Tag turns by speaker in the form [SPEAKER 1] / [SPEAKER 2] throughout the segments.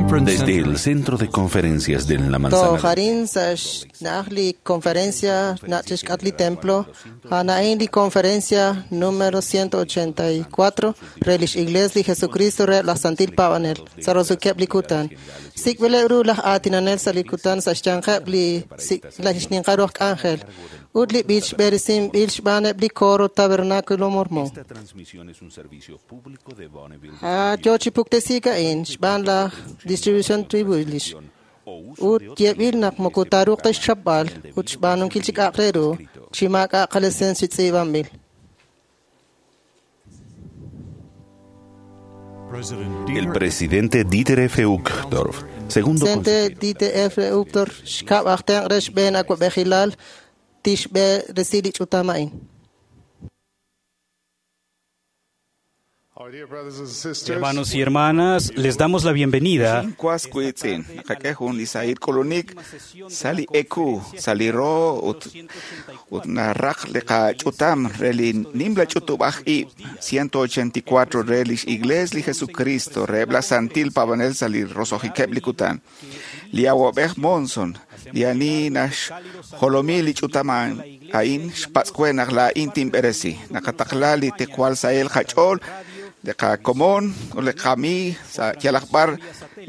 [SPEAKER 1] conference
[SPEAKER 2] Desde
[SPEAKER 1] center
[SPEAKER 2] el Centro de Conferencias de la Manzana.
[SPEAKER 3] Tojarin sa xna'aj li conferencia na' chixk'at li templo, a'an li conferencia número 184 re lix Iglesia li Jesucristo re laj Santil Paab'anel sa' roso'keb' li kutan. Sik'b'ileb' ru laj aatinanel sa' li kutan sa' xyanqeb' li laj xninqal ru aj k'anjel ut li b'ich b'eresinb'il xb'aaneb' li coro Tabernáculo Mormón.
[SPEAKER 2] Esta transmisión es un servicio público de Bonneville.
[SPEAKER 3] Yo chi puktesiik a'in xb'aan laj Distribution Tribulish ut yeeb'il naq moko taaruuq ta xchapb'al ut xb'aanunkil chi k'a'aq re ru chi maak'a' qalicencia tz'iib'anb'il.
[SPEAKER 1] President
[SPEAKER 2] El
[SPEAKER 1] Dieter
[SPEAKER 2] presidente Dieter F. Uchtdorf, segundo
[SPEAKER 3] Presidente
[SPEAKER 2] consejero.
[SPEAKER 3] Dieter F. Uchtdorf xkab' aj tenq' re xb'een awa'b'ejilal tixb'eresi li ch'utam a'in.
[SPEAKER 4] Our dear brothers and sisters,
[SPEAKER 5] Hermanos y hermanas, les damos la bienvenida
[SPEAKER 6] Kwas kuitzin, nakakehun lisair kolonik, sali eku, sali ro, ut, ut naraq liqa chutam, reli nimla chutubaj i, 184 relish igles li Jesucristo, rebla santil pavanel sali rosojikeb likutan. Li awabej monson, li ani nax jolomi li chutaman, ain xpatzkue la intim beresi, nakatakla li tekwal sael hachol, li qakomon ut li qami sa' yalaq b'ar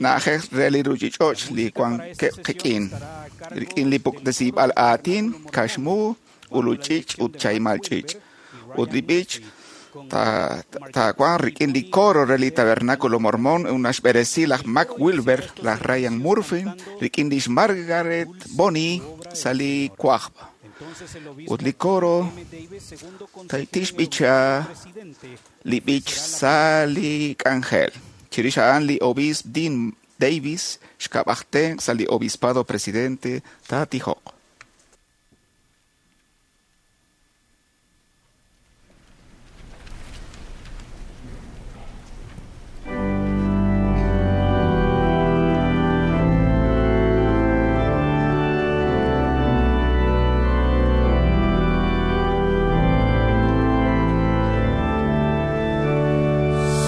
[SPEAKER 6] na'ajej re li ruuchich'och' li wankeb' qik'in rik'in li puktesib'al aatin kaxmu uluch'ich' ut chaymal ch'ich' ut li b'ich taawanq rik'in li coro re li Tabernáculo Mormón naxb'eresi laj Mac Wilber laj Ryan Murphy rik'in lix Margaret Bonnie sa' li kuajb' ut li coro tixb'icha li b'ich sa' li k'anjel. Chirix a'an li obiisp Dean Davis xkab'aj tenq' sa' li obispado presidente taatijoq.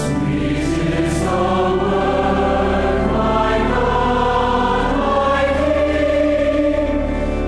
[SPEAKER 4] Sweet is the word, my God, my King.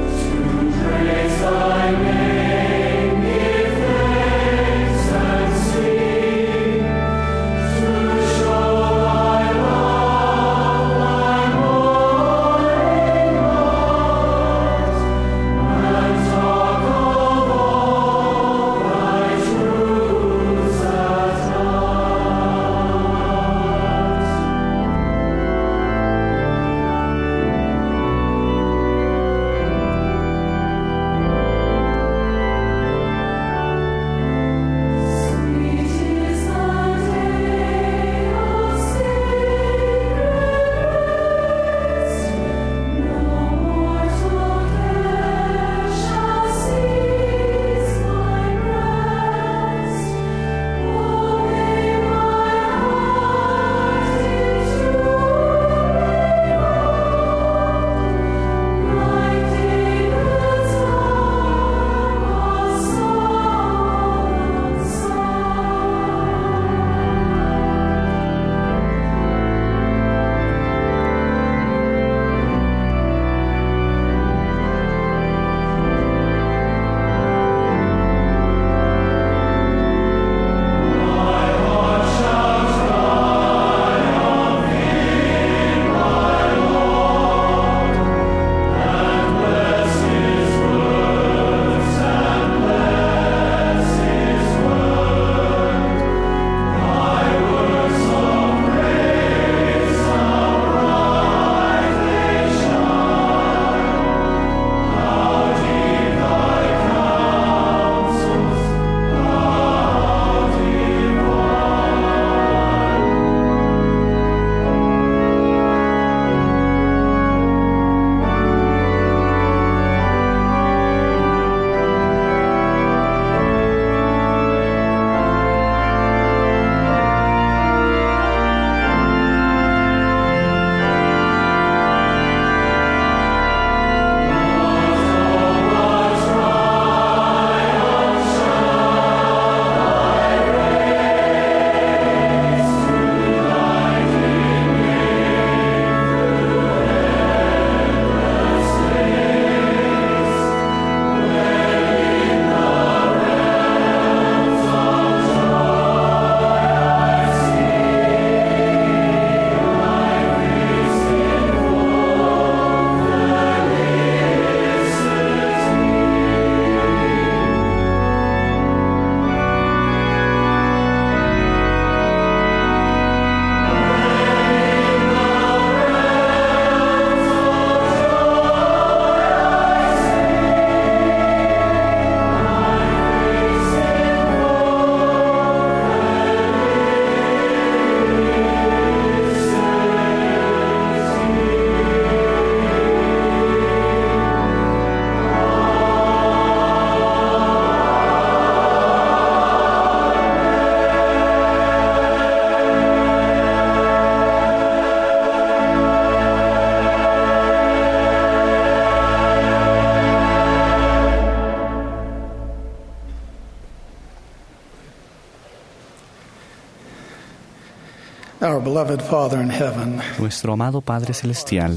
[SPEAKER 1] Our beloved Father in heaven,
[SPEAKER 7] Nuestro amado Padre Celestial,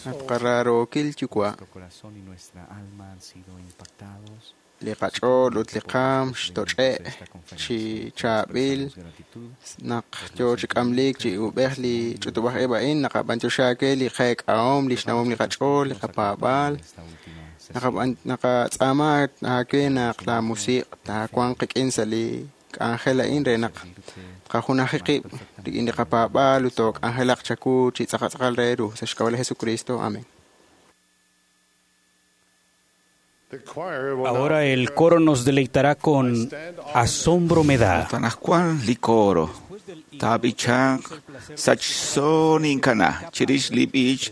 [SPEAKER 8] At qararookil yuwa'
[SPEAKER 7] nuestro corazón y nuestra alma han sido impactados
[SPEAKER 8] li qach'ool ut li qaam xtoch'e' chi chaab'il naq yoo chi k'amliik chi ub'ej li ch'utub'aj ib' a'in naqab'antioxi li qeek'ahom li xnawom li qach'ool li qapaab'aal naqatz'aama aawe naq la musiq' taawanq qik'in sa' li k'anjel a'in re naq tqajunaji qib' rik'in li qapaab'aal ut took'anjelaq chawu chi tz'aqal re ru sa' xk'ab'a' li Jesucristo. Amén.
[SPEAKER 4] the choir will now
[SPEAKER 5] Ahora el coro nos deleitará con Asombro me da.
[SPEAKER 6] Ut anaqwan li coro taab'ichanq sachso ninkana chirix li b'ich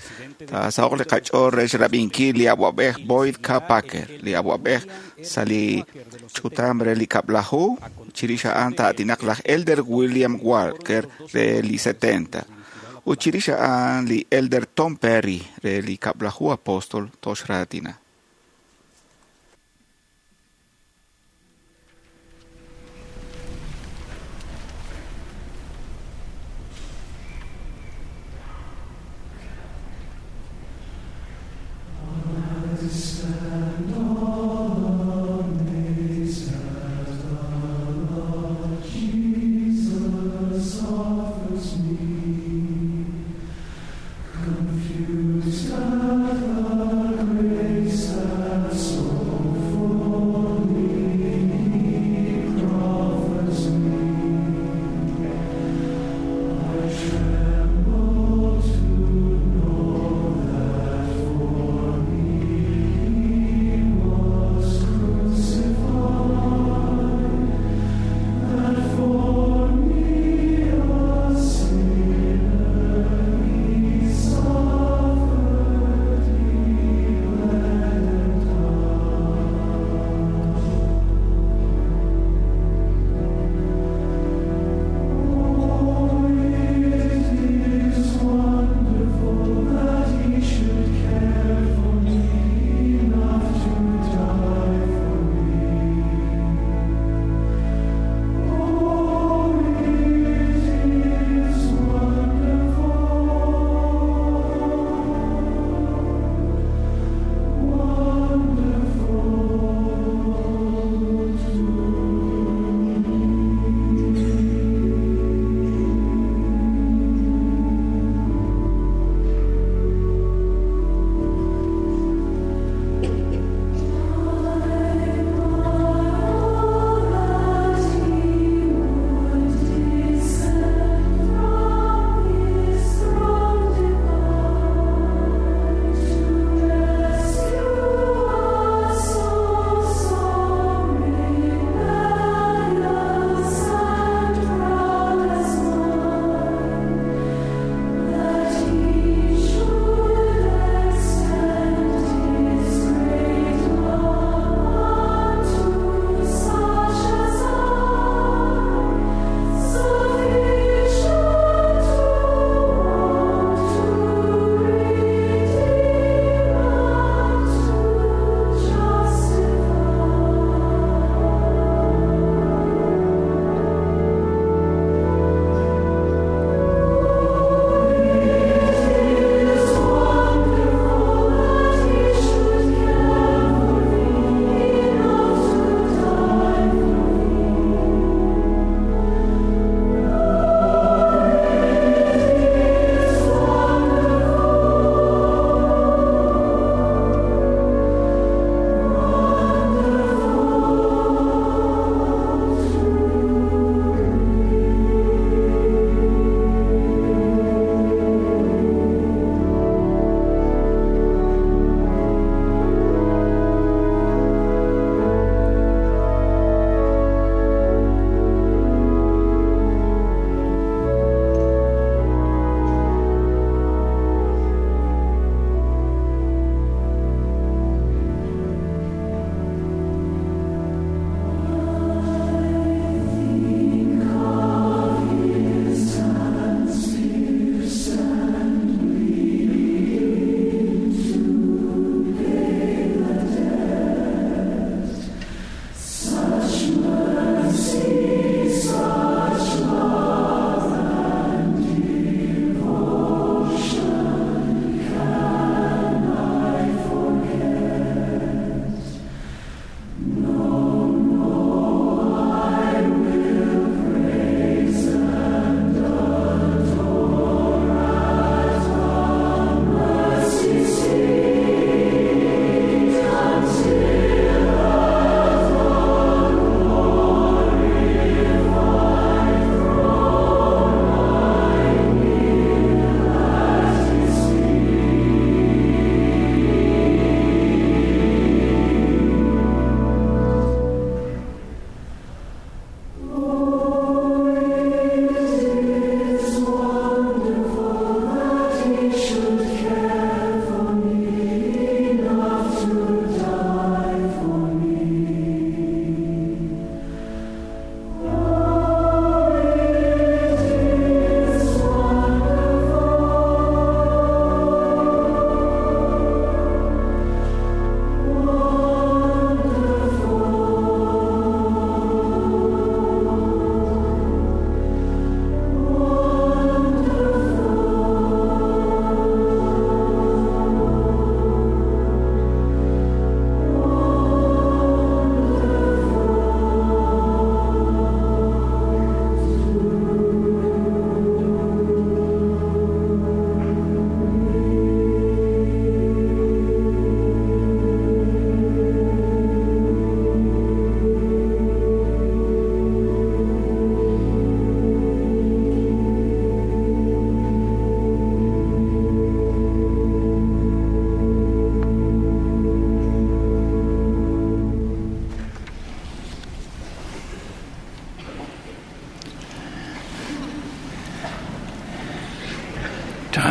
[SPEAKER 6] taasahoq li qach'ool re xrab'inkil li awab'ej Boyd K. Packer li awab'ej sa' li ch'utam re li kab'laju chirix a'an taatinaq laj Elder William Walker re li 70 ut chirix a'an li Elder Tom Perry re li kab'laju apóstol toxraatina.
[SPEAKER 1] Confused at the grace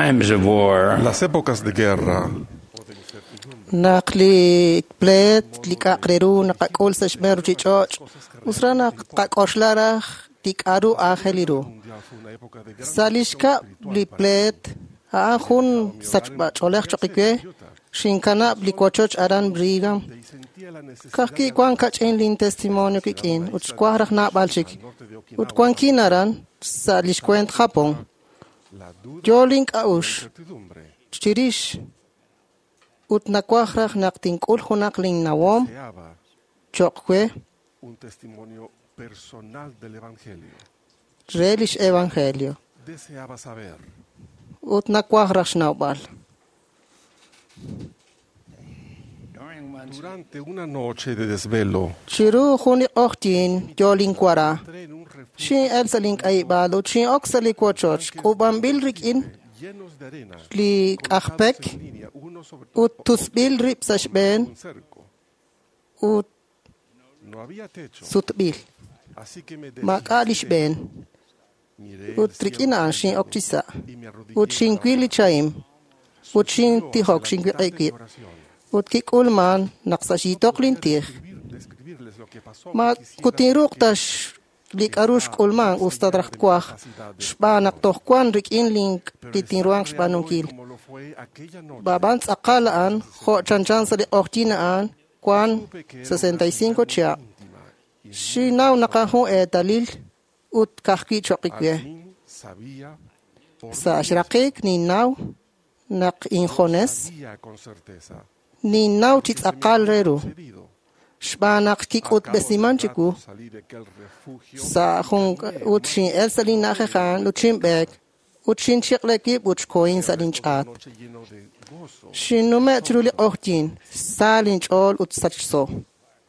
[SPEAKER 9] times of war,
[SPEAKER 4] Las épocas de guerra
[SPEAKER 3] Naq li pleet li k'a'aq re ru naqak'ul sa' xb'een ruchich'och' us raj naq qak'oxla raj li k'a'ru aajel ru. Sa' li xkab' li pleet a'an jun sachb'ach'oolej choq' we xinkanab' li wochoch aran Brigham. Ka'ajwi' wan kach'in lin testimonio kik'in ut xwaj raj naab'al chik. Ut wankin aran sa' lix kueent Japón. Yo link'a'uxl chirix ut nawaj raj naq tink'ul junaq linnawom
[SPEAKER 4] deseaba
[SPEAKER 3] choq' we
[SPEAKER 4] un testimonio personal del Evangelio.
[SPEAKER 3] re lix evangelio
[SPEAKER 4] Deseaba saber
[SPEAKER 3] ut nawaj raj xnawb'al.
[SPEAKER 9] during one
[SPEAKER 4] Durante una noche de desvelo,
[SPEAKER 3] Chiru jun li q'oqyin yo linwara
[SPEAKER 4] entré en un refugio
[SPEAKER 3] xin'el sa' link'ayib'aal ut xin'ok sa' li wochoch k'uub'anb'il rik'in
[SPEAKER 4] llenos de arena,
[SPEAKER 3] li k'ajpek
[SPEAKER 4] colocados en línea, uno sobre
[SPEAKER 3] ut tusb'il rib' sa' xb'een
[SPEAKER 4] un cerco.
[SPEAKER 3] ut
[SPEAKER 4] No había techo,
[SPEAKER 3] sutb'il
[SPEAKER 4] así que me
[SPEAKER 3] maak'a' li
[SPEAKER 4] deslicé,
[SPEAKER 3] xb'een
[SPEAKER 4] miré el
[SPEAKER 3] ut
[SPEAKER 4] cielo
[SPEAKER 3] rik'in a'an xin'ok chi sa'
[SPEAKER 4] y me arrodillé
[SPEAKER 3] ut xinwil li chahim ut
[SPEAKER 4] hacia
[SPEAKER 3] xintijok
[SPEAKER 4] la
[SPEAKER 3] xinwiq'i
[SPEAKER 4] mitad de mi
[SPEAKER 3] wib'
[SPEAKER 4] oración.
[SPEAKER 3] ut kik'ulman naq sa' xyitoq lintij
[SPEAKER 4] Describirles lo que pasó,
[SPEAKER 3] ma
[SPEAKER 4] quisiera
[SPEAKER 3] kutinruuq
[SPEAKER 4] porque
[SPEAKER 3] ta li k'a'ru xk'ulman us ta raj twaj xb'aan naq toj wan rik'in lin
[SPEAKER 4] pero
[SPEAKER 3] li
[SPEAKER 4] es
[SPEAKER 3] tinruhanq
[SPEAKER 4] tan real hoy
[SPEAKER 3] xb'aanunkil
[SPEAKER 4] como lo fue aquella noche.
[SPEAKER 3] Bab'an tz'aqal a'an jo' chanchan sa' li q'oqyin a'an wan
[SPEAKER 4] Supe que era una
[SPEAKER 3] 65
[SPEAKER 4] señal muy
[SPEAKER 3] chihab'
[SPEAKER 4] íntima y muy
[SPEAKER 3] xinnaw naq a'an jun eetalil ut ka'ajwi' choq'
[SPEAKER 4] Al
[SPEAKER 3] we
[SPEAKER 4] fin sabía por
[SPEAKER 3] sa'
[SPEAKER 4] mí
[SPEAKER 3] xraqik ninnaw naq injones
[SPEAKER 4] sabía con certeza
[SPEAKER 3] ninnaw chi
[SPEAKER 4] que se me
[SPEAKER 3] tz'aqal
[SPEAKER 4] había
[SPEAKER 3] re ru
[SPEAKER 4] sucedido.
[SPEAKER 3] xb'aan naq
[SPEAKER 4] Al cabo de un
[SPEAKER 3] kik'utb'esiman
[SPEAKER 4] rato
[SPEAKER 3] chiwu
[SPEAKER 4] salí de aquel refugio
[SPEAKER 3] sa' jun ut xin'el sa' linna'ajej a'an ut xinb'eek ut xinchiq'le wib' ut xkohin sa'
[SPEAKER 4] el resto de la
[SPEAKER 3] linch'aat
[SPEAKER 4] noche lleno de gozo.
[SPEAKER 3] xinnume' chiru li q'oqyin sa linch'ool ut sachso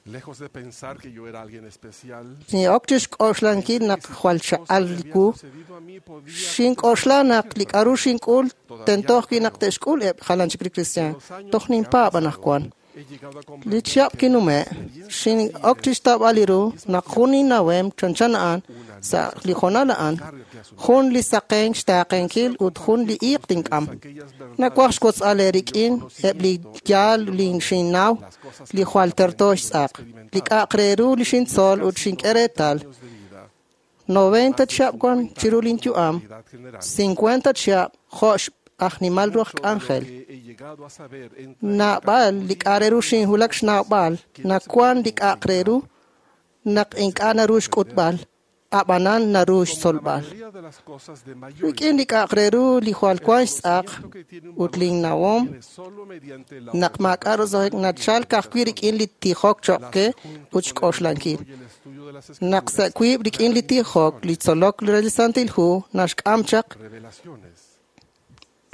[SPEAKER 4] Lejos de pensar que yo era alguien especial,
[SPEAKER 3] xin'ok chi xk'oxlankil naq jwal
[SPEAKER 4] cosa
[SPEAKER 3] chaq'al
[SPEAKER 4] que había
[SPEAKER 3] wu
[SPEAKER 4] sucedido a mí podía
[SPEAKER 3] xink'oxla naq li k'a'ru xink'ul tento ajwi' naq te'xk'ul eb' jalan chik li cristian toj ninpaab' anaqwan
[SPEAKER 4] he llegado a
[SPEAKER 3] li
[SPEAKER 4] comprender
[SPEAKER 3] chihab'
[SPEAKER 4] que
[SPEAKER 3] kinume' xin'ok chi xtawb'al li ru naq jun innawem chanchan a'an sa' li jonal a'an jun li saqenk xtaaqenkil ut jun li iiq tink'am
[SPEAKER 4] aquellas verdades
[SPEAKER 3] nawaj xwotz'al eerik'in eb' li yaal li xinnaw li jwal terto xtz'aq li k'a'aq re ru li xintzol ut xink'e reetal
[SPEAKER 4] años de vida,
[SPEAKER 3] 90 chihab' wan chiru linyu'am
[SPEAKER 4] edad general,
[SPEAKER 3] 50 chihab' jo' aj nimal ru aj k'anjel
[SPEAKER 4] que he llegado a saber entra
[SPEAKER 3] naab'al li k'a' re ru xinwulak xnawb'al nawan li k'a'aq re ru naq ink'a' naru xk'utb'al ab'anan naru
[SPEAKER 4] como la
[SPEAKER 3] xtzolb'al
[SPEAKER 4] mayoría de las cosas de mayor
[SPEAKER 3] rik'in li k'a'aq re ru li jwal wan xtz'aq
[SPEAKER 4] conocimiento que tiene un
[SPEAKER 3] ut
[SPEAKER 4] valor
[SPEAKER 3] linnawom
[SPEAKER 4] viene solo mediante la
[SPEAKER 3] naq maak'a' roso'jik nachal ka'ajwi' rik'in li tijok choq' ke ut xk'oxlankil
[SPEAKER 4] y el estudio de las
[SPEAKER 3] naq sa' wiib' rik'in li tijok li tzolok re li Santil Hu naxk'am chaq
[SPEAKER 4] revelaciones,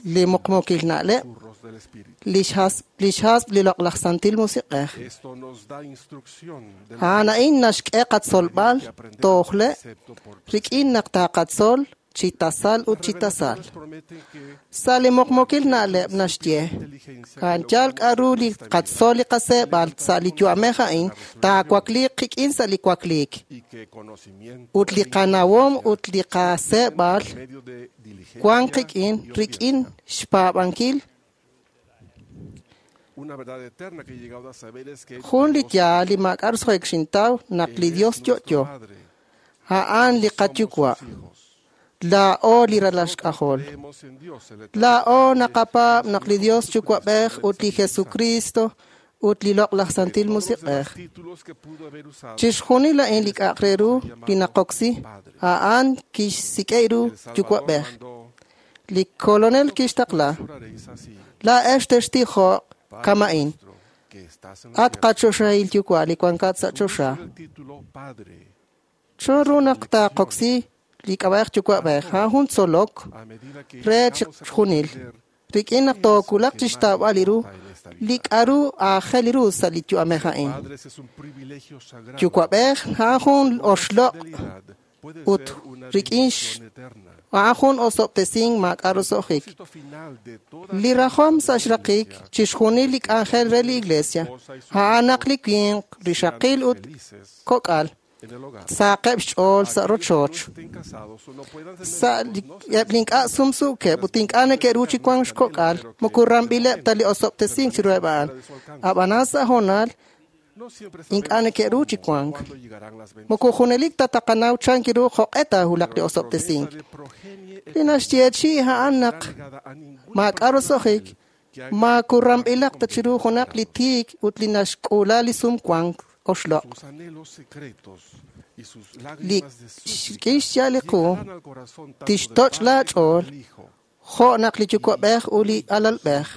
[SPEAKER 3] li muqmuukil na'leb'
[SPEAKER 4] curros del Espíritu.
[SPEAKER 3] li xhasb' li loq'laj Santil Musiq'ej
[SPEAKER 4] Esto nos da instrucción de lo
[SPEAKER 3] a'an a'in naxk'e qatzolb'al
[SPEAKER 4] que aprender
[SPEAKER 3] tojle'
[SPEAKER 4] precepto por
[SPEAKER 3] rik'in naq taqatzol chi tasal ut chi tasal
[SPEAKER 4] Revelaciones prometen que
[SPEAKER 3] sa' li muqmuukil na'leb' naxye
[SPEAKER 4] inteligencia
[SPEAKER 3] a'an yaal k'a'ru li qatzol li qaseeb'al sa' li yu'amej a'in taawakliiq qik'in sa' li wakliik
[SPEAKER 4] y que conocimiento
[SPEAKER 3] ut li qanawom ut li qaseeb'al
[SPEAKER 4] por medio de diligencia
[SPEAKER 3] wan qik'in
[SPEAKER 4] y
[SPEAKER 3] rik'in
[SPEAKER 4] obediencia.
[SPEAKER 3] xpaab'ankil
[SPEAKER 4] Una verdad eterna que he llegado a saber es que
[SPEAKER 3] jun li
[SPEAKER 4] Dios
[SPEAKER 3] yaal li maak'a' roso'jik xintaw naq li
[SPEAKER 4] es
[SPEAKER 3] Dios
[SPEAKER 4] nuestro
[SPEAKER 3] yo'yo
[SPEAKER 4] Padre,
[SPEAKER 3] a'an li
[SPEAKER 4] somos
[SPEAKER 3] qayuwa'
[SPEAKER 4] sus hijos.
[SPEAKER 3] laa'o li ralal xk'ajol
[SPEAKER 4] Creemos en Dios, el eterno
[SPEAKER 3] laa'o naqapaab' naq li Dios yuwa'b'ej ut li Jesucristo ut li loq'laj Santil
[SPEAKER 4] Todos los
[SPEAKER 3] Musiq'ej
[SPEAKER 4] demás títulos que pudo haber usado,
[SPEAKER 3] chixjunil a'in li k'a'aq re ru li naqoksi a'an kixsik'e ru
[SPEAKER 4] el Salvador
[SPEAKER 3] yuwa'b'ej
[SPEAKER 4] mandó,
[SPEAKER 3] li Kolonel kixtaqla
[SPEAKER 4] oraréis así,
[SPEAKER 3] laa'ex textijoq
[SPEAKER 4] Padre
[SPEAKER 3] kama'in
[SPEAKER 4] nuestro que estás en los
[SPEAKER 3] at
[SPEAKER 4] cielos.
[SPEAKER 3] qachoxahil yuwa' li wankat sa' choxa
[SPEAKER 4] El título Padre,
[SPEAKER 3] chan ru naq taqoksi li k'ab'a'ej yuwa'b'ej a'an jun tzolok
[SPEAKER 4] a medida que
[SPEAKER 3] re
[SPEAKER 4] llegamos a
[SPEAKER 3] chixjunil
[SPEAKER 4] comprender
[SPEAKER 3] rik'in naq toowulaq chi xtawb'al li ru li k'a'ru aajel ru sa' li yu'amej a'in
[SPEAKER 4] padres es un privilegio sagrado.
[SPEAKER 3] yuwa'b'ej a'an jun oxloq'
[SPEAKER 4] Fidelidad puede
[SPEAKER 3] ut
[SPEAKER 4] ser una
[SPEAKER 3] rik'in
[SPEAKER 4] bendición eterna.
[SPEAKER 3] a'an jun osob'tesink maak'a' roso'jik
[SPEAKER 4] Propósito final de toda
[SPEAKER 3] li rajom sa' xraqik chixjunil li k'anjel re li iglesia a'an naq li winq rixaqil ut
[SPEAKER 4] felices
[SPEAKER 3] kok'al Saqeb' xch'ool sa' rochoch. Sa' eb' li ink'a' sumsuukeb' ut ink'a' neke'ru chi wank xkok'al, moko ramb'ileb' ta li osob'tesink chiruheb' a'an. Ab'anan sa' hoonal ink'a' neke'ru chi wank. Moko junelik ta taqanaw chan ru jo'q'e taahulaq li osob'tesink. Li naxyeechi'i a'an naq maak'a' roso'jik, maakuramb'ilaq ta chiru junaq li tiik ut li naxk'uula li sumwank oxloq'. Li rik'in xya'al li qu tixtoch' laach'ool jo' naq li yuwa'b'ej ut li alalb'ej.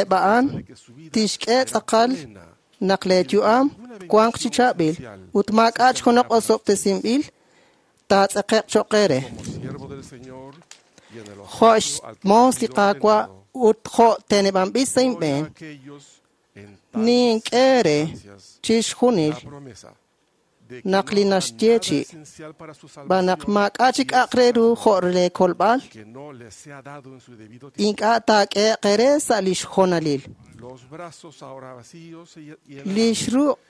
[SPEAKER 3] Eb' a'an tixk'e tz'aqal naq leeyu'am wanq chi chaab'il ut maak'a' junaq osob'tesinb'il taatz'eqe'q cho'q eere. Jo' xmoos li Qaawa' ut jo' teneb'anb'il sa' inb'een, nink'e eere chixjunil naq li naxyeechi' xb'aan naq maak'a' chik k'a'aq re ru jo' leekolb'al, ink'a' taak'ehe'q eere sa' li xhonalil. Li xruq'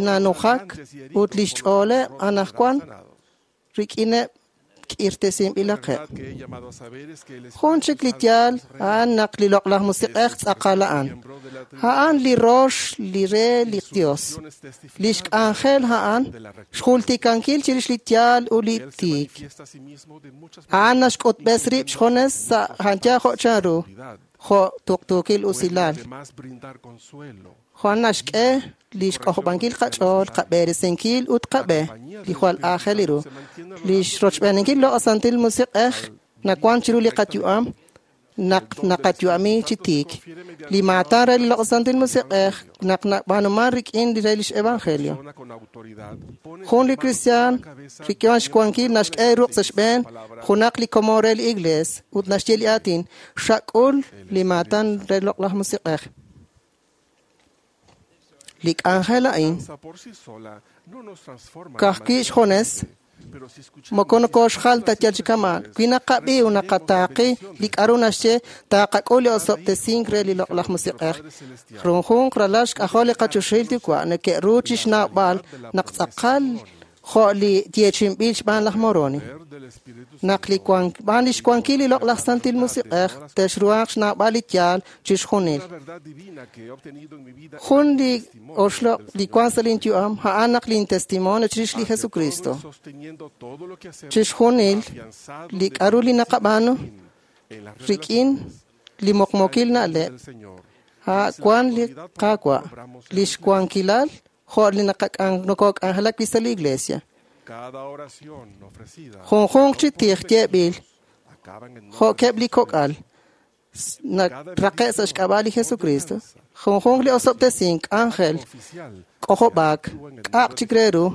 [SPEAKER 3] nanujak ut li xch'ooleb' anaqwan rik'ineb' k'irtesinb'ilaqeb'. Jun chik li yaal a'an naq li Loq'laj Musiq'ej tz'aqal a'an. A'an li rox li re li Dios. Lix k'anjel a'an xjultikankil chirix li yaal ut li tiik. A'an naxk'utb'es rib' xjunes sa' janya jo' chanru, jo' tuqtuukil usilal. Jo'an naxk'e li xk'ojob'ankil qach'ool, qab'eresinkil ut qab'e li jwal aajel ru. Li xrochb'eeninkil Loq' Santil Musiq'ej nawan chiru li qayu'am naq naqayu'ami chi tiik. Li maatan re li Loq' Santil Musiq'ej naq nab'aanuman rik'in li re lix evangelio. Jun li kristiaan rik'in xwankil naxk'e ruq' sa' xb'een junaq li komon re li iglees ut naxye li aatin xak'ul li maatan re Loq'laj Musiq'ej. Li k'anjel a'in ka'ajwi' xjunes moko nokoxjal ta yal chi kama'. Wi naqab'i ut naqataaqi li k'a'ru naxye, taaqak'ul li osob'tesink re li Loq'laj Musiq'ej. Junjunq ralal xk'ajol li qachoxahil Yuwa' neke'ru chixnawb'al naq tz'aqal jo' li yeechi'inb'il xb'aan laj Moroni. Naq li b'aan lix wankil li Loq'laj Santil Musiq'ej texruhanq xnawb'al li yaal chixjunil. Jun li oxloq' li wan sa' lin yu'am a'an naq lin testimonio chirix li Jesucristo. Chixjunil li k'a'ru li naqab'aanu rik'in li muqmuukil na'leb' a' wan li Qaawa', lix wankilal jo' li nokok'anjelak wi' sa' li iglesia. Junjunq chi tij yeeb'il jo'keb' li kok'al naraqe' sa' xk'ab'a' li Jesucristo. Junjunq li osob'tesink k'anjel k'ojob'aak k'a'aq chik re ru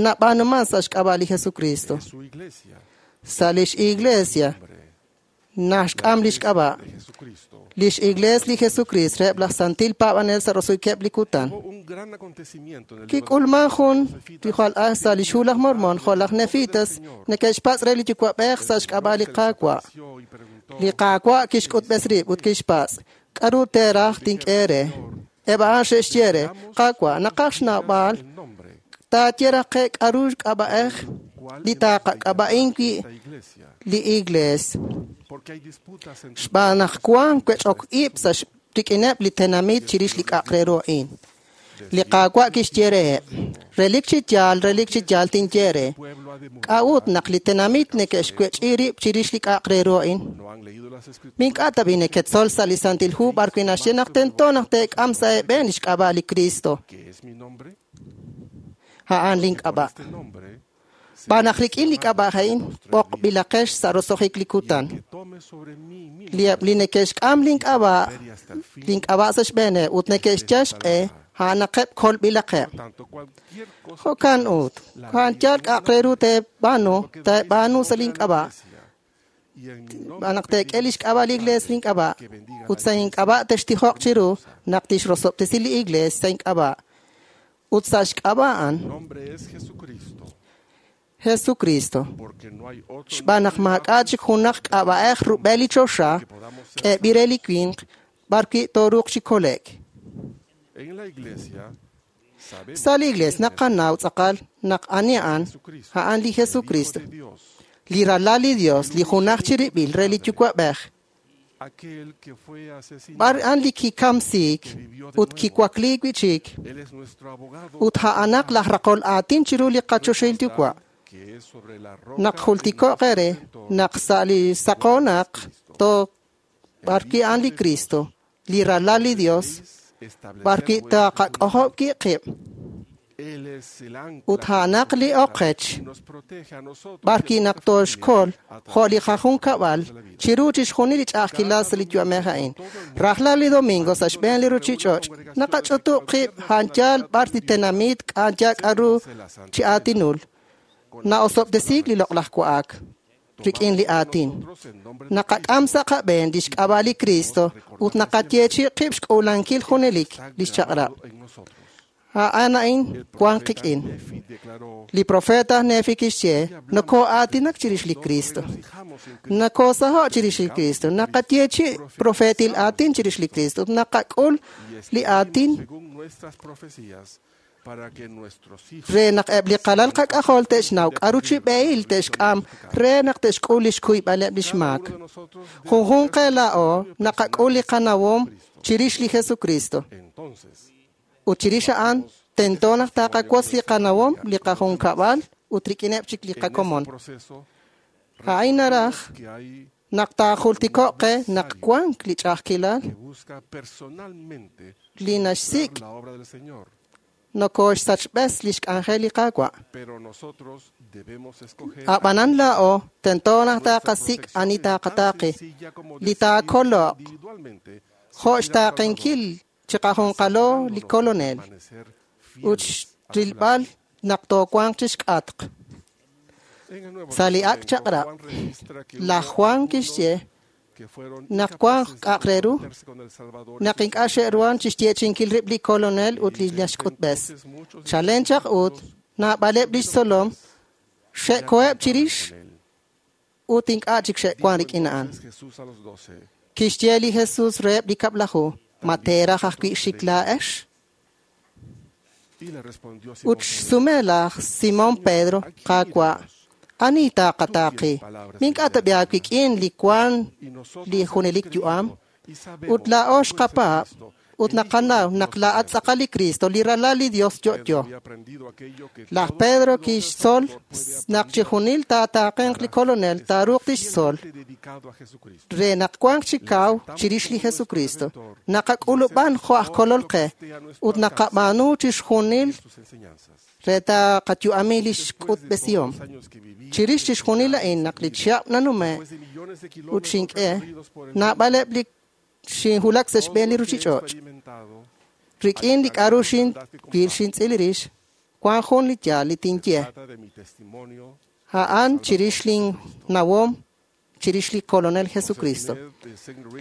[SPEAKER 3] nab'aanuman sa' xk'ab'a' li Jesucristo. Sa' lix iglesia naxk'am lix k'ab'a'. Lix iglees li Jesucristo reheb' laj santil paab'anel sa' roso'jikeb' li kutan. Kik'ulman jun li jwal aj sa' lix hu laj Mormon jo' laj Nefitas neke'xpatz' re li Yuwa'b'ej sa' xk'ab'a' li Qaawa'. Li Qaawa' kixk'utb'es rib' ut kixpatz', k'a'ru teeraj tink'e eere? Eb' a'an xe'xye re, Qaawa', naqaj xnawb'al taaye raj qe k'a'ru k'ab'a'ej li taaqak'ab'a'in wi' li iglees. Xb'aan naq wan wech'ok ib' sa' rik'ineb' li tenamit chirix li k'a'aq re ru a'in. Li Qaawa' kixye reheb', relik chi yaal tinye re. K'a'ut naq li tenamit neke'xwech'i rib' chirix li k'a'aq re ru a'in? Mink'a' tab'i neketzol sa' li Santil Hu b'ar wi' naxye naq tento naq teek'am sa' eeb'een lix k'ab'a' li Cristo. A'an lin k'ab'a'. Xb'aan naq rik'in li k'ab'a' a'in b'oqb'ilaqex sa' roso'jik li kutan. Li neke'xk'am lin k'ab'a' sa' xb'eeneb' ut neke'xyal xq'e a'anaqeb' kolb'ilaqeb'. Jo'kan ut, a'an yaal k'a'aq re ru teeb'aanu sa' lin k'ab'a'. Xb'aan naq teek'e lix k'ab'a' li iglees lin k'ab'a' ut sa' ink'ab'a' textijoq chiru naq tixrosob'tesi li iglees sa' ink'ab'a' ut sa' xk'ab'a' a'an Jesucristo. Xb'aan naq maak'a' chik junaq k'ab'a'ej rub'el li choxa k'eeb'il re li winq b'ar wi' tooruuq chi kole'k. Sa' li Iglees naqanaw tz'aqal naq ani a'an, a'an li Jesucristo, li ralal li Dios, li junaj chirib'il re li Yuwa'b'ej. B'ar a'an li kikamsiik ut kiwakliik wi'chik ut a'anaq laj raqol aatin chiru li qachoxahil Yuwa'. Naq jultiko'q eere naq sa' li saqoonaq to b'arwi' a'an li Cristo, li ralal li Dios, b'arwi' taqak'ojob' wi' qib' ut a'anaq li oqech b'arwi' naq tooxkol jo' li qajunkab'al chiru chixjunil li ch'a'ajkilal sa' li yu'amej a'in. Rajlal li domingo sa' xb'een li ruchich'och' naqach'utub' qib' a'an yaal b'ar li tenamit a'an yaal k'a'ru chi aatinul. Na'osob'tesiik li loq'laj wa'ak rik'in li aatin. Naqak'am sa' qab'een lix k'ab'a' li Cristo ut naqayeechi' qib' xk'uulankil junelik lix chaq'rab'. A'an a'in wan qik'in. Li profeta aj Nefi kixye, nokoo'aatinak chirix li Cristo. Nakoosaho' chirix li Cristo. Naqayeechi' profetil aatin chirix li Cristo. Ut naqak'ul li aatin re naq eb' li qalal qak'ajol te'xnaw k'a'ru chi b'ehil te'xk'am re naq te'xk'ul lix kuyb'aleb' lix maak. Junjunq qe laa'o naqak'ul li qanawom chirix li Jesucristo. Ut chirix a'an tento naq taqawotz li qanawom, li qajunkab'al ut rik'ineb' chik li qakomon. A'in naraj naq taajultiko'q qe naq wank li ch'a'ajkilal li naxsik' nokooxsachb'es lix k'anjel li Qaawa'. A'b'anan laa'o tento naq taqasik' ani taqataaqi li taakoloq jo' xtaaqenkil chiqajunqalo li kolonel ut xrilb'al naq toowanq chixk'atq. Sa' li ak' chaq'rab', laj Juan kixye naq wank k'a'aq re ru naq ink'a' xe'ruhan chixyeechi'inkil rib' li kolonel ut li naxk'utb'es. Chalen chaq ut naab'aleb' lix tzolom xe'koheb' chirix ut ink'a' chik xe'wan rik'in a'an. Kixye li Jesus reheb' li kab'laju, ma teeraj ajwi' xik laa'ex? Ut xsume laj Simón Pedro, Qaawa', ani taqataaqi? Mink'a' tab'i aawik'in li wan li junelik yu'am. Ut laa'o xqapaab' ut naqanaw naq laa'at tz'aqal li Cristo, li ralal li Dios yo'yo. Laj Pedro kixtzol naq chixjunil taataaqenq li kolonel taaruuq tixtzol re naq wanq chi kaw chirix li Jesucristo. Naqak'ulub'an jo' aj kolol qe ut naqab'aanu chixjunil re taqayu'ami lix k'utb'esihom. Chirix chixjunil a'in naq li chihab' nanume' ut xink'e naab'aleb' li xinhulak sa' xb'een li ruchich'och'. Rik'in li k'a'ru xinwil xintz'il rix, wan jun li yaal li tinye. A'an chirix lin nawom chirix li kolonel Jesucristo.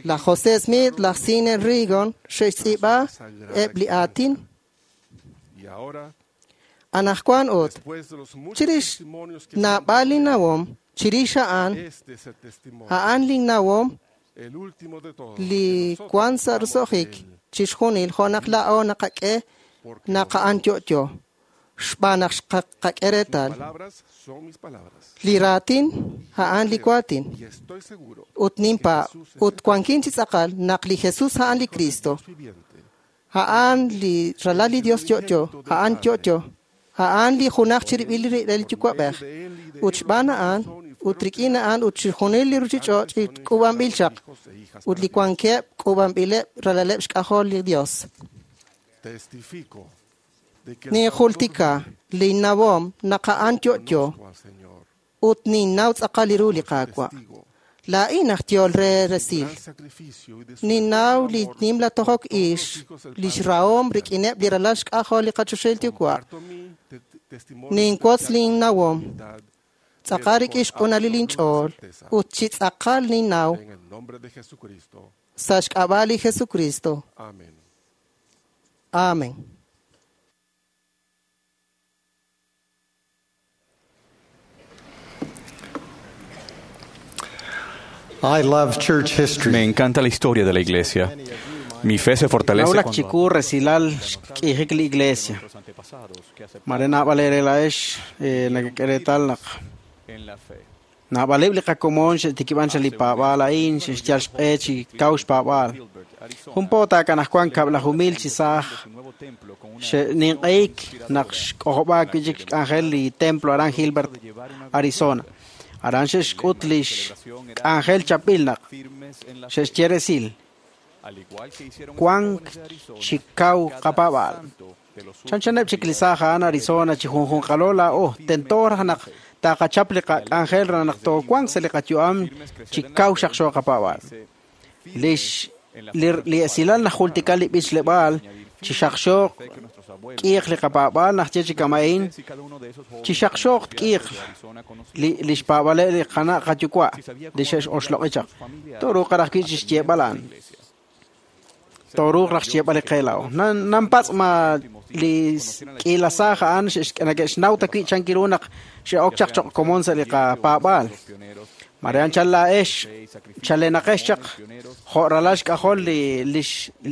[SPEAKER 3] Laj José Smith, laj Sidney Rigdon xe'xtz'iib'a eb' li aatin. Anajwan ut, chirix naab'al li nawom, chirix a'an, a'an lin nawom li wan sa' roso'jik chixjunil jo' naq laa'o naqak'e naq a'an yo'yo xb'aan naq xqak'e reetal. Li raatin a'an li waatin ut ninpaab' ut wankin chi tz'aqal naq li Jesus a'an li Cristo, a'an li ralal li Dios yo'yo, a'an yo'yo, a'an li junaj chirib'il li Yuwa'b'ej ut xb'aan a'an ut rik'in a'an ut chixjunil li ruchich'och' li k'uub'anb'il chaq ut li wankeb' k'uub'anb'ileb' ralaleb' xk'ajol li Dios. Ninjultika linnawom naq a'an yo'yo ut ninnaw tz'aqal li ru li Qaawa'. Laa'in aj yool re resil. Ninnaw li nimla tojok ix lix rahom rik'ineb' li ralal xk'ajol li qachoxahil Yuwa'. Ninwotz linnawom tz'aqal rik'in xq'unalil inch'ool ut chi tz'aqal ninnaw sa' xk'ab'a' li Jesucristo. Amén.
[SPEAKER 1] I love church history.
[SPEAKER 10] Me encanta la historia de la iglesia. Mi fe se fortalece
[SPEAKER 8] Nawulak
[SPEAKER 10] cuando
[SPEAKER 8] chiku resilal xk'ijik li iglesia. Mare naab'al eere laa'ex nakek'e naq naab'aleb' li qakomon xe'tikib'an xa li paab'aal a'in xe'xyal xq'e chi kaw xpaab'aal. Jun po taakanajwan kab'laju mil chi saaj xe'ninq'ehik naq xk'ojob'aak wi'chik xk'anjel li templo aran Gilbert, Arizona. Aran xe'xk'ut li xk'anjel chapb'il naq xe'xye resil wank chi kaw qapaab'aal. Chanchaneb' chik li saaj a'an Arizona chi junjunqalo laa'o tento raj naq taqachap li qak'anjel re naq toowanq sa' li qayu'am chi kaw xaqxo qapaab'aal. Lix li esilal najultika li b'ichleb'aal chi xaqxooq k'iiq li qapaab'aal najye chi kama'in chi xaqxooq k'iiq li xpaab'aleb' li qana' qayuwa' li xe'oxloq'i chaq. Tooruuq raj wi' chi xyeeb'al a'an. Tooruuq raj xyeeb'al li qe laa'o. Nanpatz' ma li k'iila saaj a'an nake'xnaw ta wi' chan kiru naq xe'ok chaq choq' komon sa' li qapaab'aal. Mare anchal laa'ex chalenaqex chaq jo' ralal xk'ajol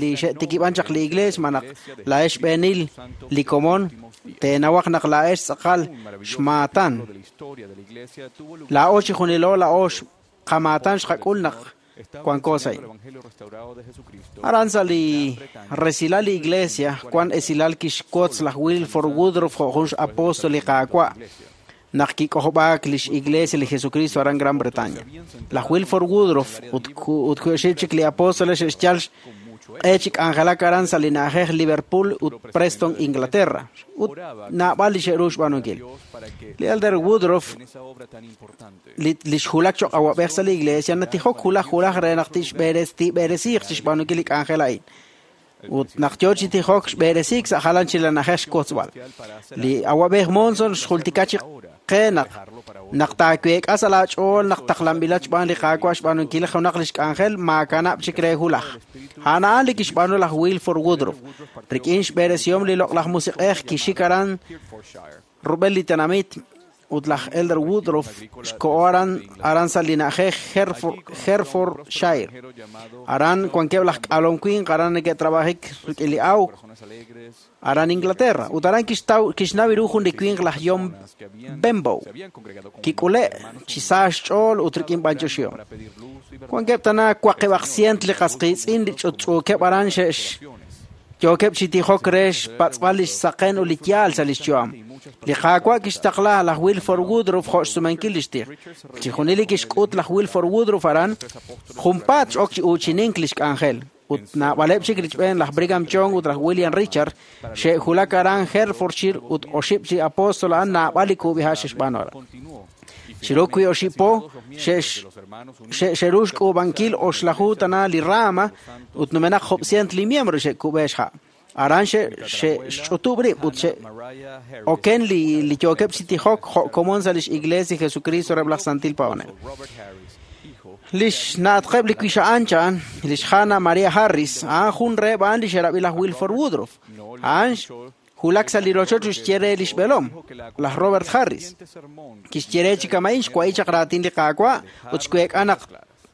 [SPEAKER 8] li xe'tikib'an chaq li iglees ma naq laa'ex xb'eenil li komon teenawaq naq laa'ex tz'aqal xmaatan. Laa'o chi junilo laa'o qamaatan xqak'ul naq wanko sa' Aran sa' li resilal li iglesia wan esilal kixwotz laj Wilford Woodruff jo' jun xapostol li Qaawa' naq kik'ojob'aak lix iglesia li Jesucristo aran Gran Bretaña. Laj Wilford Woodruff ut ku'exib' chik li apóstoles xe'xyal xq'e chi k'anjelak aran sa' li na'ajej Liverpool ut Preston, Inglaterra, ut naab'al li xe'ru xb'aanunkil. Li Elder Woodruff li xwulak choq' awab'ej sa' li iglesia natijok wulaj wulaj re naq tib'eresiiq chi xb'aanunkil li k'anjel a'in. Ut naq yo chi tijok xb'eresiik sa' jalan chi la na'ajej xkotzb'al. Li awab'ej Monson xjultika chi qe naq naq taaweek'a sa' laach'ool naq taqlanb'ilat xb'aan li Qaawa' xb'aanunkil junaq li xk'anjel maakanab' chik re wulaj. A'an a'an li kixb'aanu laj Wilford Woodruff. Rik'in xb'eresihom li loq'laj musiq'ej kixik aran rub'el li tenamit ut laj Elder Woodruff xko'o aran sa' li na'ajej Herefordshire. Aran wankeb' laj k'alom winq aran neke'trab'ajik rik'in li awk aran Inglaterra. Ut aran kixnaw ru jun li winq laj John Benbow. Kik'ule' chi sa xch'ool ut rik'in b'anyoxihom. Wankeb' tana waqib'aq sient li qasqiitz'in li ch'utch'uukeb' aran xe'x yookeb' chi tijok re xpatz'b'al li xsaqen ut li yaal sa' li xyu'am. Li Qaawa' kixtaqla laj Wilford Woodruff jo' xsumenkil li xtij. Chi junil li kixk'ut laj Wilford Woodruff aran, junpaat x'ok chi uuchinink li xk'anjel. Ut naab'aleb' chik richb'een laj Brigham Young ut laj William Richard xe'wulak aran Herefordshire ut oxib' chi apostol a'an naab'al li kub'iha' xe'xb'aanu aran. Chiru wi' oxib' po xe'ru xk'uub'ankil oxlaju tana li rama ut numenaq job cient li miembro xe'kub'e xha'. Aran xe'xch'utub' rib' ut xe'oken li yookeb' chi tijok jo' komon sa' lix Iglesia Jesucristo reheb' laj Santil Paab'anel. Lix na'atqeb' li wixa'an cha'an, lix Hannah Maria Harris, a'an jun reheb' a'an li xe'rab'i laj Wilford Woodruff. A'an wulak sa' li rochoch ut xye re lix b'eelom, laj Robert Harris. Kixye re chi kama'in xwa'i chaq raatin li Qaawa' ut xweek'a naq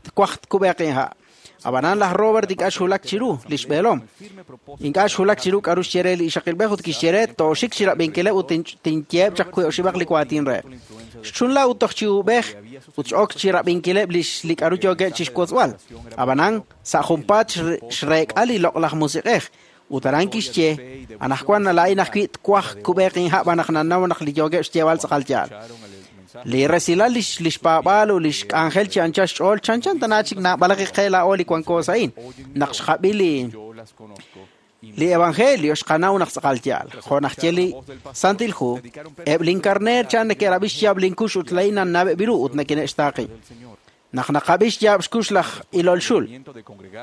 [SPEAKER 8] twaj tkub'eq inha'. Ab'anan laj Robert ink'a' xwulak chiru lix b'eelom. Ink'a' xwulak chiru k'aru xye re li ixaqilb'ej ut kixye re tooxik chi rab'inkileb' ut tinyeeb' chaq wi' oxib'aq li waatin reheb'. Xchunla ut toj chi ub'ej ut x'ok chi rab'inkileb' li k'aru yookeb' chi xwotzb'al. Ab'anan sa' junpaat xreek'a li loq'laj musiq'ej ut aran kixye anaqwan laa'in ajwi' twaj kub'eq inha' b'an naq nanaw naq li yookeb' xyeeb'al tz'aqal yaal. Li resilal lix paab'aal ut lix k'anjel chi anchal xch'ool chanchan tana chik naab'alaq qe laa'o li wanko sa'in naq xqab'i li evangelio xqanaw naq tz'aqal yaal. Jo' naq ye li Santil Hu, eb' linkarneer chan neke'rab'i xyaab' linkux ut laa'in nannab'eb' ru ut neke'xtaaqi. Naq naqab'i xyaab' xkux laj ilol xul,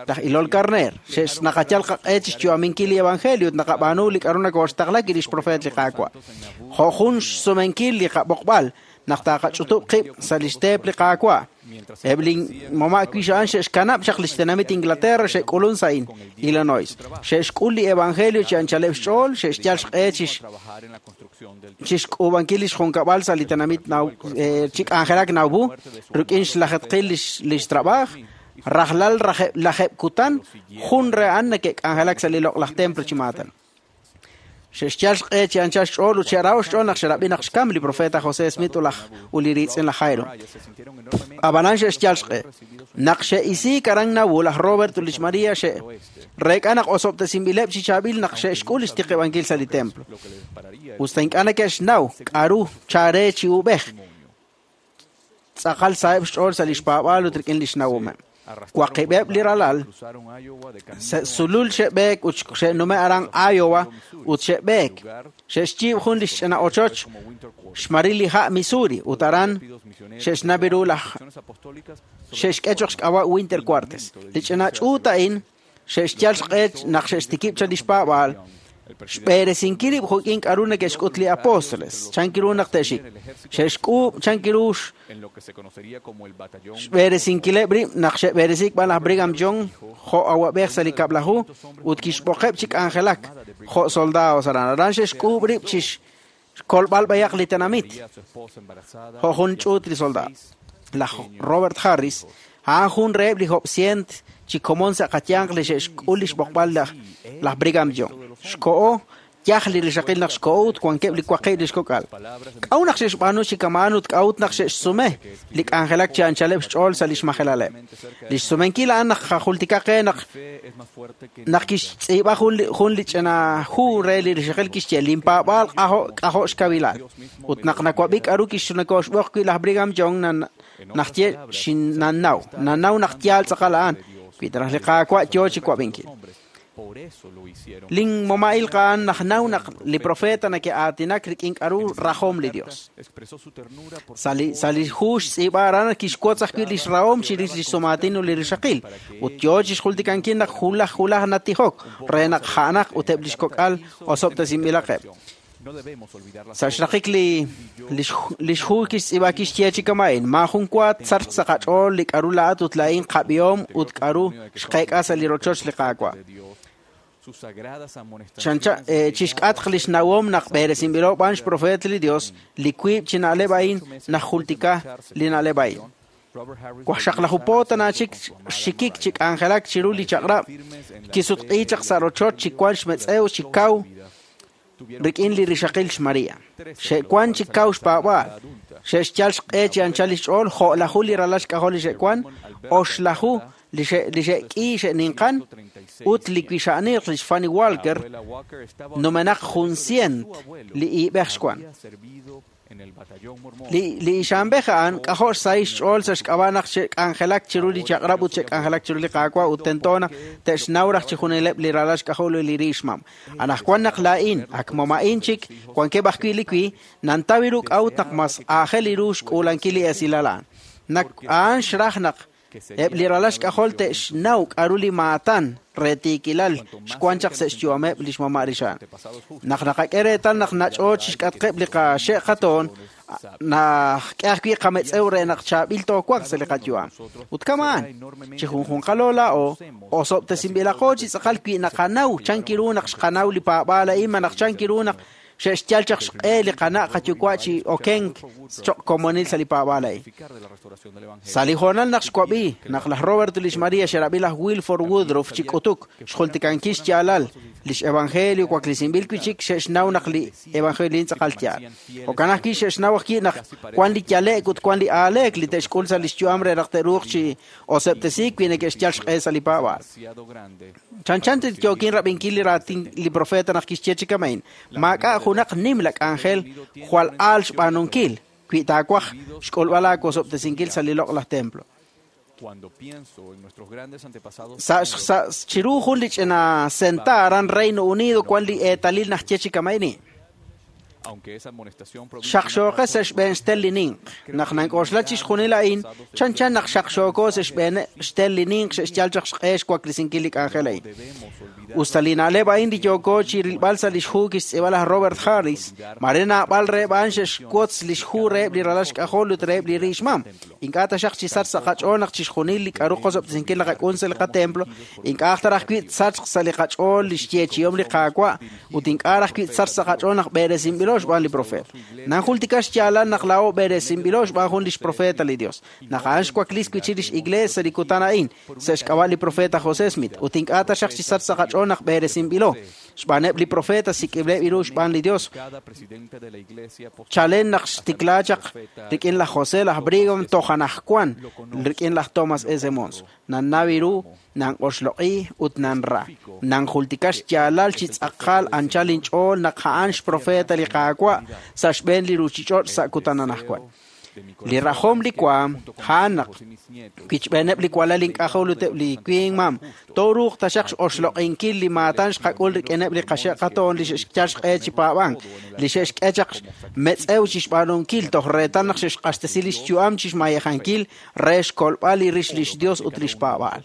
[SPEAKER 8] laj ilol karneer, naqayal qaq'e chi xyu'aminkil li evangelio ut naqab'aanu li k'aru nakooxtaqla li xprofeet li Qaawa'. Jo' jun xsumenkil li qab'oqb'al naq taqach'utub' qib' sa' li xteep li Qaawa'. Eb' li mama' wixa'an xe'xkanab' chaq li xtenamit Inglaterra xe'k'ulun sa'in Illinois. Xe'xk'ul li evangelio chi anchaleb' xch'ool, xe'xyal xq'e chi xk'uub'ankil li xjunkab'al sa' li tenamit chi k'anjelak Nauvoo, rik'in xlajetqil li xtrab'aaj.
[SPEAKER 10] Rajlal lajeb' kutan jun re a'an neke'k'anjelak sa' li loq'laj templo chi maatan. Xe'xyal xq'e chi anchal xch'ool ut xe'raho xch'ool naq xe'rab'i naq xkam li profeta José Smith ut li riitz'in laj Hyrum. Ab'anan xe'xyal xq'e. Naq xe'isiik aran Nauvoo laj Robert ut lix Maria xe'reek'a naq osob'tesinb'ileb' chi chaab'il naq xe'xk'ul lix tiqib'ankil sa' li templo. Usta ink'a' neke'xnaw k'a'ru chare chi uub'ej. Tz'aqal saheb' xch'ool sa' lix paab'aal ut rik'in lix nawomeb'. Waqib'eb' li ralal sulul xe'b'eek ut xe'nume' aran Iowa ut xe'b'eek. Xe'xyiib' jun lix ch'ina ochoch xmaril li ha' Missouri ut aran xe'xnabi ru laj xe'xk'e choq xk'ab'a' Winter Quarters. Li ch'ina ch'uut a'in xe'xyal xq'e naq xe'xtikib' cha lix paab'aal xb'eresinkil rib' jo'kin k'a'ru neke'xk'ut li apóstoles chan kiru naq te'xik. Xe'xk'uub' chan kiru xb'eresinkileb' rib' naq xe'b'eresiik b'an laj Brigham Young jo' awab'ej sa' li kab'laju ut kixb'oqeb' chi k'anjelak jo' soldados aran. Aran xe'xk'uub' rib' chi xkolb'al b'ayaq li tenamit jo' jun ch'uut li soldado. Laj Robert Harris a'an jun reheb' li job'sient chi komon sa' qayanq li xe'xk'ul li xb'oqb'al laj Brigham Young. Xko'o yaj li rixaqil naq xko'o ut wankeb' li waqib' li xkok'al. K'a'ut naq xe'xb'aanu chi kama'an ut k'a'ut naq xe'xsume li k'anjelak chi anchaleb' xch'ool sa' lix majelaleb'. Li xsumenkil a'an naq jajultika qe naq kixtz'iib'a jun li ch'ina hu re li rixaqil kixye linpaab'aal k'ajo' xkawilal. Ut naq nawab'i k'a'ru kixnakoxb'oq wi' laj Brigham Young naq ye xinannaw. Nannaw naq yaal tz'aqal a'an. Wi taraj li Qaawa' yoo chi wab'inkil. Lin moma'il qa'an naq naw naq li profeta neke'aatinak rik'in k'a'ru rajom li Dios. Sa' li hu xtz'iib'a aran kixwotz ajwi' lix rahom chirix lix sumaatin ut li rixaqil. Ut yoo chixjultikankil naq julaj julaj natijok re naq ja'anaq ut eb' lix kok'al osob'tesinb'ilaqeb'. Sa' xraqik li xhu kixtz'iib'a kixye chi kama'in maajun wa tzarq sa' qach'ool li k'a'ru laa'at ut laa'in qab'ihom ut k'a'ru xqeek'a sa' li rochoch li Qaawa'. Chixk'atq lix nawom naq b'eresinb'ilo b'an xprofeet li Dios li wiib' chi na'leb' a'in najultika li na'leb' a'in. Wajxaqlaju po tana chik xikik chi k'anjelak chiru li chaq'rab' kisutq'i chaq sa' rochoch chi wan xmetz'ew chi kaw rik'in li rixaqil xMaria. Xe'wan chi kaw xpaab'aal. Xe'xyal xq'e chi anchal lix ch'ool jo'laju li ralal xk'ajol li xe'wan, oxlaju li xe'k'i xe'ninqan ut li wixa'niq lix Fanny Walker numenaq jun cient li iib'ej xwan. Li ixamb'ej a'an k'ajo' xsahil xch'ool sa' xk'ab'a' naq xe'k'anjelak chiru li chaq'rab' ut xe'k'anjelak chiru li Qaawa' ut tento naq te'xnaw raj chi junileb' li ralal xk'ajol li riixmam. Anaqwan naq laa'in ak moma'in chik wankeb' ajwi' li wi nantaw ru k'a'ut naq mas aajel ru xk'uulankil li esilal a'an. Naq a'an xraj naq eb' li ralal xk'ajol te'xnaw k'a'ru li maatan re tiikilal xwan chaq sa' xyu'ameb' lix mama' rixa'an. Naq naqak'e reetal naq nach'o chixk'atqeb' li qaxe' qatoon, naqk'e ajwi' qametz'ew re naq chaab'il toowanq sa' li qayu'am. Ut kama'an, chi junjunqalo laa'o, osob'tesinb'ilaqo chi tz'aqal wi naqanaw chan kiru naq xqanaw li paab'aal a'in malaj chan kiru naq xe'xyal chaq xq'e li qana' qayuwa' chi okenk choq' komonil sa' li paab'aal a'in. Sa' li hoonal naq xwab'i naq laj Robert ut lix Maria xe'rab'i laj Wilford Woodruff chi k'utuk xjultikankil xyaalal lix evangelio waklesinb'il wi' chik xe'xnaw naq li evangelio tz'aqal yaal. Jo'kan ajwi' xe'xnaw ajwi' naq wan li yale'k ut wan li aaleek li te'xk'ul sa' lix yu'am re naq te'ruuq chi osob'tesiik wi neke'xyal xq'e sa' li paab'aal. Chanchan yookin rab'inkil li raatin li profeta naq kixye chi kama'in. Maak'a' junaq nimla k'anjel jwal aal xb'aanunkil wi taawaj xk'ulb'al aawosob'tesinkil sa' li loq'laj templo. Sa' chiru jun li ch'ina senta aran Reino Unido wan li eetalil naq ye chi kama'ini. Xaqxooqe sa' xb'een xtel li ninq. Naq nank'oxla chixjunil a'in, chanchan naq xaqxooko sa' xb'een xtel li ninq xe'xyal chaq xq'e xwaklesinkil li k'anjel a'in. Usta li na'leb' a'in li yooko chi rilb'al sa' lix hu kixtz'iib'a laj Robert Harris, mare naab'al reheb' a'an xe'xwotz lix hu reheb' li ralal xk'ajol ut reheb' li riixmam. Ink'a' taxaq chi sach sa' qach'ool naq chixjunil li k'a'ru qosob'tesinkil naqak'un sa' li qatemplo, ink'a' aj taraj wi' sachq sa' li qach'ool li xyeechihom li Qaawa' ut ink'a' raj wi' sach sa' qach'ool naq b'eresinb'ilo b'eresinb'ilo xb'aan li profeet. Nanjultika xyaalal naq laa'o b'eresinb'ilo xb'aan jun lix profeeta li Dios. Naq a'an xwaklis wi' lix iglees sa' li kutan a'in, sa' xk'ab'a' li profeet aj José Smith, ut ink'a' taxaq chi sach sa' qach'ool naq b'eresinb'ilo xb'aaneb' li profeeta sik'ib'leb' ru xb'aan li Dios. Chalen naq xtikla chaq rik'in laj José laj Brigham toj anajwan rik'in laj Thomas S. Mons. Nannaw ru, nan'oxloq'i ut nanra. Nanjultika xyaalal chi tz'aqal anchal inch'ool naq a'an xprofeta li Qaawa' sa' xb'een li ruuchich'och' sa' kutan anajwan. Li rajom li waam a'an naq kichb'eeneb' li walal ink'ajol ut eb' li winq mam tooruuq taxaq x'oxloq'inkil li maatan xqak'ul rik'ineb' li qaxe' qatoon li xe'xyal xq'e chi paab'ank, li xe'xk'e chaq metz'ew chi xb'aanunkil toj reetal naq xe'xq'axtesi li xyu'am chi xmayejankil re xkolb'al li rix lix Dios ut lix paab'aal.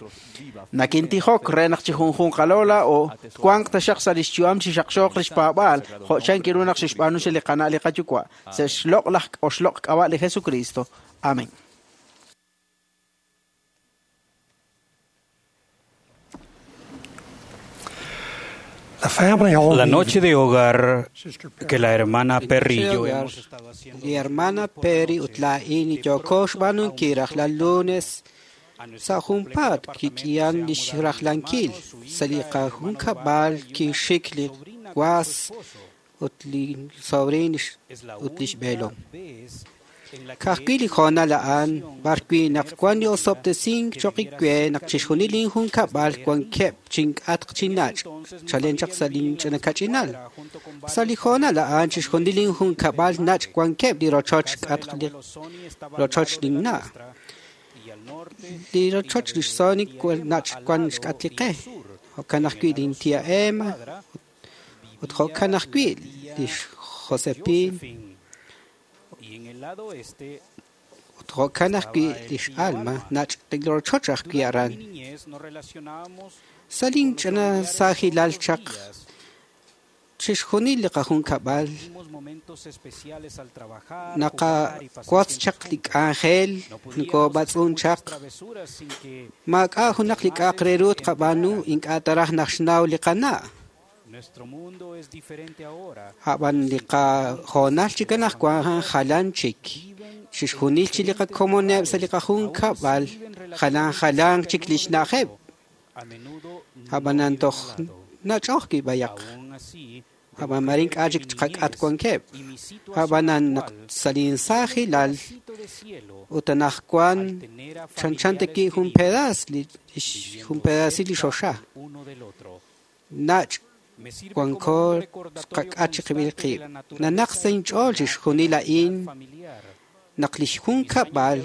[SPEAKER 10] Nakintijok re naq chi junjunqalo laa'o twanq taxaq sa' lix yu'am chi xaqxooq lix paab'aal jo' chan kiru naq xe'xb'aanu xe li qana' li qayuwa' sa' xloq' laj oxloq' k'ab'a' li Jesucristo. Amén.
[SPEAKER 5] La noche de hogar que la hermana Perry y yo hemos estado haciendo.
[SPEAKER 11] Li hermana Perry ut laa'in yooko xb'aanunkil rajlal lunes sa' junpaat kik'ihan li xrajlankil sa' li qajunkab'al kixik li was ut li sobrin ut li xb'eelom. Ka'ajwi' li hoonal a'an b'arwi' naq wan li osob'tesink cho'q we naq chixjunil linjunkab'al wankeb' chink'atq chi nach' chalen chaq sa' linch'ina kach'inal. Sa' li hoonal a'an chixjunil linjunkab'al nach' wankeb' li rochoch k'atq li rochoch linna'. Li rochoch lix Sonic nach' wan xk'atq li qe. Jo'kan ajwi' lintía Emma ut jo'kan ajwi' lix Josephine ut jo'kan ajwi' lix Alma nach' li rochoch ajwi' aran. Sa' linch'ina saajilal chaq chixjunil li qajunkab'al naqawotz chaq li k'anjel nokob'atz'un chaq maak'a' junaq li k'a'aq re ru tqab'aanu ink'a' taraj naq xnaw li qana'. Ab'an li qahoonal chik anaqwan jalan chik. Chixjunil chi li qakomoneb' sa' li qajunkab'al jalan jalan chik li xna'ajeb'. Ab'anan toj nach'oj kib'ayaq. Ab'an mare ink'a' chik qak'at wankeb'. Ab'anan naq sa' linsaajilal ut anaqwan chanchan taki jun pedaas li jun pedaasil li xoxa. Nach' wanko qak'at chiqib'il qib'. Nanaq sa' inch'ool chixjunil a'in naq li xjunkab'al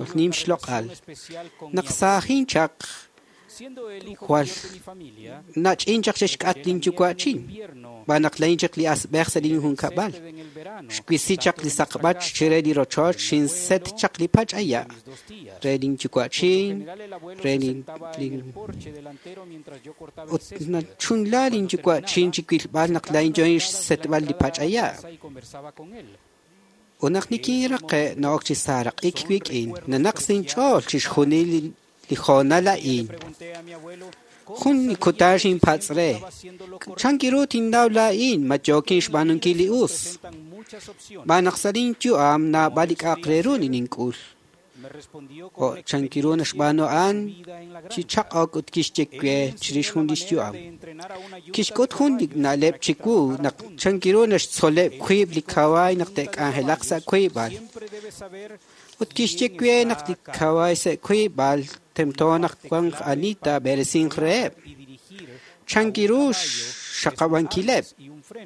[SPEAKER 11] ut nim xloq'al. Naq saajin chaq jwal nach'in chaq xexk'at linyuwa'chin b'an naq lain chaq li asb'ej sa' linjunkab'al. Xwisi chaq li saqb'ach chire li rochoch xinset chaq li pach'aya' re linyuwa'chin re lin ut nachunla linyuwa'chin chi wilb'al naq lain yo'in xsetb'al li pach'aya'. Ut naq nikinraqe' na'ok chi saaraq'ik wik'in nanaq sa' inch'ool chixjunil li hoonal a'in. Jun kutan xinpatz' re chan kiru tinnaw laa'in ma yookin xb'aanunkil li us. B'an naq sa' linyu'am naab'al li k'a'aq re ru nink'ul. Jo' chan kiru naxb'aanu a'an chi chaq'ok ut kixye we chirix jun lix yu'am. Kixk'ut jun li na'leb' chiwu naq chan kiru naxtzoleb' wiib' li kawaay naq te'k'anjelaq sa' wiib'al. Ut kixye we naq li kawaay sa' wiib'al tento naq wanq ani taab'eresinq reheb'. Chan kiru xxaqab'ankileb'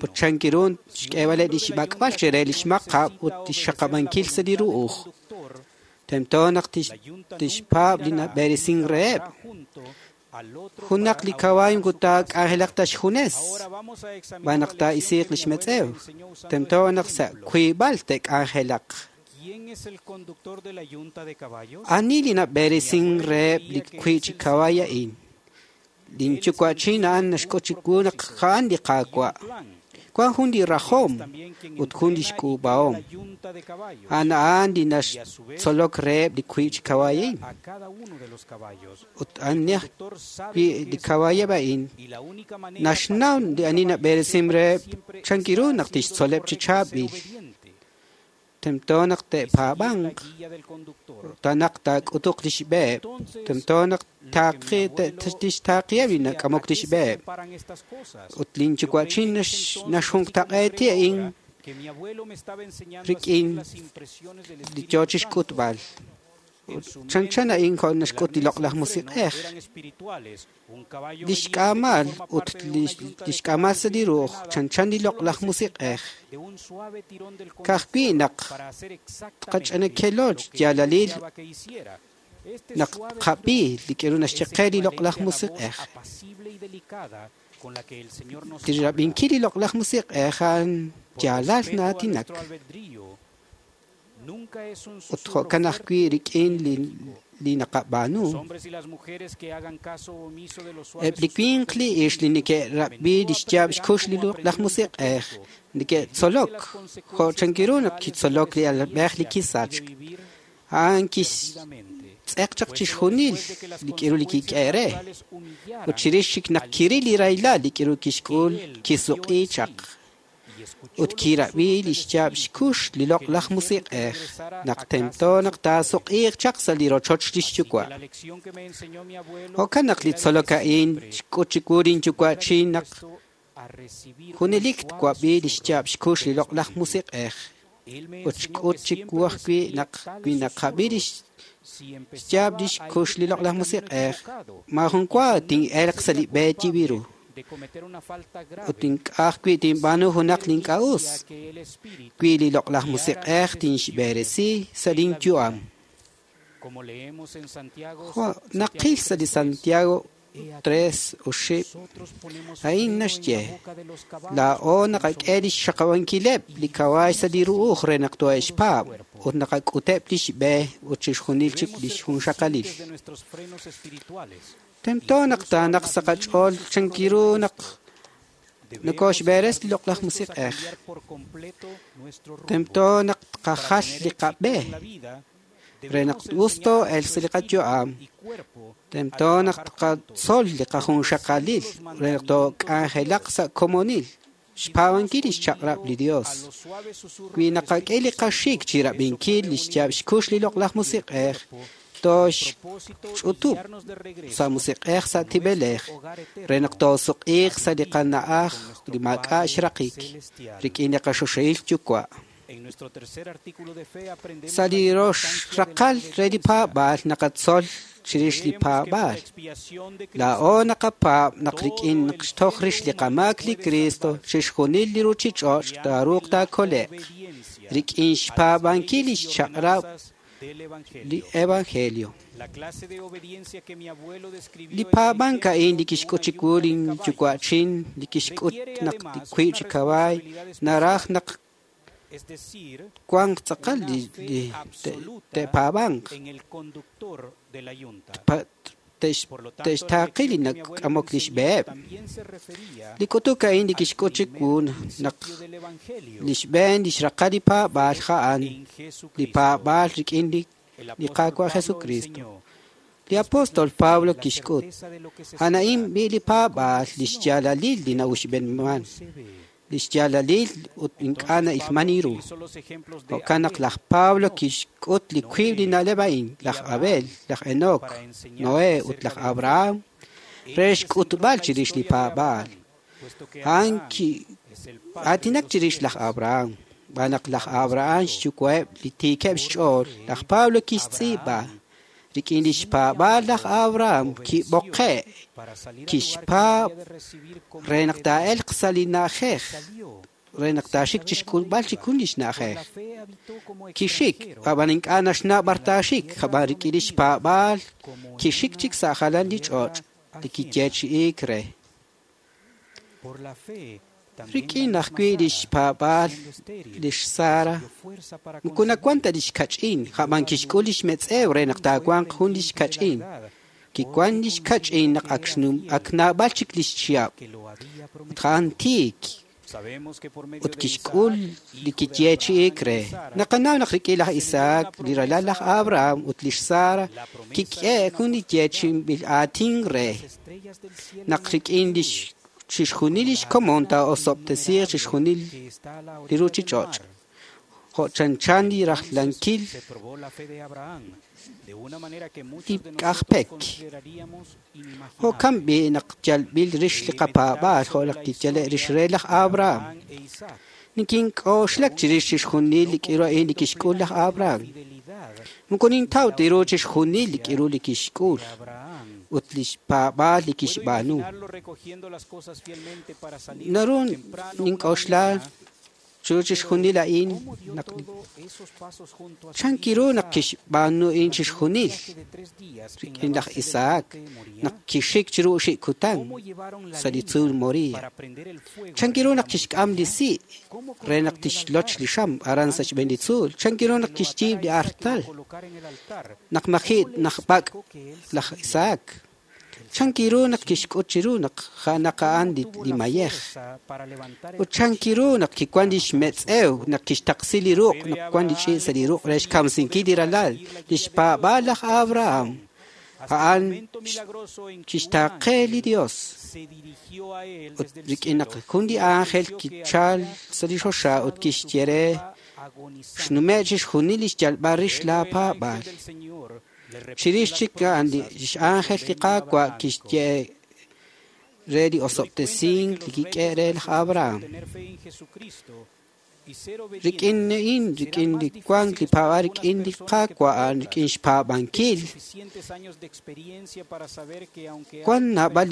[SPEAKER 11] ut chan kiru xk'eeb'aleb' li xb'ak'b'al chire li xmaqab' ut li xxaqab'ankil sa' li ru'uj. Tento naq tixpaab' li nab'eresink reheb'. Junaq li kawaay moko taak'anjelaq ta xjunes, b'an naq taa'isiiq li xmetz'ew. Tento naq sa' wiib'al te'k'anjelaq. Ani li nab'eresink reheb' li wiib' chi kawaay a'in? Linyuwa'chin a'an naxk'ut chiwu naq a'an li Qaawa'. Wan jun li rajom ut jun li xk'uub'ahom. A'an a'an li naxtzolok reheb' li wiib' chi kawaay a'in. Ut ani ajwi' li kawaayeb' a'in naxnaw li ani nab'eresim reheb' chan ru naq tixtzoleb' chi chaab'il. Tento naq te'paab'anq, naq taak'utuq lix b'eheb', tento naq tixtaaqiheb' li nak'amok lix b'eheb'. Ut lin yuwa'chin naxjunqtaq'eeti a'in rik'in li yoo chixk'utb'al. Chanchan a'in jo' naxk'ut li loq'laj musiq'ej. Lix k'aamal ut lix k'aamal sa' li ruuj chanchan li loq'laj musiq'ej. Ka'ajwi' naq tqach'anakelo xyaalalil naq tqab'i li k'aru naxye qe li loq'laj musiq'ej. Li rab'inkil li loq'laj musiq'ej a'an yaalal na'aatinak. Ut jo'kan ajwi' rik'in li naqab'aanu. Eb' li winq li ix li neke'rab'i li xyaab' xkux li loq'laj musiq'ej neke'tzolok jo' chan ru naq kitzolok li alalb'ej li kisachk. A'an kixtz'eq chaq chixjunil li k'aru li kik'e re. Ut chirix chik naq kiril li rahilal li k'aru kixk'ul kisuq'i chaq. Ut kirab'i li xyaab' xkux li loq'laj musiq'ej naq tento naq taasuq'iiq chaq sa' li rochoch lix yuwa'. Jo'kan naq li tzolok a'in xk'ut chiwu lin yuwa'chin naq junelik twab'i li xyaab' xkux li loq'laj musiq'ej. Ut xk'ut chiwu ajwi' naq wi naqab'i li xyaab' lix kux li loq'laj musiq'ej, maajun wa tin'elq sa' li b'e yib'iru. Ut ink'a' ajwi' tinb'aanu junaq li ink'a' us, wi li loq'laj musiq'ej tinxb'eresi sa' lin yu'am. Jo' naqil sa' li Santiago 3:8, a'in naxye, laa'o naqak'e lix xaqab'ankileb' li kawaay sa' li ru'uj re naq tohe'xpaab' ut naqak'uteb' lix b'e ut chixjunil chik lix junxaqalil. Tento naq taanaq sa' qach'ool chan ru naq nokoxb'eres li loq'laj musiq'ej. Tento naq tqajal li qab'e re naq us too'elq sa' li qayu'am. Tento naq tqatzol li qajunxaqalil re naq took'anjelaq sa' komonil. Xpaab'ankil lix chaq'rab' li Dios. Wi naqak'e li qaxik chi rab'inkil li xyaab' xkux li loq'laj musiq'ej, toxch'utub' sa' musiq'ej sa' tib'elej re naq toosuq'iiq sa' li qana'aj li maak'a' xraqik rik'in li qaxoxahil yuwa'. Sa' li rox raqal re li paab'aal naqatzol chirix li paab'aal. Laa'o naqapaab' naq rik'in naq xtoj rix li qamaak li Cristo chixjunil li ruchich'och' taaruuq taakole'q rik'in xpaab'ankil lix chaq'rab' li Evangelio. Li paab'ank a'in li kixk'ut chiwu lin yuwa'chin li kixk'ut naq li wiib' chi kawaay naraj naq wanq tz'aqal li te'paab'anq te'xtaaqi li nak'amok lix b'eheb'. Li k'utuk a'in li kixk'ut chiwu naq lix b'een lix raqal li paab'aal a'an li paab'aal rik'in li Qaawa' Jesucristo. Li apóstol Pablo kixk'ut, a'an a'in b'i li paab'aal lix yaalalil li na'uxb'enman, lix yaalalil ut ink'a' na'ilman ru. Jo'kan naq laj Pablo kixk'ut li wiib' li na'leb' a'in, laj Abel, laj Enoc, Noé ut laj Abraham, re xk'utb'al chirix li paab'aal. A'an aatinak chirix laj Abraham. B'an naq laj Abraham xyuwa'eb' li tiikeb' xch'ool, laj Pablo kixtz'iib'a rik'in lix paab'aal laj Abraham kib'oqe' kixpaab' re naq taa'elq sa' li na'ajej re naq taaxik chixk'ulb'al chikun lix na'ajej. Kixik, ab'an ink'a' naxnaw b'ar taaxik, ab'an rik'in lix paab'aal kixik chik sa' jalan li ch'och' li kiyeechi'iik re. Rik'in ajwi' lix paab'aal lix Sara, moko nawan ta lix kach'in, ab'an kixk'ul lix metz'ew re naq taawanq jun lix kach'in. Kiwan lix kach'in naq ak naab'al chik lix chihab'. Ut a'an tiik. Ut kixk'ul li kiyeechi'iik re. Naqanaw naq rik'in laj Isaac, li ralal laj Abraham ut lix Sara, kik'e jun li yeechi'inb'il aatin re. Naq rik'in lix chixjunil lix komon taa'osob'tesiiq chixjunil li ruchich'och'. Jo' chanchan li rajlankil li k'ajpek. Jo'kan b'i' naq yalb'il rix li qapaab'aal jo' naq kiyale' rix re laj Abraham. Nikink'oxlak chirix chixjunil li k'iru a'in li kixk'ul laj Abraham. Moko nintaw ta ru chixjunil li k'iru li kixk'ul ut lix paab'aal li kixb'aanu. Naru nink'oxla chiru chixjunil a'in naq chankiru naq kixb'aanu a'in chixjunil rik'in laj Isaac naq kixik chiru oxib' kutan sa' li tzuul Moria. Chankiru naq kixk'am li si' re naq tixloch li xam aran sa' xb'een li tzuul. Chankiru naq kixyiib' li artal naq maji' naq b'ak' laj Isaac. Chankiru naq kixk'ut chiru naq ja'naq a'an li mayej. Ut chankiru naq kiwan lix metz'ew naq kixtaqsi li ruq' naq wan li ch'iich' sa' li ruq' re xkamsinkil li ralal, lix paab'aal laj Abraham. A'an kixtaaqe li Dios. Ut rik'in naq jun li ángel kichal sa' li choxa ut kixye re xnume' chixjunil lix yalb'al rix laa paab'aal. Chirix chik a'an lix ángel li Qaawa' kixye re li osob'tesink li kik'e re laj Abraham. Rik'in a'in, rik'in li wank li paab'aal rik'in li Qaawa' a'an rik'in xpaab'ankil. Wan naab'al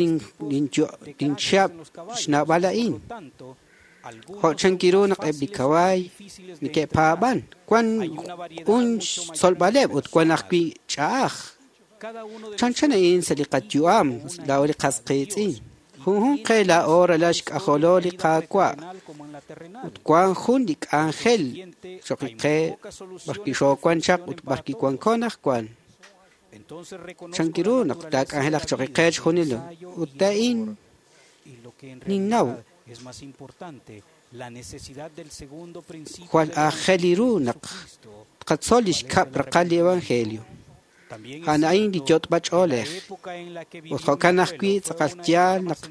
[SPEAKER 11] linchihab' xnaab'al a'in. Jo' chankiru naq eb' li kawaay neke'paab'an. Wan jun xtzolb'aleb' ut wan ajwi' ch'a'aj. Chanchan a'in sa' li qayu'am laa'o li qas qiitz'in. Junjunq qe laa'o ralal xk'ajolo li Qaawa' ut wan jun li k'anjel choq' qe b'arwi' xoowan chaq ut b'arwi' wanko anaqwan. Chankiru naq taak'anjelaq choq' qe chixjunil ut a'in ninnaw jwal aajel ru naq tqatzol lix kab' raqal li Evangelio. A'an a'in li yot'b'a ch'oolej. Ut jo'kan ajwi' tz'aqal yaal naq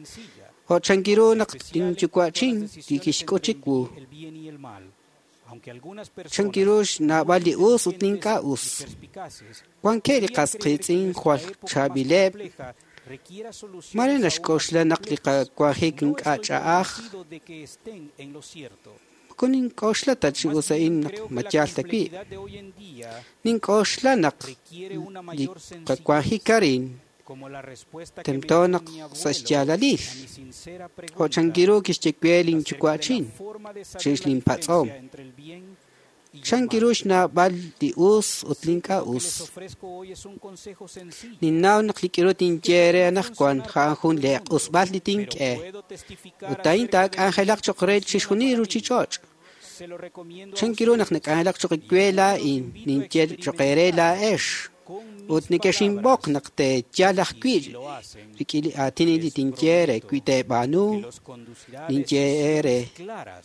[SPEAKER 11] jo' chankiru naq linyuwa'chin li kixk'ut chiwu. Chankiru xnaab'al li us ut li ink'a' us. Wankeb' li qas qiitz'in jwal chaab'ileb'. Mare naxk'oxla naq li qawanjik ink'a' ch'a'aj. Moko nink'oxla ta chi us a'in naq ma yaal ta wi'. Nink'oxla naq li qawanjik arin tento naq sa' xyaalalil. Jo' chankiru kixye we linyuwa'chin chirix linpatz'om. Chankiru xnaab'al li us ut li ink'a' us. Ninnaw naq li k'iru tinye re anaqwan a'an jun li q'usb'al li tink'e. Ut a'in taak'anjelaq choq' re chixjunil li ruchich'och'. Chankiru naq nak'anjelaq choq' we laa'in, ninye choq' eere laa'ex. Ut nekexinb'oq naq teeyal ajwi' rik'in li aatin li tinye re wi teeb'aanu, ninye eere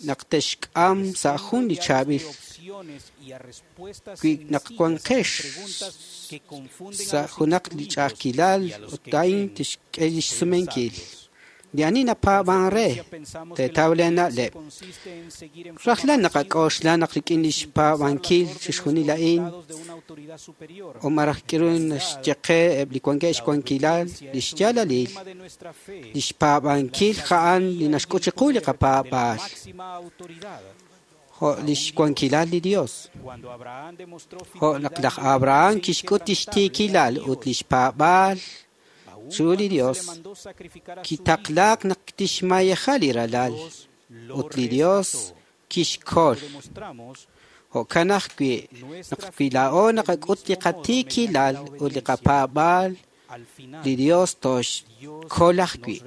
[SPEAKER 11] naq texk'am sa' jun li chaab'il wi naq wanqex sa' junaq li ch'a'ajkilal ut a'in tixk'e lix sumenkil. Li ani napaab'an re teetaw lee na'leb'. Rajlal naqak'oxla naq rik'in lix paab'ankil chixjunil a'in o maraj k'iru naxye qe eb' li wankeb' xwankilal lix yaalalil, lix paab'ankil a'an li naxk'ut chiqu li qapaab'aal. Jo' lix wankilal li Dios. Jo' naq laj Abraham kixk'ut lix tiikilal ut lix paab'aal chiru li Dios, kitaqlaak naq tixmayeja li ralal ut li Dios kixkol. Jo'kan ajwi' naq wi laa'o naqak'ut li qatiikilal ut li qapaab'aal, li Dios toxkol ajwi'.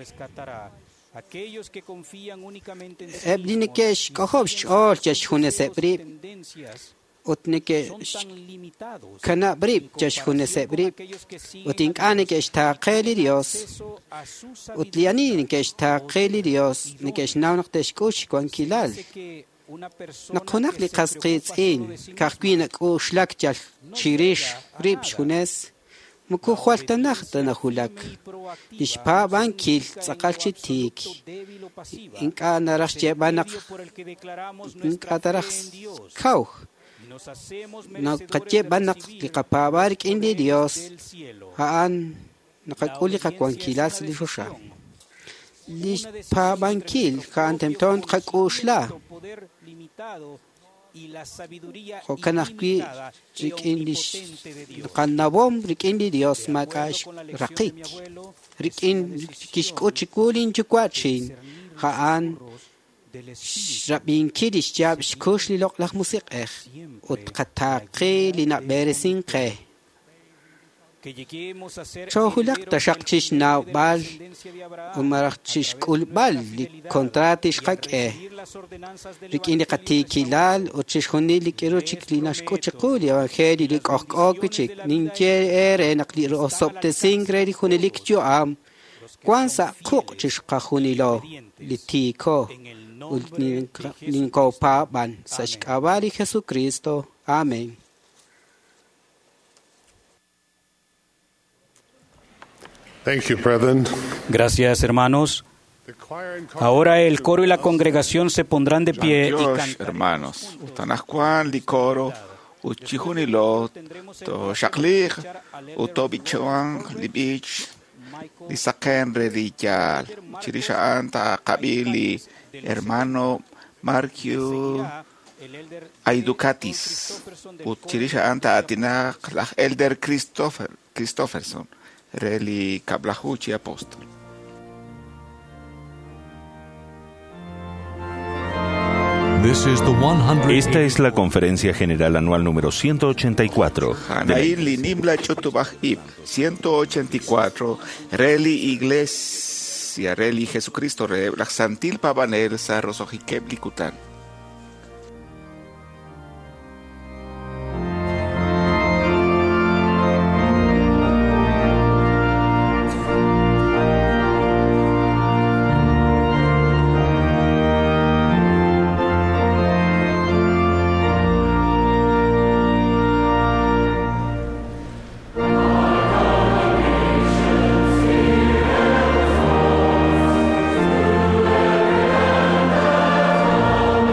[SPEAKER 11] Eb' li neke'xk'ojob' xch'ool yal xjuneseb' rib'. Ut neke'xkanab' rib' chixjuneseb' rib' ut ink'a' neke'xtaaqe li Dios. Ut li ani neke'xtaaqe li Dios neke'xnaw naq te'xk'ul xwankilal. Naq junaq li qas qiitz'in ka'ajwi' nak'uxlak yal chirix rib' xjunes, moko jwal ta naj ta najulak. Li xpaab'ankil tz'aqal chi tiik. Ink'a' naraj xyeeb'al naq ink'a' taraj kaw. Naqaye b'an naq li qapaab'aal rik'in li Dios a'an naqak'ul li qawankilal sa' li choxa. Li xpaab'ankil a'an tento tqak'uxla. Jo'kan ajwi' rik'in li qanawom rik'in li Dios maak'a' xraqik. Rik'in kixk'ut chiwu linyuwa'chin a'an xrab'inkil li xyaab' xkux li loq'laj musiq'ej ut qataaqe li nab'eresin qe. Choojulaq taxaq chixnawb'al ut malaj chixk'ulb'al li kontraat xqak'e rik'in li qatiikilal ut chixjunil li k'iru chik li naxk'ut chiqu li evangelio li k'ojk'o wi' chik. Ninye eere naq li osob'tesink re li junelik yu'am wan sa' quq' chixqajunilo li tiiko ut ninkopaab'an sa' xk'ab'a' li Jesucristo. Amén.
[SPEAKER 4] Thank you, brethren.
[SPEAKER 5] Gracias, hermanos. Ahora el coro y la congregación se pondrán de pie y
[SPEAKER 6] Dios,
[SPEAKER 5] cantarán.
[SPEAKER 6] hermanos, ut anaqwan li coro ut chijunilo toxaqliq ut tob'ichwan li b'ich li saqen re li yaal. Chirix a'an taqab'i li hermano Markyu Aidukatis ut chirix a'an ta'atinaq laj Elder Christofferson re li kab'laju chi apóstol.
[SPEAKER 2] Esta es la Conferencia General Anual número 184 de la
[SPEAKER 6] Anaí li nimla ch'utub'aj ib' 184 re li Iglesia re li Jesucristo re laj Santil Pabanel sa' roso'jikeb' li kutan.
[SPEAKER 12] Thank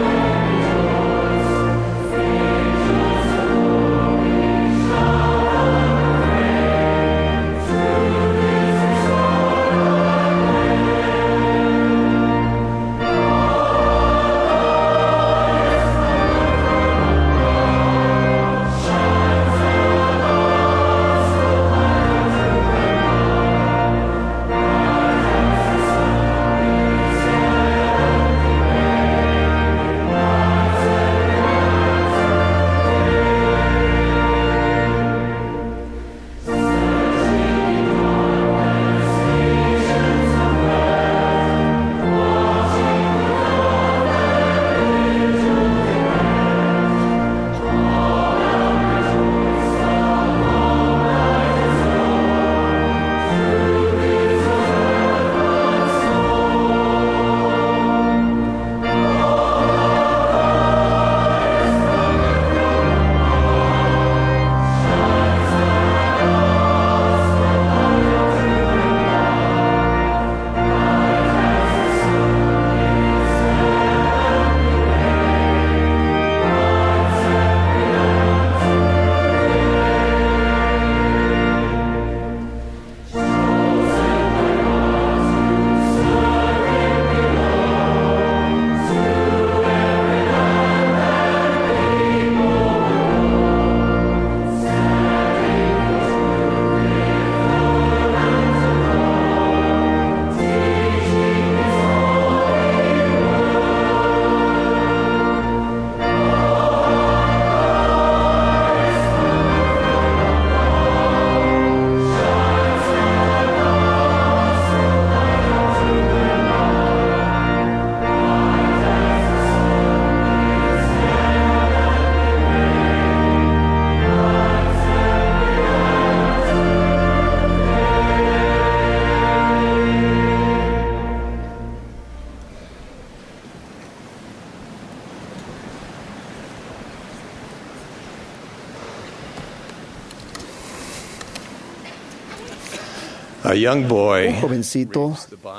[SPEAKER 12] A young boy
[SPEAKER 13] Un jovencito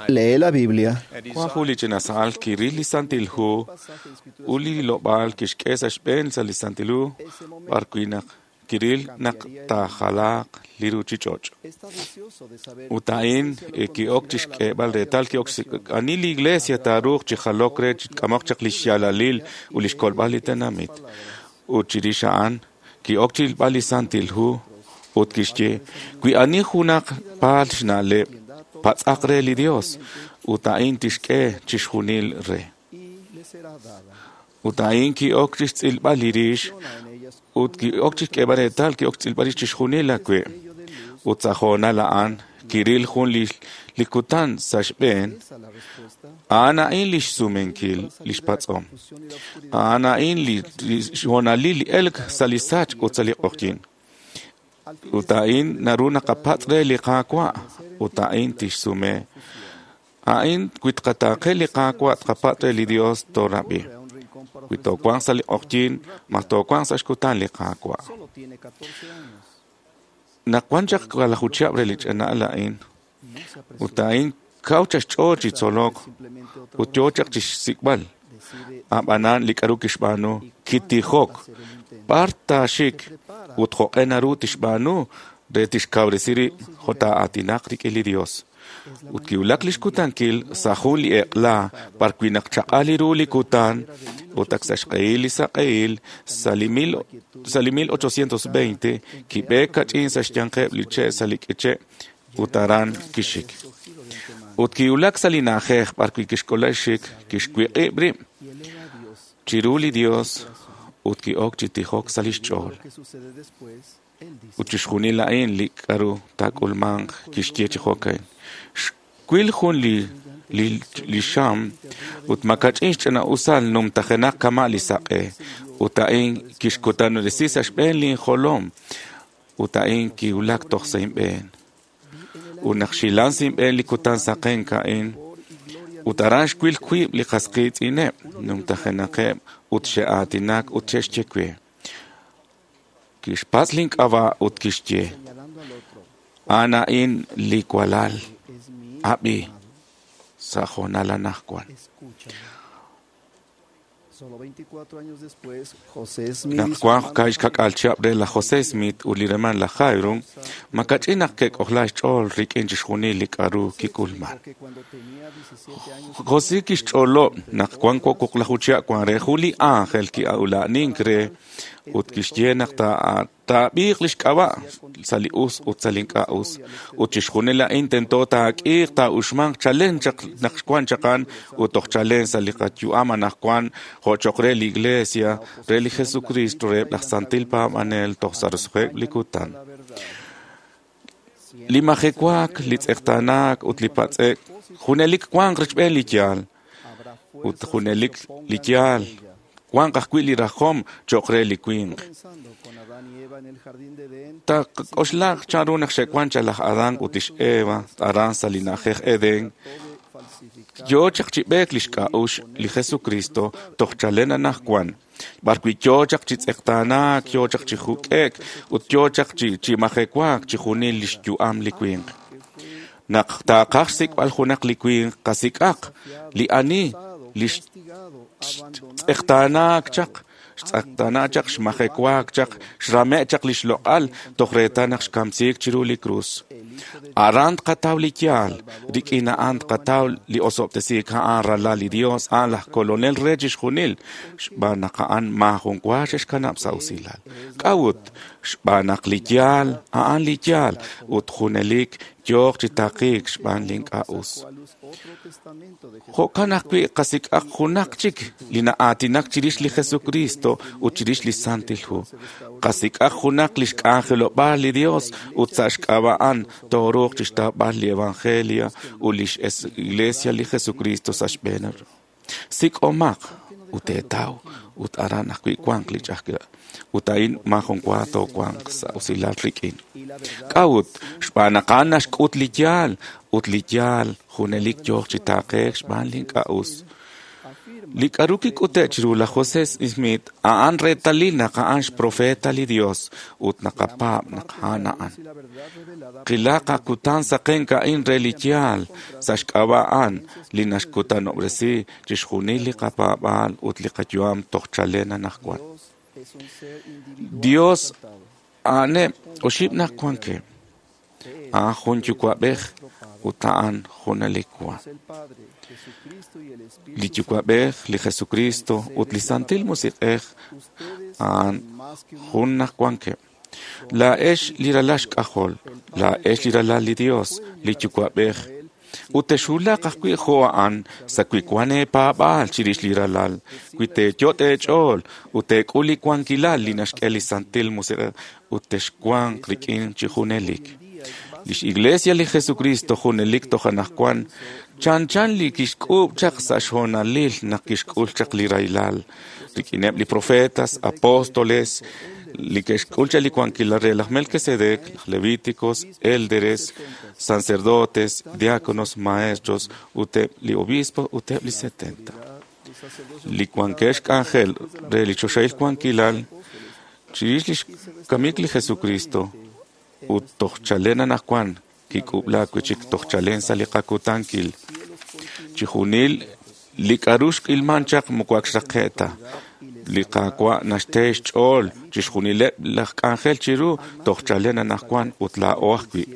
[SPEAKER 13] lee la Biblia
[SPEAKER 14] Wan jun li ch'ina sa'al kiril li Santil Hu ut li hilob'aal kixk'e sa' xb'een sa' li Santil Hu b'ar wi' naq kiril naq taajalaaq li ruuchich'och'. Ut a'in ki'ok chi xk'eeb'al reetal ki'ok ani li iglesia taaruuq chi jalok re chi k'amok chaq li xyaalalil ut li xkolb'al li tenamit. Ut chirix a'an ki'ok chi rilb'al li Santil Hu ut kixye wi ani junaq paal xna'leb' patz'aq re li Dios ut a'in tixk'e chixjunil re. Ut a'in ki'ok chi xtz'ilb'al li rix ut ki'ok chi xk'eeb'al reetal ki'ok xtz'ilb'al rix chixjunil awe'. Ut sa' hoonal a'an kiril jun li kutan sa' xb'een. A'an a'in li xsumenkil li xpatz'om. A'an a'in li xhoonalil li elk sa' li sachk ut sa' li q'oqyink. Ut a'in naru naqapatz' re li Qaawa' ut a'in tixsume. A'in wi tqataaqe li Qaawa' tqapatz' re li Dios toorab'i. Wi toowanq sa' li q'oqyink, ma toowanq sa' xkutan li Qaawa'. Naq wan chaq 10 chihab' re li ch'ina'al a'in, ut a'in kaw chaq xch'ool chi tzolok ut yoo chaq chi xsik'b'al. Ab'anan li k'aru kixb'aanu kitijok b'ar taaxik ut jo'q'e naru tixb'aanu re tixkawresi rib' jo' taa'aatinaq rik'in li Dios. Ut kiwulak li xkutankil sa' jun li eq'la b'ar wi' naq chaq'al ru li kutan ut ak sa' xq'ehil li saq'ehil sa' li 1820 kib'eek kach'in sa' xyanqeb' li che' sa' li k'iche' ut aran kixik. Ut kiwulak sa' li na'ajej b'ar wi' kixk'ola xik kixwiq'ib' rib' chiru li Dios ut ki'ok chi tijok sa' lix ch'ool. Ut chixjunil a'in li k'aru taak'ulmanq kixye chi jo'kan. Xwil jun li xam ut makach'in xch'ina'usal numtajenaq kama' li saq'e ut a'in kixkutanob'resi sa' xb'een linjolom ut a'in kiwulak toj sa' inb'een. Ut naq xilan sa' inb'een li kutan saqenk a'in ut aran xwil wiib' li qas qiitz'ineb' numtajenaqeb' ut xe'aatinak ut xe'xye we. Kixpatz' link'ab'a' ut kixye: A'an a'in li walal, ab'i sa' hoonal anaqwan. Naq wank kaxkak'al chihab' re laj José Smith ut li hermaan laj Hyrum, makach'in naq ke'k'ojla xch'ool rik'in chixjunil li k'aru kik'ulman. José kixch'olob' naq wan 26 chihab' wan re jun li ángel ki'ula'anink re ut kixye naq taab'iiq li xk'ab'a' sa' li us ut sa' li ink'a' us. Ut chixjunil a'in tento taak'iiq taa'uxmanq chalen chaq naq wan chaqan ut toj chalen sa' li qayu'am anaqwan jo' choq re li Iglesia re li Jesucristo reheb' laj Santil Paab'anel toj sa' roso'jikeb' li kutan. Li majewaak, li tz'eqtaanaak ut li patz'e'k junelik wanq richb'een li yaal ut junelik li yaal wanq ajwi' li rajom cho'q re li winq. Taqak'oxlaq chanru naq xe'wank chaq laj Adán ut lix Eva aran sa' li na'ajej Edén. Yoo chaq chi b'eek li xk'a'uxl li Jesucristo toj chalen anaqwan. B'ar wi' yoo chaq chi tz'eqtaanaak, yoo chaq chi juk'e'k ut yoo chaq chi majewaak chi junil li xyu'am li winq. Naq taaqaj xsik'b'al junaq li winq qasik'aq li ani li xtz'eqtaanaak chaq, xtz'eqtaanaak chaq, xmajewaak chaq, xrame' chaq li xloq'al toj reetal naq xkamsiik chiru li krus. Aran tqataw li yaal, rik'in a'an tqataw li osob'tesiik a'an ralal li Dios, a'an laj kolonel re chixjunil, xb'aan naq a'an maajun wa xe'xkanab' sa' usilal. K'a'ut? Xb'aan naq li yaal, a'an li yaal, ut junelik yooq chi taqiik xb'aan li ink'a' us. Jo'kan ajwi' qasik'aq junaq chik li na'aatinak chirix li Jesucristo ut chirix li Santil Hu. Qasik'aq junaq li xk'anjelob'aal li Dios ut sa' xk'ab'a' a'an tooruuq chixtawb'al li Evangelio ut lix Iglesia li Jesucristo sa' xb'een. Sik'omaq ut teetaw ut aran ajwi' wanq li ch'a'ajkilal. Ut a'in maajun wa toowanq sa' usilal rik'in. K'a'ut? Xb'aan naq a'an naxk'ut li yaal ut li yaal junelik yooq chi taaqeek xb'aan li ink'a' us. Li k'aru kik'ute' chiru laj José Smith a'an reetalil naq a'an xprofeta li Dios ut naqapaab' naq a'an a'an. Qilaq akutan saqenk a'in re li yaal sa' xk'ab'a' a'an li naxkutanob'resi chixjunil li qapaab'aal ut li qayu'am toj chalen anaqwan. Dios a'aneb' oxib' naq wankeb'. A'an jun yuwa'b'ej ut a'an junelik wan. Li Yuwa'b'ej, li Jesucristo ut li Santil Musiq'ej a'an jun naq wankeb'. Laa'ex li ralal xk'ajol, laa'ex li ralal li Dios, li Yuwa'b'ej, ut texwulaq ajwi' jo' a'an sa' wi wan eepaab'aal chirix li ralal, wi teeyot' eech'ool ut teek'ul li wankilal li naxk'e li Santil Musiq'ej ut texwanq rik'in chi junelik. Lix Iglesia li Jesucristo junelik toj anaqwan chanchan li kixk'uub' chaq sa' xhoonalil naq kixk'ul chaq li rahilal rik'ineb' li profetas, apóstoles, li ke'xk'ul chaq li wankilal re laj Melquisedec, laj Levíticos, élderes, sacerdotes, diáconos, maestros, ut eb' li obispo ut eb' li 70. Li wankeb' xk'anjel re li choxahil wankilal chirix lix kamik li Jesucristo ut toj chalen anaqwan kik'ub'laak wi' chik toj chalen sa' li qakutankil. Chijunil li k'aru xk'ilman chaq moko ak xraqe' ta. Li Qaawa' naxte xch'ool chixjunileb' laj k'anjel chiru toj chalen anaqwan ut laa'o ajwi'.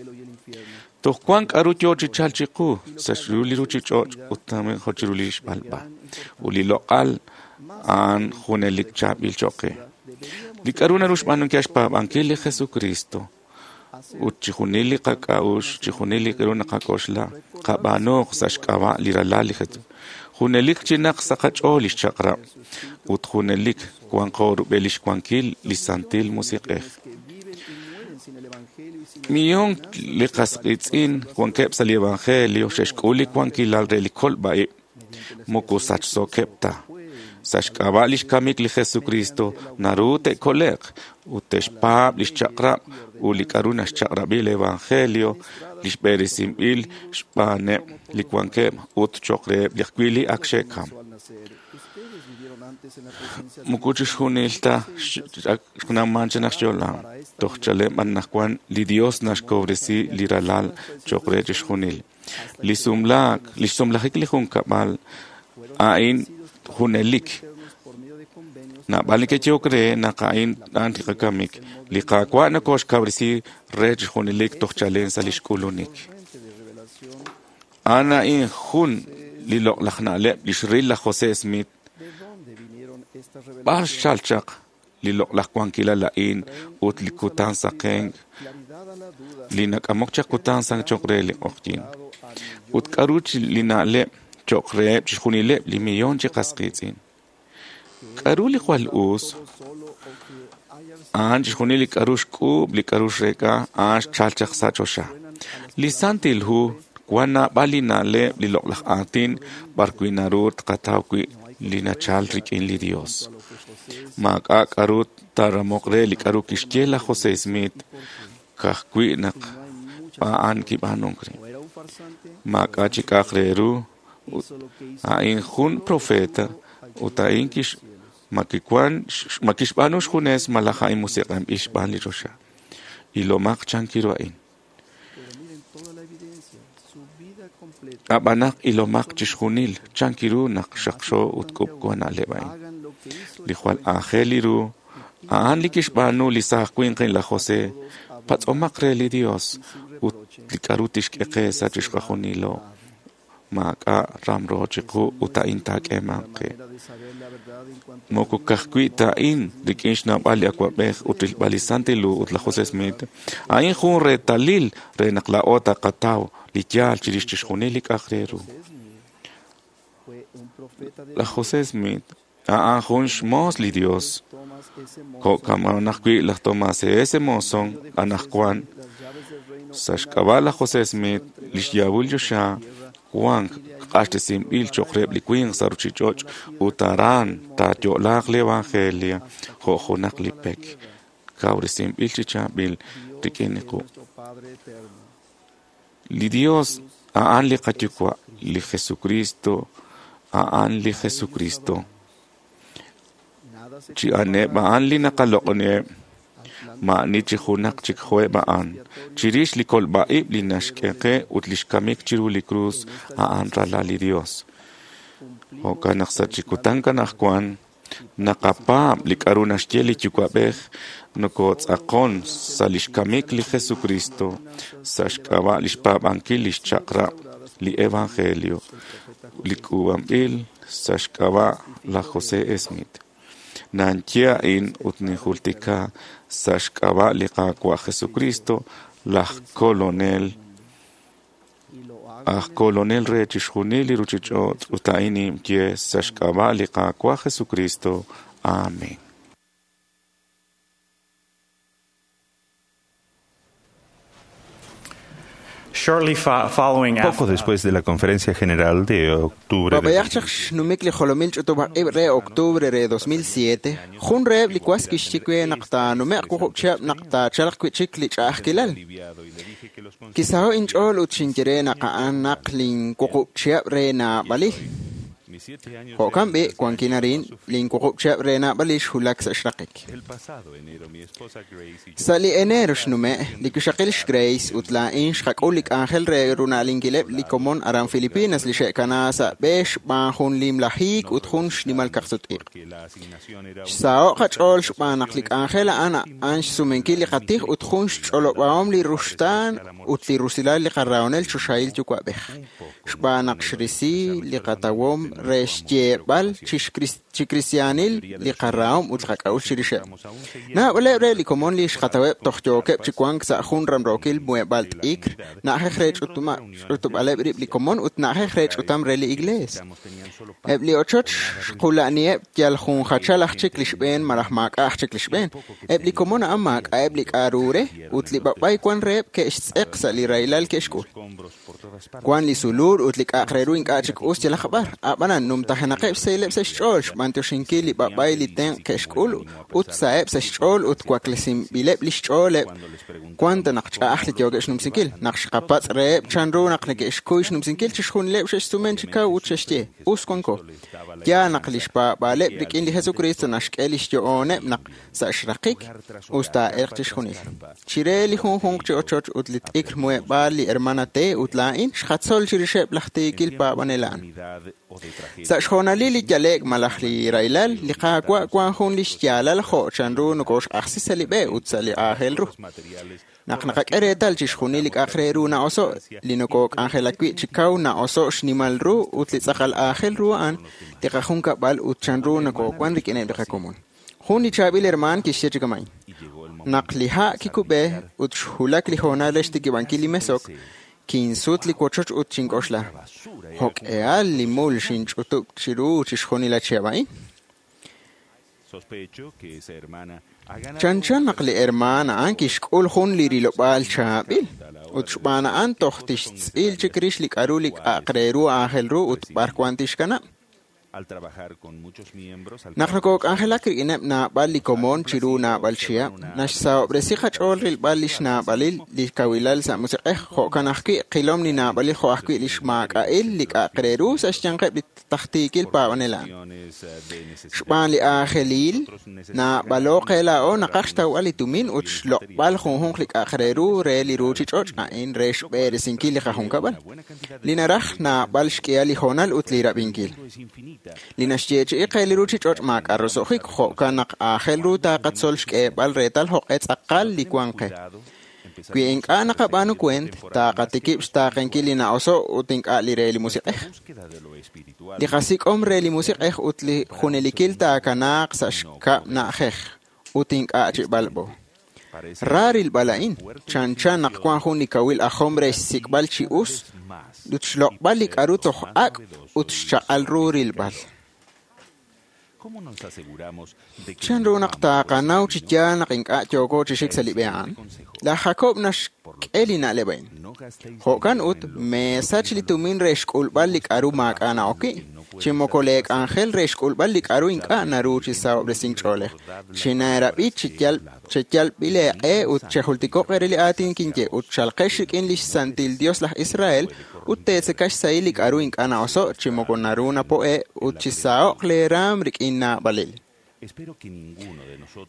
[SPEAKER 14] Toj wan k'aru yo chi chalk chiqu sa' chiru li ruuchich'och' ut jo' chiru li xb'alb'a. Ut li loq'al a'an junelik chaab'il cho'q qe. Li k'aru naru xb'aanunkil xpaab'ankil li Jesucristo ut chixjunil li qak'a'uxl, chixjunil li k'aru naqak'oxla, qab'aanuuq sa' xk'ab'a' li ralal li Jesús. Junelik chinaq sa' qach'ool li xchaq'rab' ut junelik wanqo rub'el lix wankil li Santil Musiq'ej. Millón li qas qiitz'in wankeb' sa' li Evangelio xe'xk'ul li wankilal re li kolb'a-ib' moko sachsookeb' ta. Sa' xk'ab'a' lix kamik li Jesucristo naru te'kole'q ut te'xpaab' lix chaq'rab' ut li k'aru naxchaq'rab'i li Evangelio li xb'eresinb'il xb'aaneb' li wankeb' ut cho'q reheb' li ajwi' li ak xe'kam. Moko chixjunil ta xnawman chi naq xyo'la. Toj chalen anaqwan li Dios naxkawresi li ralal cho'q re chixjunil. Li sumlaak, li xsumlajik li junkab'al a'in junelik. Naab'al neke'yehok re naq a'in a'an li qakamik. Li Qaawa' nokoxkawresi re chixjunilik toj chalen sa' lix k'ulunik. A'an a'in jun li loq'laj na'leb' li xril laj José Smith. B'ar xchal chaq li loq'laj wankilal a'in ut li kutan saqenk li nak'amok chaq kutan saqenk cho'q re li q'oqyink. Ut k'aru li na'leb' cho'q reheb' chixjunileb' li millón chi qas qiitz'in. K'aru li jwal us? A'an chixjunil li k'aru xk'uub', li k'aru xreek'a, a'an xchal chaq sa' choxa. Li Santil Hu wan naab'al li na'leb' li loq'laj aatin b'ar wi' naru tqataw wi' li nachal rik'in li Dios. Maak'a' k'aru taaramoq re li k'aru kixye laj José Smith ka'ajwi' naq a'an kib'aanunk re. Maak'a' chi k'a'aq re ru ut a'in jun profeta ut a'in ma kixb'aanu xjunes malaj a'in musiq'anb'il xb'aan li choxa. Ilomaq chankiru a'in. Ab'an naq ilomaq chixjunil chankiru naq xaqxo ut k'ub'k'u na'leb' a'in. Li jwal aajel li ru a'an li kixb'aanu li saaj winq laj José patz'omaq re li Dios ut li k'aru tixk'e qe sa' chixjunilo. Maak'a' ramro chiqu ut a'in taak'eemanq qe. Moko ka'ajwi' ta a'in rik'in xnawb'al li awab'ej ut rilb'al li Santil Hu ut laj José Smith, a'in jun reetalil re naq laa'o taqataw li yaal chirix chixjunil li k'a'aq re ru. Laj José Smith a'an jun xmoos li Dios. Jo'kan ajwi' laj Tomás S. Monson anaqwan sa' xk'ab'a' laj José Smith li xyaab'ul choxa wank q'axtesinb'il cho'q reheb' li winq sa' ruuchich'och' ut aran taayo'laaq li Evangelio jo' junaq li pek kawresinb'il chi chaab'il rik'in li quq'. Li Dios a'an li qaYuwa', li Jesucristo A'an li Jesucristo. Chi aneb' a'an li naqaloq'oniheb', ma'ani chi junaq chik jo'eb' a'an. Chirix li kolb'a'ib' li naxk'e qe ut lix kamik chiru li krus, a'an ralal li Dios. Jo'kan naq sa' chi kutan anaqwan naqapaab' li k'a'ru naxye li Yuwa'b'ej, nokotz'aqon sa' lix kamik li Jesucristo, sa' xk'ab'a' lix paab'ankil lix chaq'rab' li Evangelio, li k'uub'anb'il sa' xk'ab'a' laj José Smith. Nanye a'in ut ninjultika sa' xk'ab'a' li Qaawa' Jesucristo, laj Kolonel, aj Kolonel re chixjunil li ruchich'och' ut a'in ninye sa' xk'ab'a' li Qaawa' Jesucristo. Amén.
[SPEAKER 2] Poco después de la Conferencia General de octubre de
[SPEAKER 8] Babayaq chaq xnumik li jolomil ch'utub'aj re octubre re 2007, jun reheb' li was kixye we naq taanume'q wuqub' chihab' naq taachalq wi'chik li ch'a'ajkilal. Kisaho' inch'ool ut xinye re naq a'an naq linwuqub' chihab' re naab'alil. Jo'kan b'i' wankin arin linwuqub' chihab' re naab'alil xwulak sa' xraqik. Sa' li enero xnume', li wixaqil xGrace ut laa'in xqak'ul li k'anjel re runa'linkileb' li komon aran Filipinas li xe'kana sa' b'e xb'aan jun limla hiik ut jun xnimal kaqsut-iq'. Xsaho' qach'ool xb'aan naq li k'anjel a'an a'an xsumenkil li qatij ut jun xch'olob'ahom li ruxtaan ut li rusilal li qarahonel choxahil yuwa'b'ej. Xb'aan naq xrisi li qatawom re xyeeb'al chi kristiaanil li qarahom ut li qak'a'uxl chirixeb'. Naab'aleb' re li komon li xqataweb' toj yookeb' chi wank sa' jun ramrookil muheb'aal t'ikr, na'ajej re ch'utub'aleb' rib' li komon ut na'ajej re ch'utam re li iglees. Eb' li ochoch xqula'niheb' yal jun jachal aj chik li xb'een malaj maak'a' aj chik li xb'een. Eb' li komon a'an maak'a'eb' li k'a'ru re ut li b'ab'ay wan reheb' ke'xtz'eq sa' li rahilal ke'xk'ul. Wan li sulul ut li k'a'aq re ru ink'a' chik us yalaq b'ar. Ab'anan numtajenaqeb' xsahileb' sa' xch'ool xb'antioxinkil li b'ab'ay li tenq' ke'xk'ul ut saheb' sa' xch'ool ut waklesinb'ileb' li xch'ooleb' wan ta naq ch'a'aj li yookeb' xnumsinkil. Naq xqapatz' reheb' chanru naq neke'xkuy xnumsinkil chixjunileb' xe'xsumen chi kaw ut xe'xye us wanko. Yaal naq li xpaab'aaleb' rik'in li Jesucristo naxk'e li xyo'ooneb' naq sa' xraqik us taa'elq chixjunil. Chire li junjunq chi ochoch ut li t'ikr muheb'aal li hermana T ut laa'in xqatzol chirixeb' laj tiikil paab'anel a'an. Sa' xjoonalil li yale'k malaj li rahilal, li Qaawa' wan jun li xyaalal jo' chanru nokoxq'ajsi sa' li b'e ut sa' li aajel ru. Naq naqak'e reetal chixjunil li k'a'aq re ru na'oso', li nokok'anjelak wi' chi kaw na'oso' xnimal ru ut li tz'aqal aajel ru a'an li qajunkab'al ut chanru nokowan rik'ineb' li qakomon. Jun li chaab'il hermaan kixye chi kama'in. Naq li ha' kikub'e ut xwulak li hoonal re xtikib'ankil li mesok, kinsut li wochoch ut xink'oxla. Jo'k'ehal li mul xinch'utub' chiru chixjunil a chihab' a'in. Chanchan naq li hermaan a'an kixk'ul jun li rilob'aal chaab'il ut xb'aan a'an toj tixtz'il chik rix li k'a'ru li k'a'aq re ru aajel ru ut b'ar wan tixkanab'. Naq nokok'anjelak rik'ineb' naab'al li komon chiru naab'al chihab', naxsahob'resi qach'ool rilb'al li xnaab'alil li kawilal sa' musiq'ej, jo'kan ajwi' qilom li naab'alil jo' ajwi' li xmaak'a'il li k'a'aq re ru sa' xyanqeb' li tajtiikil paab'anel a'an. Xb'aan li aajelil, naab'alo qe laa'o naqaj xtawb'al li tumin ut xloq'b'al junjunq li k'a'aq re ru re li ruuchich'och' a'in re xb'eresinkil li qajunkab'al, li naraj naab'al xk'ihal li hoonal ut li rab'inkil. Li naxyeechi'i qe li ruuchich'och' maak'a' roso'jik, jo'kan naq aajel ru taqatzol xk'eeb'al reetal jo'q'e tz'aqal li wan qe. Wi ink'a' naqab'aanu kuent, taqatikib' xtaaqenkil li na'oso' ut ink'a' li re li musiq'ej. Li qasik'om re li musiq'ej ut li junelikil taakanaaq sa' xkab' na'ajej ut ink'a' chi b'alb'o. Ra rilb'al a'in, chanchan naq wan jun li kawil ajom re xsik'b'al chi us ut xloq'b'al li k'a'ru toj ak' ut xchaq'al ru rilb'al. Chanru naq taqanaw chi yaal naq ink'a' yooko chi xik sa' li b'e a'an? Laj Jacob naxk'e li na'leb' a'in. Jo'kan ut meesach li tumin re xk'ulb'al li k'a'ru maak'a' na'ok wi', chi moko lee k'anjel re xk'ulb'al li k'a'ru ink'a' naru chi sahob'resink ch'oolej. Chineerab'i cheyalb'il eeq'e ut chejultiko'q eere li aatin kinye ut chalqex rik'in lix Santil Dios laj Israel ut teetzeka xsahil li k'a'ru ink'a' na'oso' chi moko naru napo'e' ut chisaho'q lee raam rik'in naab'alil.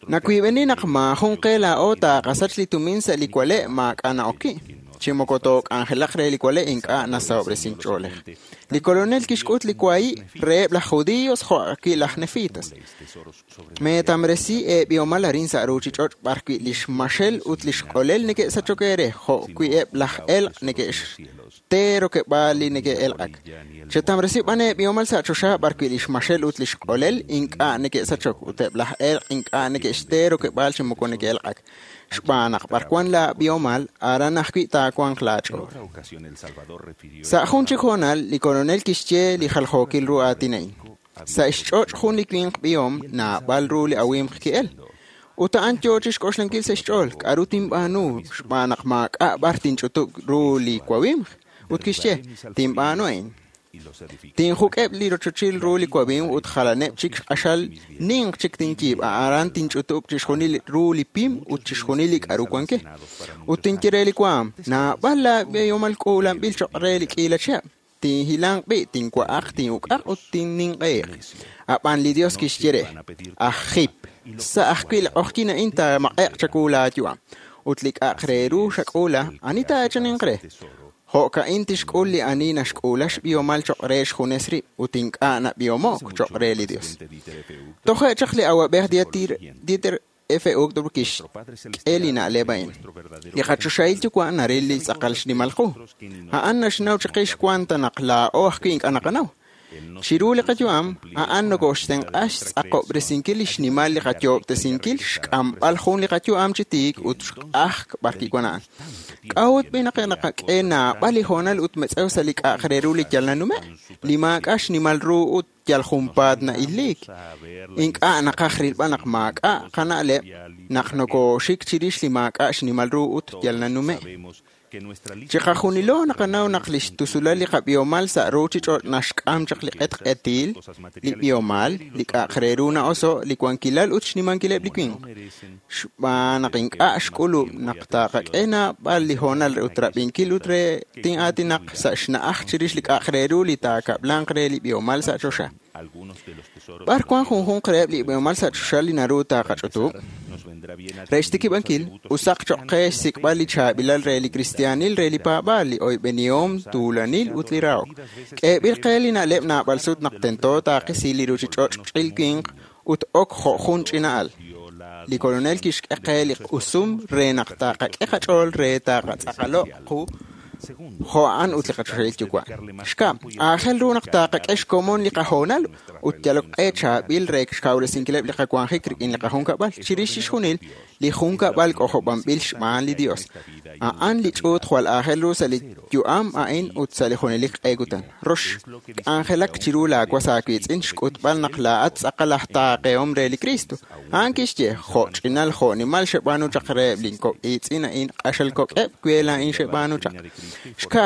[SPEAKER 8] Nawiib'eni naq maajun qe laa'o taaqasach li tumin sa' li wale' maak'a' na'ok wi', chi moko took'anjelaq re li wale' ink'a' nasahob'resink ch'oolej. Li Kolonel kixk'ut li wahi' reheb' laj judíos jo' ajwi' laj nefitas. Meetamresi eeb'ihomal arin sa' ruuchich'och' b'arwi' lix maxel ut lix q'olel neke'sachok eere, jo' wi' eb' laj elq' neke'xte rokeb'aal li neke'elq'ak. Chetamresi b'an eeb'ihomal sa' choxa b'arwi' lix maxel ut lix q'olel ink'a' neke'sachok ut eb' laj elq' ink'a' neke'xte rokeb'aal chi moko neke'elq'ak. Xb'aan naq b'arwan laab'ihomal, aran ajwi' taawanq laach'ool. Sa' jun chik hoonal, li Kolonel kixye li jaljookil ru aatin a'in. Sa' xch'och' jun li winq b'ihom naab'al ru li awimq ki'el. Ut a'an yoo chixk'oxlankil sa' xch'ool, k'a'ru tinb'aanu xb'aan naq maak'a' b'ar tinch'utub' ru li wawimq. Ut kixye, tinb'aanu a'in. Tinjuk'eb' li rochochil ru li wawimq ut jalaneb' chik q'axal ninq chik tinyiib', aran tinch'utub' chixjunil ru li pim ut chixjunil li k'a'ru wanke. Ut tinye re li waam, naab'al laab'ihomal k'uulanb'il choq' re li k'iila chihab'. Tinhilanq b'i', tinwa'aq, tinuk'aq ut tinninq'eeq. Ab'an li Dios kixye re, aj jip, sa' ajwi' li q'ojyin a'in taamaq'e'q chawu laayu'am. Ut li k'a'aq re ru xak'uula, ani taaechaninq re? Jo'ka'in tixk'ul li ani naxk'uula xb'ihomal choq' re xjunes rib' ut ink'a' nab'ihomo'k choq' re li Dios. Toje' chaq li awab'ej Dieter F. Uchtdorf kixk'e li na'leb' a'in. Li qachoxahil yuwa' naril li tz'aqal xnimal qu. A'an naxnaw chiqix wan ta naq laa'o ajwi' ink'a' naqanaw. Chiru li qayu'am, a'an nokoxtenq'a xtz'aqob'resinkil li xnimal li qayoob'tesinkil, xk'amb'al jun li qayu'am chi tiik ut xq'ajk b'arwi' wan a'an. K'a'ut b'i naq naqak'e naab'al li hoonal ut metz'ew sa' li k'a'aq re ru li yal nanume', li maak'a' xnimal ru ut yal junpaat na'illiik. Ink'a' naqaj rilb'al naq maak'a' qana'leb' naq nokooxik chirix li maak'a' xnimal ru ut yal nanume'. Chiqajunilo naqanaw naq li xtusulal li qab'ihomal sa' ruuchich'och' naxk'am chaq li q'etq'etil, li b'ihomal, li k'a'aq re ru na'oso', li wankilal ut xnimankileb' li winq. Xb'aan naq ink'a' xk'ulub' naq taaqak'e naab'al li hoonal ut rab'inkil ut re tin'aatinaq sa' xna'aj chirix li k'a'aq re ru li taakab'lanq re li b'ihomal sa' choxa. B'ar wan junjunq reheb' li b'ihomal sa' choxa li naru taaqach'utub'? Re xtikib'ankil, usaq choq' qe xsik'b'al li chaab'ilal re li kristiaanil re li paab'aal, li oyb'enihom, tuulanil ut li rahok. K'eeb'il qe li na'leb' naab'al sut naq tento taaqisi li ruuchich'och' ch'il winq ut ok jo' jun ch'ina'al. Li Kolonel kixk'e qe li q'usum re naq taaqak'e qach'ool re taaqatz'aqalo'q qu jo' a'an ut li qachoxahil yuwa'. Xkab', aajel ru naq taaqak'e xkomon li qahoonal ut yalok q'e chaab'il re xkawresinkileb' li qawanjik rik'in li qajunkab'al. Chirix chixjunil, li junkab'al k'ojob'anb'il xb'aan li Dios. A'an li ch'uut jwal aajel ru sa' li yu'am a'in ut sa' li junelik q'e kutan. Rox, k'anjelak chiru laawas aawiitz'in xk'utb'al naq laa'at tz'aqal aj taaqehom re li Kristo. A'an kixye, jo' ch'inal jo' nimal xeb'aanu chaq reheb' lin kok' iitz'in a'in q'axal kok'eb' we laa'in xeb'aanu chaq. Xka,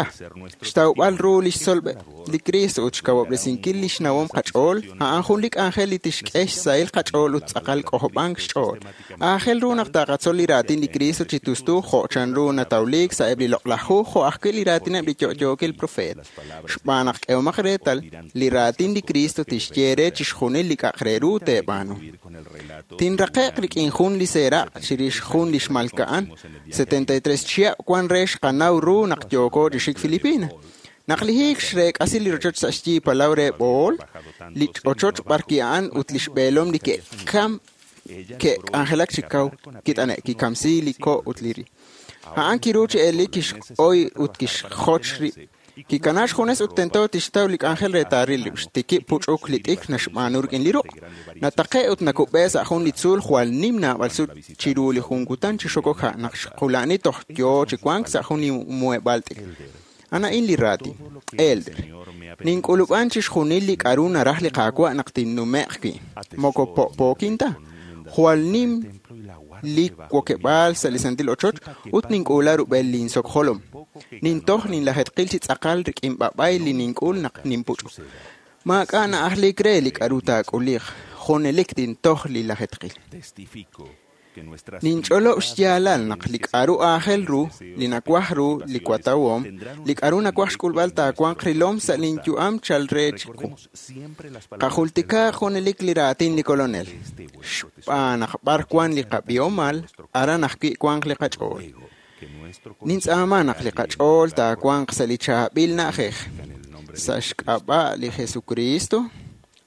[SPEAKER 8] xtawb'al ru li xtzolb'eb' li Kristo ut xkawob'resinkil li xnawom qach'ool, a'an jun li k'anjel li tixk'e xsahil qach'ool ut tz'aqal k'ojob'ank xch'ool. Aajel ru naq taaqatzol li raatin li Kristo chi tustu jo' chanru natawliik sa'eb' li loq'laj hu jo' ajwi' li raatineb' li yo'yookil profeet. Xb'aan naq k'ehomaq reetal, li raatin li Kristo tixye re chixjunil li k'a'aq re ru teeb'aanu. Tinraqe'q rik'in jun li seeraq' chirix jun li xmalka'an, 73 chihab' wan re xqanaw ru naq yooko chi xik Filipina. Naq li hiik xreek'asi li rochoch sa' xyi palaw re Bohol, li ochoch b'arwi' a'an ut li xb'eelom li ke'kam ke'k'anjelak chi kaw kit'ane' kikamsi li ko' ut li ri. A'an kiru chi elik kixq'oy ut kixjoch rib'. Kikana xjunes ut tento tixtaw li k'anjel re taaril rib'. Xtikib' puch'uk li t'ikr naxb'aanu rik'in li ruq'. Nataqe' ut nakub'e sa' jun li tzuul jwal nim naab'al sut chiru li jun kutan chi xokok ha' naq xqula'ni toj yoo chi wank sa' jun li muheb'aal t'ikr. A'an a'in li raatin. Elder, nink'ulub'an chixjunil li k'a'ru naraj li Qaawa' naq tinnume'q wi'. Moko po'pookin ta. Jwal nim li wokeb'aal sa' li santil ochoch ut nink'uula rub'el linsok jolom. Nintoj ninlajetqil chi tz'aqal rik'in b'ab'ay li nink'ul naq ninpuch'uk. Maak'a' na'ajlik re li k'a'ru taak'uliq, junelik tintoj li lajetqil. Ninch'olob' xyaalal naq li k'a'ru aajel ru, li nawaj ru, li watawom, li k'a'ru nawaj xk'ulb'al taawanq rilom sa' linyu'am chal re chiqu. Qajultika junelik li raatin li Kolonel. Xb'aan naq b'ar wan li qab'ihomal, aran ajwi' wanq li qach'ool. Nintz'aama naq li qach'ool taawanq sa' li chaab'il na'ajej. Sa' xk'ab'a' li Jesucristo.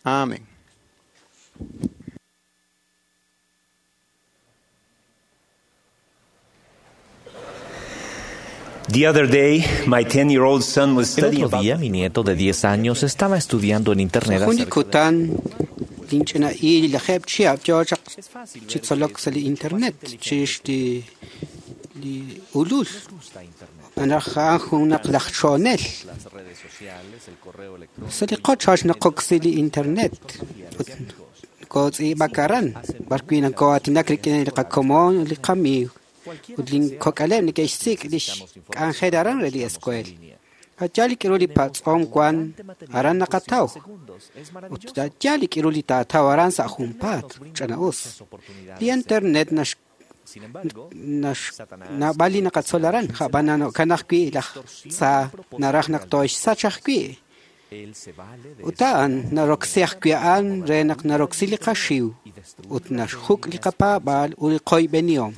[SPEAKER 8] Amén.
[SPEAKER 12] The other day, my 10-year-old son was
[SPEAKER 15] El
[SPEAKER 12] studying
[SPEAKER 15] otro día, mi nieto de 10 años estaba estudiando en internet
[SPEAKER 11] Jun li
[SPEAKER 15] acerca
[SPEAKER 11] kutan linch'ina il lajeb' chihab' yo chaq chi tzolok sa' li internet chirix li li ulul. Anaj a'an junaq laj chonel.
[SPEAKER 15] las redes sociales, el correo electrónico.
[SPEAKER 11] Sa' li qochoch naqoksi li internet. Ut kotz'iib'ak aran, b'ar wi' nako'aatinak rik'in li qakomon ut li qamiiw. Ut linkok'aleb' neke'xsik' lix k'anjel aran re li escuela. Yal li k'irul li patz'om wan aran naqataw. Ut yal li k'irul li taataw aran sa' junpaat, ch'ana'us. Li internet nax nax naab'al li naqatzol aran, ja'b'an jo'kan ajwi' laj tza naraj naq tooxsach ajwi'. Ut a'an naroksi ajwi' a'an re naq naroksi li qaxiw ut naxjuk' li qapaab'al ut li qoyb'enihom.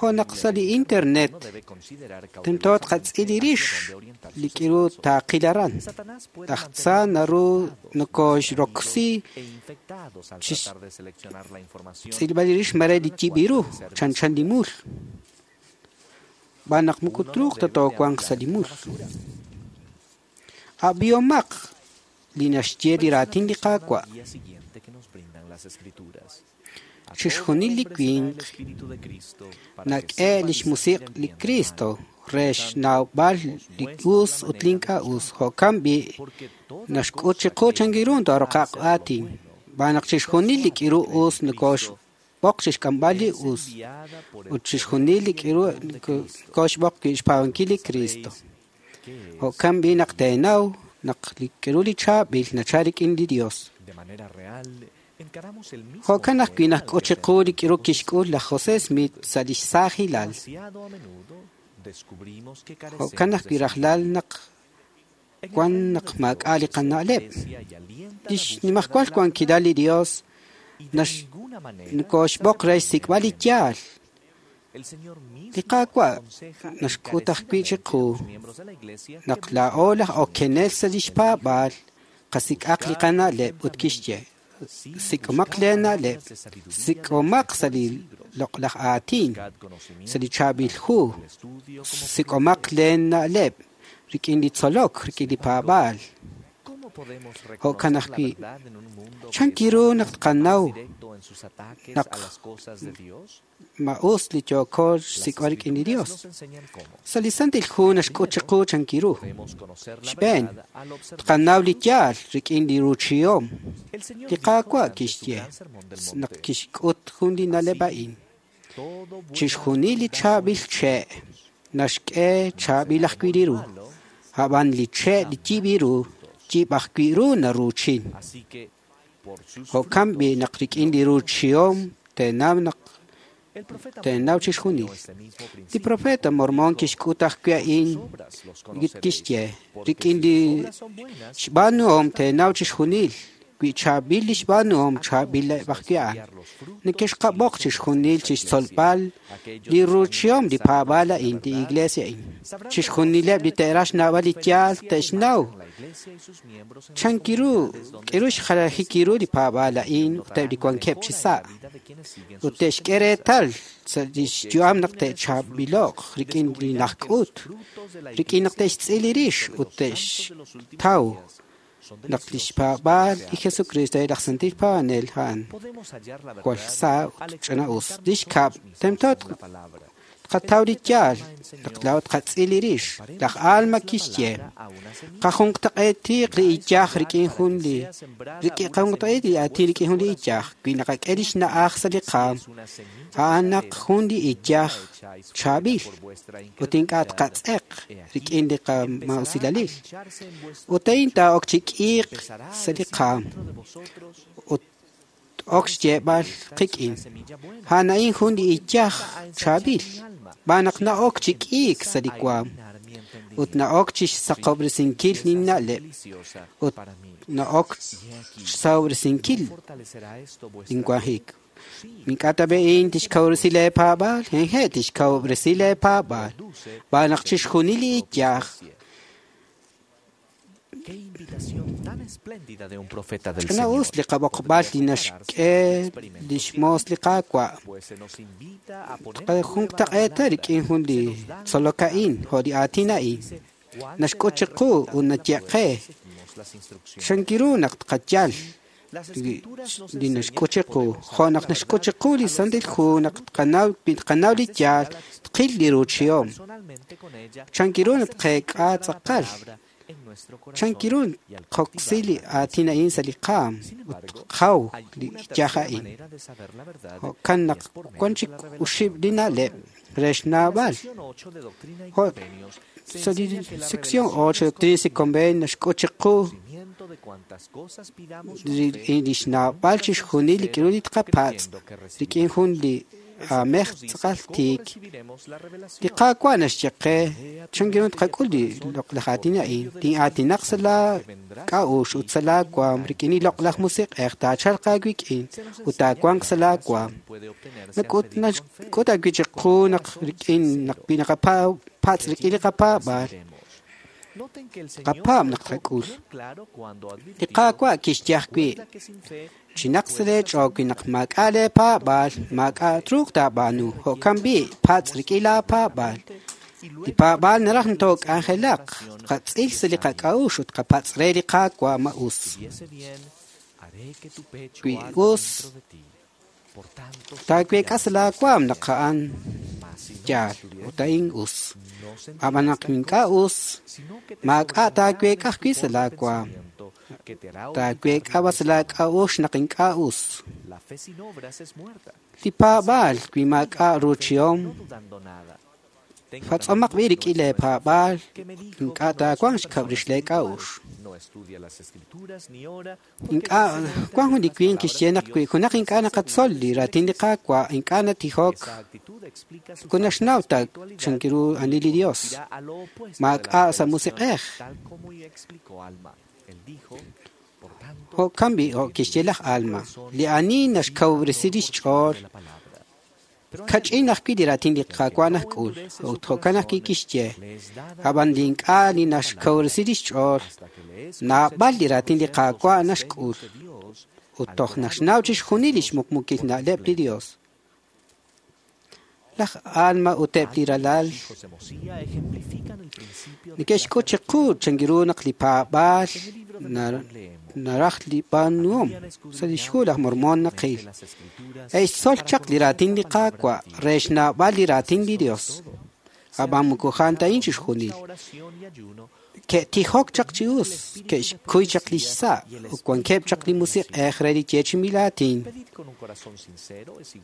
[SPEAKER 11] Jo' naq sa' li internet tento tqatz'il li rix li k'iru taaqil aran. Laj tza naru nokoxroksi chi xtz'ilb'al li rix mare li yib' ru chanchan li mul. B'an naq moko truuq ta toowanq sa' li mul. Ab'ihomaq li naxye li raatin li Qaawa'.
[SPEAKER 15] Día siguiente que nos brindan las escrituras.
[SPEAKER 11] Chixjunil li winq nak'e lix musiq' li Cristo re xnawb'al li us ut li ink'a' us. Jo'kan b'i' naxk'ut chiqu chankiru taaroqaq aatin. B'an naq chixjunil li k'iru us nokoxb'oq chixk'amb'al li us ut chixjunil li k'iru nokoxb'oq wi' xpaab'ankil li Cristo. Jo'kan b'i' naq teenaw naq li k'iru li chaab'il nachal rik'in li Dios.
[SPEAKER 15] De manera real, encaramos el mismo
[SPEAKER 11] Jo'kan ajwi' naqk'ut chiqu li k'iru kixk'ul laj José Smith sa' lix saajilal.
[SPEAKER 15] demasiado a menudo descubrimos que
[SPEAKER 11] Jo'kan
[SPEAKER 15] carecemos de
[SPEAKER 11] ajwi' rajlal naq wan naq maak'a' li qana'leb'. Lix nimajwal wankilal li Dios nax nokoxb'oq re xsik'b'al li yaal.
[SPEAKER 15] El Señor mismo
[SPEAKER 11] Li Qaawa' naxk'ut ajwi' chiqu naq laa'o laj okenel sa' lix paab'aal qasik'aq li qana'leb' ut kixye sik'omaq lee na'leb', sik'omaq sa' li loq'laj aatin, sa' li chaab'il hu, sik'omaq lee na'leb' rik'in li tzolok, rik'in li paab'aal.
[SPEAKER 15] ¿Cómo podemos
[SPEAKER 11] Jo'kan
[SPEAKER 15] reconocer la
[SPEAKER 11] ajwi',
[SPEAKER 15] verdad en un mundo que
[SPEAKER 11] chan
[SPEAKER 15] es
[SPEAKER 11] kiru naq tqanaw
[SPEAKER 15] directo en sus ataques
[SPEAKER 11] naq
[SPEAKER 15] a las cosas de Dios?
[SPEAKER 11] ma us li yooko xsik'b'al rik'in li Dios.
[SPEAKER 15] Nos enseñan cómo.
[SPEAKER 11] Sa' li Santil Hu naxk'ut chiqu chan kiru.
[SPEAKER 15] Podemos conocer la
[SPEAKER 11] Xb'een,
[SPEAKER 15] verdad al observar.
[SPEAKER 11] tqanaw li yaal rik'in li ruuchihom.
[SPEAKER 15] El Señor
[SPEAKER 11] Li
[SPEAKER 15] dijo
[SPEAKER 11] Qaawa'
[SPEAKER 15] durante su
[SPEAKER 11] kixye
[SPEAKER 15] gran sermón del
[SPEAKER 11] naq
[SPEAKER 15] monte,
[SPEAKER 11] kixk'ut jun li na'leb' a'in.
[SPEAKER 15] todo buen
[SPEAKER 11] Chixjunil li chaab'il che' naxk'e chaab'il ajwi' li ru. Ab'an li che' li yib' ru, yib' ajwi' ru naruuchin.
[SPEAKER 15] Así que por sus
[SPEAKER 11] Jo'kan b'i' naq rik'in li ruuchihom teenaw naq
[SPEAKER 15] El profeta
[SPEAKER 11] teenaw chixjunil. Li profeta Mormon kixk'ut ajwi' a'in kixye rik'in li xb'aanuhom teenaw chixjunil wi chaab'il li xb'aanuhom chaab'ileb' ajwi' a'an. Neke'xqab'oq chixjunil chixtzolb'al li ruuchihom li paab'aal a'in li iglesia a'in. Chixjunileb' li te'raj xnawb'al li yaal te'xnaw chan kiru k'iru xjalajik kiru li paab'aal a'in ut eb' li wankeb' chi sa' ut te'xk'e reetal sa' lix yu'am naq te'chaab'ilo'q rik'in li najk'ut rik'in naq te'xtz'il li rix ut te'xtaw naq lix paab'aal li Jesucristo laj Santil Paab'anel a'an
[SPEAKER 15] podemos hallar la
[SPEAKER 11] jwal
[SPEAKER 15] verdad
[SPEAKER 11] sa' ut ch'ana'us. Lix kab' tento Tqataw li yaal naq laa'o tqatz'il li rix. Laj Alma kixye qajunqtaq'eetiq li iyaj rik'in jun li rik'in qajunqtaq'eet li aatin rik'in jun li iyaj wi naqak'e lix na'aj sa' li qaam a'an naq jun li iyaj chaab'il ut ink'a' tqatz'eq rik'in li qamausilalil ut a'in taa'ok chi k'iiq sa' li qaam ut ok xyeeb'al qik'in a'an a'in jun li iyaj chaab'il b'an naq na'ok chi k'iik sa' li waam ut na'ok chi xsaqob'resinkil linna'leb' ut na'ok xsahob'resinkil linwanjik. Ink'a' tab'e'in tixkawresi leepaab'aal, hehe' tixkawresi leepaab'aal b'an naq chixjunil li iyaj Ch'ina us li qab'oqb'al li naxk'e lix moos li Qaawa'. Tqajunqtaq'eeta rik'in jun li tzolok a'in jo' li aatin a'in. Naxk'ut chiqu ut naye'qe chankiru naq tqayal li naxk'ut chiqu jo' naq naxk'ut chiqu li Santil Hu naq tqanaw li yaal tqil li ruuchihom. Chankiru naq tqeek'a tz'aqal chankiru tqoksi li aatin a'in sa' li qaam ut tqaw li iyaj a'in. Jo'kan naq wan chik oxib' li na'leb' re xnawb'al. Jo' sa' li sección 8 de Doctrinas y Convenios naxk'ut chiqu li xnawb'al chixjunil li k'aru li tqapatz' rik'in jun li aamej tz'aqal tiik. Li Qaawa' naxye qe chankiru tqak'ul li loq'laj aatin a'in. Tin'aatinaq sa' laa k'a'uxl ut sa' laa waam rik'in li loq'laj musiq'ej taachalq aawik'in ut taawanq sa' laa waam. Nak'ut awi' chiqu naq rik'in naq wi naqapatz' rik'in li qapaab'aal qapaab' naq tqak'ul. Li Qaawa' kixye ajwi' chinaq sa' leech'ool wi naq maak'a' leepaab'aal maak'a' truuq taab'aanu. Jo'kan b'i' patz' rik'in laapaab'aal. Li paab'aal naraj ntook'anjelaq tqatz'il sa' li qak'a'uxl ut qapatz' re li Qaawa' ma us. Wi us taaweek'a sa' laawaam naq a'an yaal ut a'in us. Ab'an naq ink'a' us maak'a' taaweek'a ajwi' sa' laawaam. Taaweek'a b'an sa' laak'a'uxl naq ink'a' us. Li paab'aal wi maak'a' ruuchihom patz'omaq b'i' rik'in leepaab'aal ink'a' taawanq xkab' rix leek'a'uxl. Ink'a' wan jun li winq kixye naq wi junaq ink'a' naqatzol li raatin li Qaawa' ink'a' natijok moko naxnaw ta chankiru ani li Dios. Maak'a' sa' musiq'ej. Jo'kan b'i' jo' kixye laj Alma li ani naxkawresi lix ch'ool kach'in ajwi' li raatin li Qaawa' najk'ul ut jo'kan ajwi' kixye ab'an li ink'a' li naxkawresi lix ch'ool naab'al li raatin li Qaawa' naxk'ul ut toj naxnaw chixjunil lix muqmukil na'leb' li Dios. Laj Alma ut eb' li ralal neke'xk'ut chiqu chankiru naq li paab'aal naraj li b'aanuhom sa' lix hu laj Mormon naqil. E'xtzol chaq li raatin li Qaawa' re xnawb'al li raatin li Dios. Ab'an moko a'an ta a'in chixjunil. Ke'tijok chaq chi us, ke'xkuy chaq lix sa' ut wankeb' chaq li musiq'ej re li yeechi'inb'il aatin.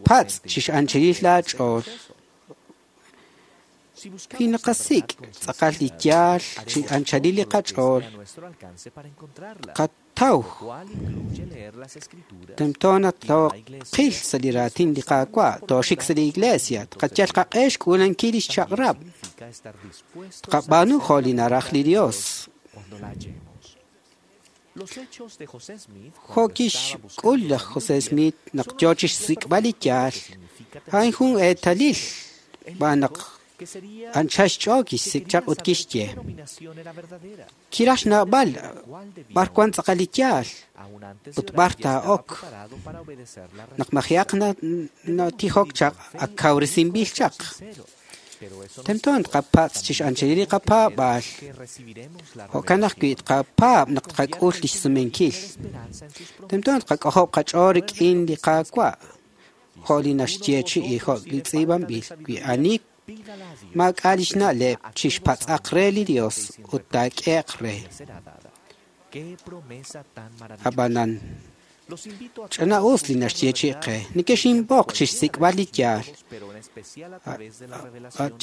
[SPEAKER 11] Patz' chix'anchilil laach'ool. Wi naqasik' tz'aqal li yaal chi anchalil li qach'ool, qataw tento naq tooqil sa' li raatin li Qaawa', tooxik sa' li iglesia, tqayal qaq'e xk'uulankil lix chaq'rab', tqab'aanu jo' li naraj li Dios. Jo' kixk'ul laj José Smith naq yoo chixsik'b'al li yaal, a'in jun eetalil b'an naq anchal xch'ool kixsik' chaq ut kixye. Kiraj xnawb'al b'ar wan tz'aqal li yaal ut b'ar taa'ok. Naq maji'aq natijok chaq ak kawresinb'il chaq. Tento tqapatz' chix'anchilil li qapaab'aal. Jo'kan ajwi' tqapaab' naq tqak'ul lix sumenkil. Tento tqak'ojob' qach'ool rik'in li Qaawa' jo' li naxyeechi'i jo' li tz'iib'anb'il wi ani Maak'a' lix na'leb' chixpatz'aq re li Dios ut taak'ehe'q re. Ab'anan, ch'ina'us li naxyeechi'i qe. Nekexinb'oq chixsik'b'al li yaal.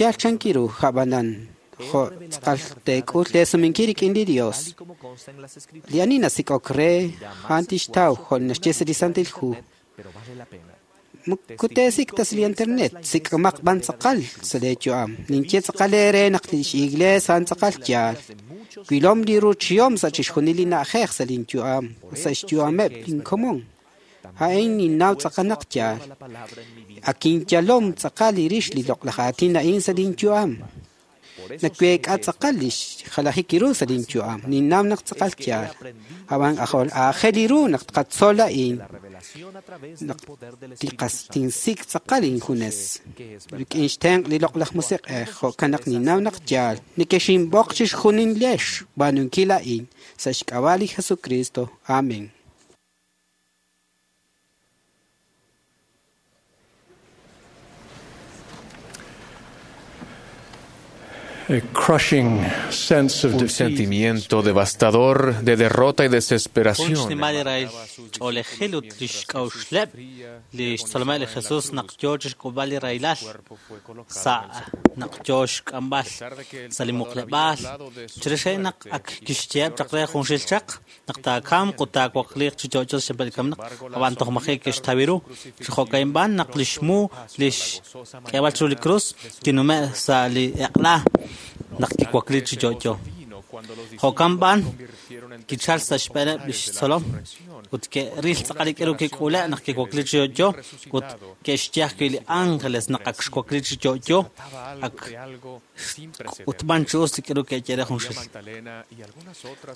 [SPEAKER 11] Yaal chankiru, ab'anan, jo' tz'aqal teek'ul leesumenkil rik'in li Dios. Li ani nasik'ok re, a'an tixtaw jo' naxye sa' li Santil Hu. Moko teesik' ta sa' li internet, sik'omaq b'an tz'aqal sa' leeyu'am. Ninye tz'aqal eere naq lix iglees a'an tz'aqal yaal. Wilom li ruuchihom sa' chixjunil li na'ajej sa' linyu'am, sa' xyu'ameb' linkomon. A'in ninnaw tz'aqal naq yaal. Ak inyalom tz'aqal li rix li loq'laj aatin a'in sa' linyu'am. Naweek'a tz'aqal li xjalajik ru sa' linyu'am. Ninnaw naq tz'aqal yaal. Ab'an aajel ru naq tqatzol a'in. Naq tinsik' tz'aqal injunes. Rik'in xtenq' li loq'laj musiq'ej, jo'kan naq ninnaw naq yaal. Nekexinb'oq chixjunilex xb'aanunkil a'in sa' xk'ab'a' li Jesucristo. Amén.
[SPEAKER 1] A crushing sense of
[SPEAKER 16] Un
[SPEAKER 1] defeat.
[SPEAKER 16] sentimiento devastador de derrota y
[SPEAKER 17] Jun
[SPEAKER 16] desesperación.
[SPEAKER 17] xnimal li rahil ch'oolejil ut lix k'a'uxleb' li xtzolomeb' li Jesus naq yoo chixk'ulb'al li rahilal sa' naq yoo xk'amb'al sa' li muqleb'aal. Chirix a'in naq ak kixyeheb' chaq re junxil chaq naq taakamq ut taawakliiq chi yo'yo sa' xyanqeb' li kamenaq, ab'an toj maji' ke'xtaw ru. Chi jo'ka'in b'an naq lix mu lix k'eeb'al chiru li krus kinume' sa' li eq'la naq kiwakli chi yo'yo. Jo'kan b'an kichal sa' xb'eeneb' lix tzolom ut ke'ril tz'aqal li k'aru kik'ule' naq kiwakli chi yo'yo ut ke'xye ajwi' li ángeles naq ak xwakli chi yo'yo ak ut b'an chi us li k'aru ke'ye re junxil.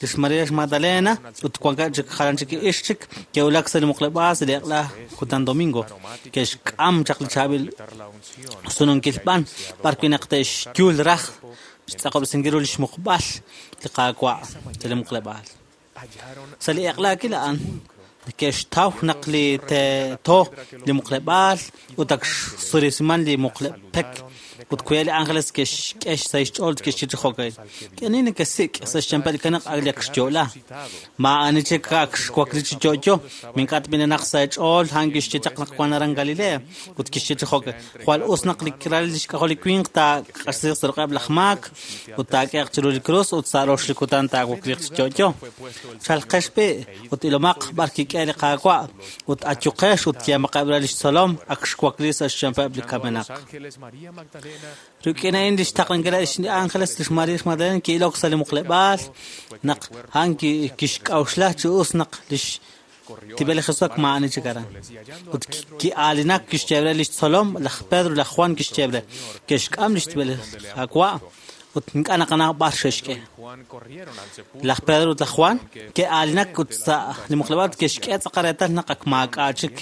[SPEAKER 17] Lix María lix Magdalena ut wankeb' chik jalan chik ixq chik ke'wulak sa' li muqleb'aal sa' li eq'la kutan domingo ke'xk'am chaq li chaab'il sununkil b'an b'arwi' naq te'xyul raj xtz'aqob'resinkil ru lix muqb'al li Qaawa' sa' li muqleb'aal. Sa' li eq'laakil a'an ke'xtaw naq li teeto li muqleb'aal ut ak xsurisiman li muqleb' pek ut kuya li ángeles ke'xk'e sa' xch'ool ut ke'xye chi jo'ka'in. Ani nekesik' sa' xyanqeb' li kamenaq ak li ak xyo'la. Maa'ani chik ak xwakli chi yo'yo. Mink'a' tb'inenaq sa' eech'ool a'an kixye chaq naq wan aran Galilea ut kixye chi jo'ka'in. Jwal us naq li ral lix k'ajol li winq taaq'axtesiiq sa' ruq'eb' laj maak ut taak'ehe'q chiru li krus ut sa' rox li kutan taawakliiq chi yo'yo. Chalqex b'i' ut ilomaq b'ar kik'e li Qaawa' ut ayuqex ut yeemaqeb' re lix tzolom ak xwakli sa' xyanqeb' li kamenaq. Rik'in a'in lix taqlankil li ángeles lix María lix Magdalena ki'ilok sa' li muqleb'aal naq a'an kixk'a'uxla chi us naq lix tib'el li Jesus ak maa'ani chik aran. Ut ki'aalinak kixye re lix tzolom laj Pedro laj Juan kixye re ke'xk'am lix tib'el li Qaawa' ut ink'a' naqanaw b'ar xe'xk'e. Laj Pedro ut laj Juan ke'aalinak ut sa' li muqleb'aal ke'xk'e tz'aqal reetal naq ak maak'a' chik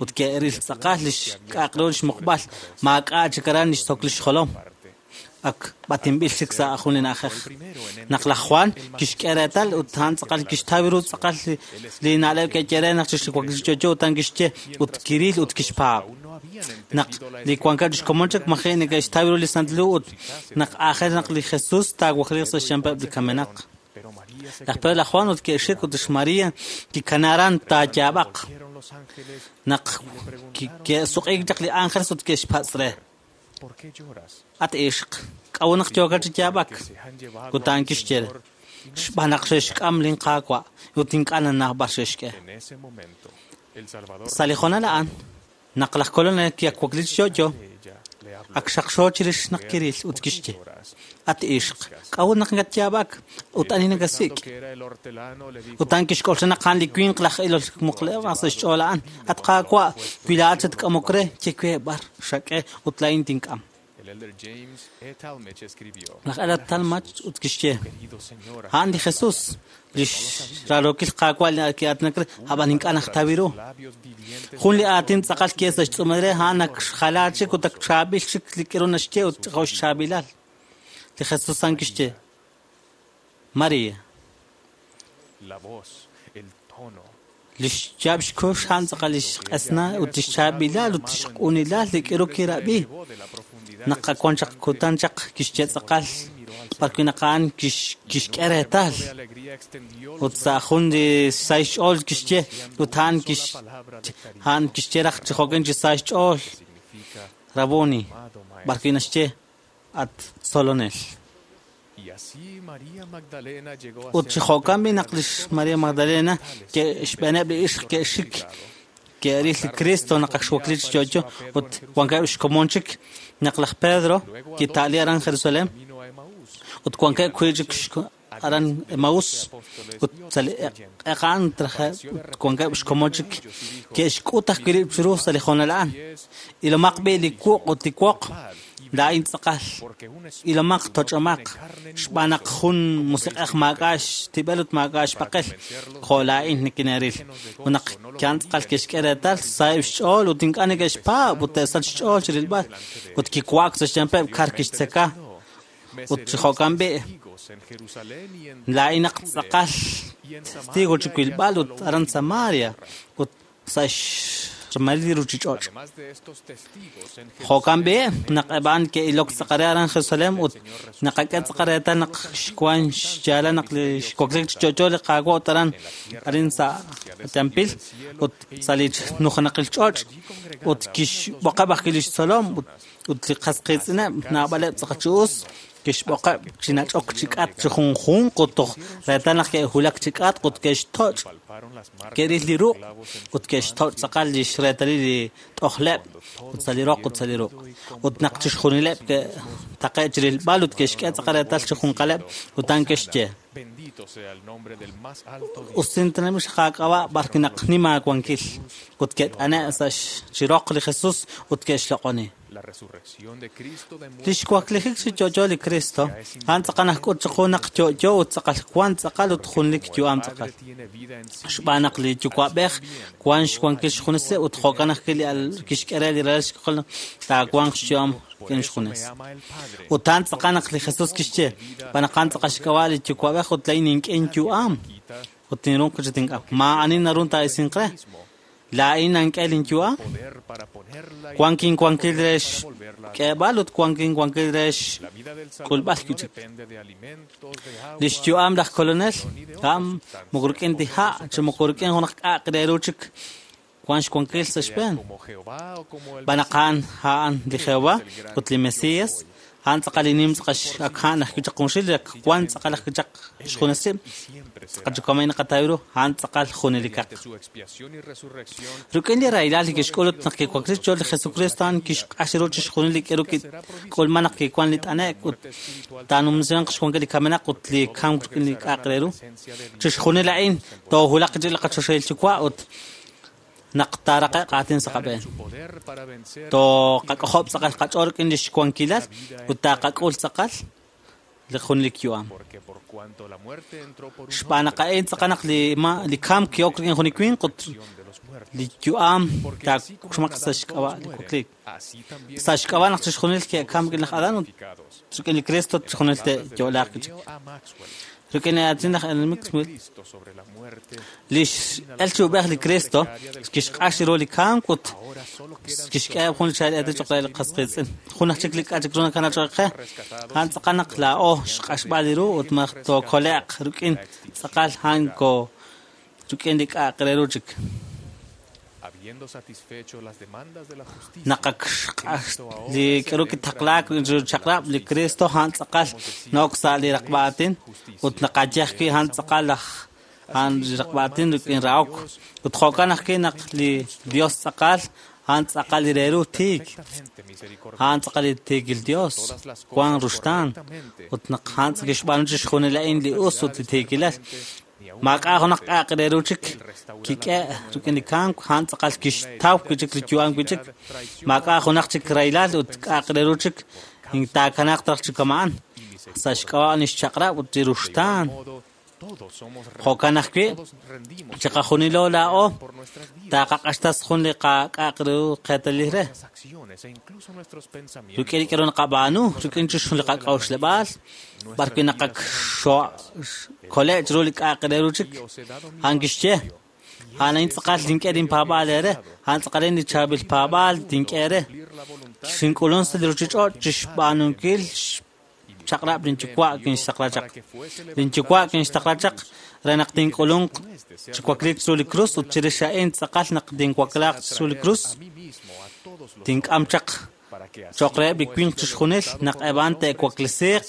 [SPEAKER 17] ut ke'ril tz'aqal lix k'a'aq ru lix muqb'al maak'a' chik aran lix sok lix jolom ak b'atinb'il chik sa' jun li na'ajej. Naq laj Juan kixk'e reetal ut a'an tz'aqal kixtaw ru tz'aqal li na'leb' ke'ye re naq chixwakli chi yo'yo ut a'an kixye ut kiril ut kixpaab'. Naq li wankeb' xkomon chik maji' neke'xtaw ru li Santil Hu ut naq aajel naq li Jesus taawakliiq sa' xyanqeb' li kamenaq. Laj Pedro laj Juan ut ke'xik ut lix María kikana aran taayaab'aq. Naq ke'suq'iik chaq li ángeles ut ke'xpatz' re. At ixq, k'a'ut naq yookat chi yaab'ak? Ut a'an kixye re, xb'aan naq xe'xk'am lin Qaawa' ut ink'a' nannaw b'ar xe'xk'e. Sa' li hoonal a'an, naq laj Kolonel kiwakli chi yo'yo, ak xaqxo chirix naq kiril ut kixye, At ixq, k'a'ut naq nakatyaab'ak ut ani nakasik'? Ut a'an kixk'oxla naq a'an li winq laj ilol muqleb'aal sa' xch'ool a'an. At Qaawa', wi laa'at xatk'amok re, ye we b'ar xak'e ut laa'in tink'am. Laj Elder Talmage ut kixye, a'an li Jesus, lix raarokil Qaawa' li ki'aatinak re, ab'an ink'a' najtaw ru. Jun li aatin tz'aqal ki'el sa' xtz'uumal re, a'an ak xjala chik ut ak chaab'il chik li k'aru naxye ut jo' xchaab'ilal. Li Jesus a'an kixye, María. Lix yaab' xkux a'an tz'aqal lix q'esna ut lix chaab'ilal ut lix q'unilal li k'aru kirab'i. Naq ak wan chaq kutan chaq kixye tz'aqal b'arwi' naq a'an kixk'e reetal. Ut sa' jun li sahil xch'ool kixye, ut a'an kixye raj chi jo'kan chi sa xch'ool, Raboni, b'arwi' naxye, at tzolonel. Ut chi jo'kan b'i' naq lix Maria Magdalena ke'xb'eeneb' li ixq ke'xik ke'ril li Cristo naq ak xwakli chi yo'yo ut wankeb' xkomon chik naq laj Pedro kita'li aran Jerusalén ut wankeb' wi' chik aran Emaús ut sa' li eq'an ut wankeb' xkomon chik ke'xk'ut ajwi' rib' chiru sa' li hoonal a'an. Ilomaq b'i' li wuq' ut li woq, laa'in tz'aqal. Ilomaq toch'omaq, xb'aan naq jun musiq'ej maak'a' xtib'el ut maak'a' xpaqel, jo' laa'in nikineeril. Ut naq ki'an tz'aqal ke'xk'e reetal, saheb' xch'ool ut ink'a' neke'xpaab' ut te'sachq xch'ool chi rilb'al. Ut kiwa'ak sa' xyanqeb' kar kixtzeka. Ut chi jo'kan b'i', laa'in naq tz'aqal testigo chi wilb'al ut aran Samaria ut sa' xmaril li ruuchich'och'. Jo'kan b'i' naq eb' a'an ke'ilok tz'aqal re aran Jerusalén ut naqak'e tz'aqal reetal naq xwank xyaalal naq li xwakliik chi yo'yo li Qaawa' ut aran arin sa' Tempil ut sa' li nujenaqil ch'och' ut kixb'oqeb' ajwi' li xtzolom ut li qas qiitz'ineb' naab'aleb' tz'aqal chi us kixb'oqeb' chi nach'ok chi k'atq chi junjunq ut toj reetal naq ke'wulak chi k'atq ut ke'xtoch' ke'ril li ruq' ut ke'xtoch' tz'aqal li xreetalil li t'ojleb' ut sa' li roq ut sa' li ruq'. Ut naq chixjunileb' ke'taqe' chi rilb'al ut ke'xk'e tz'aqal reetal chi junqaleb' ut a'an ke'xye, Usintanamil xaqaak'ab'a' b'arwi' naq nim aawankil. Ut ke't'ane' sa' chi roq li Jesus ut ke'xloq'oni. Lix waklijik chi yo'yo li Cristo, a'an tz'aqal naxk'ut chiqu naq yo'yo ut tz'aqal wan tz'aqal ut junelik yu'am tz'aqal. Xb'aan naq li Yuwa'b'ej wan xwankil xjunes ut jo'kan ajwi' li kixk'e re li ralal xk'ajol taawanq xyu'am rik'in xjunes. Ut a'an tz'aqal naq li Jesus kixye, xb'aan naq a'an tz'aqal xk'ab'a' li Yuwa'b'ej ut laa'in nink'e inyu'am ut tinruuq chi tink'am. Maa'ani naru taa'isinq re. Laa'in nank'e linyu'am, wank inwankil re xk'eeb'al ut wank inwankil re xk'ulb'al wi' chik. Li xyu'am laj Kolonel, a'an moko rik'in ta ha' chi moko rik'in junaq k'a'aq re ru chik wank xwankil sa' xb'een. Xb'aan naq a'an a'an li Jehova ut li Mesías, a'an tz'aqal li nim tz'aqal ak a'an ajwi' chaq junxil, ak wank tz'aqal ajwi' chaq xjunes rib', tz'aqal chi kama'in naqataw ru, a'an tz'aqal junelikaq. Rik'in li rahilal li kixk'ul ut naq kiwakli xch'ool li Jesucristo, a'an kixq'ax ru chixjunil li k'aru kik'ulman naq kiwank li t'ane'k ut taanumsimanq xwankil li kamenaq ut li kamk rik'in li k'a'aq re ru. Chixjunil a'in toowulaq chi li qaChoxahil Yuwa' ut naq taaraqe'q aatin sa' qab'een. Tooqak'ojob' tz'aqal qach'ool rik'in li xwankilal ut taaqak'ul tz'aqal li junelik yu'am. Xb'aan naq a'in tz'aqal naq li kamk ki'ok rik'in jun li winq ut li yu'am taaxmaq sa' xk'ab'a' li wakliik. Sa' xk'ab'a' naq chixjunil ke'kamk rik'in laj Adán ut rik'in li Cristo chixjunil te'yo'laaq wi' chik. Rik'in li aatin laj Ellen Maxwell, li x'el chi ub'ej li Cristo kixq'ax ru li kamk ut kixk'e jun li chaab'il eetalil cho'q re li qas qiitz'in. Jun aj chik li k'a' chik ru nakana cho'q qe, a'an tz'aqal naq laa'o xq'axb'al li ru ut malaj tookole'q rik'in tz'aqal a'an ko rik'in li k'a'aq re ru chik. Naq ak xq'ax li k'aru kitaqlaak rik'in chaq'rab', li Cristo a'an tz'aqal na'ok sa' li raqb'a aatin ut naqaye ajwi' a'an tz'aqal laj a'an li raqb'a aatin rik'in rahok. Ut jo'kan ajwi' naq li Dios tz'aqal, a'an tz'aqal li re ru tiik. A'an tz'aqal li tiikil Dios, wank ruxtaan. Ut naq a'an kixb'aanu chixjunil a'in li us ut li tiikilal, maak'a' junaq k'a'aq re ru chik kik'e rik'in li kamk, a'an tz'aqal kixtaw wi' chik li yu'am wi' chik. Maak'a' junaq chik rahilal ut k'a'aq re ru chik taakanaaq raj chi kama'an sa' xk'ab'a' li xchaq'rab' ut li ruxtaan. Jo'kan ajwi', chiqajunilo laa'o taaqaq'axtas jun li qak'a'aq ru qeetalil re. Rik'in li k'aru naqab'aanu, rik'in chixjunil li qak'a'uxleb'aal, b'arwi' naqakxo' chiru li k'a'aq re ru chik. A'an kixye, a'an a'in tz'aqal tink'e linpaab'aal eere, a'an tz'aqal li chaab'il paab'aal tink'e eere. Xink'ulunk sa' li ruuchich'och' chi xb'aanunkil xchaq'rab' linyuwa' kinxtaqla chaq. Linyuwa' kinxtaqla chaq re naq tink'ulunq chi wakliik chiru li krus ut chirix a'in tz'aqal naq tinwaklaaq chiru li krus tink'am chaq cho'q reheb' li winq chixjunil naq eb' a'an te'waklesiiq.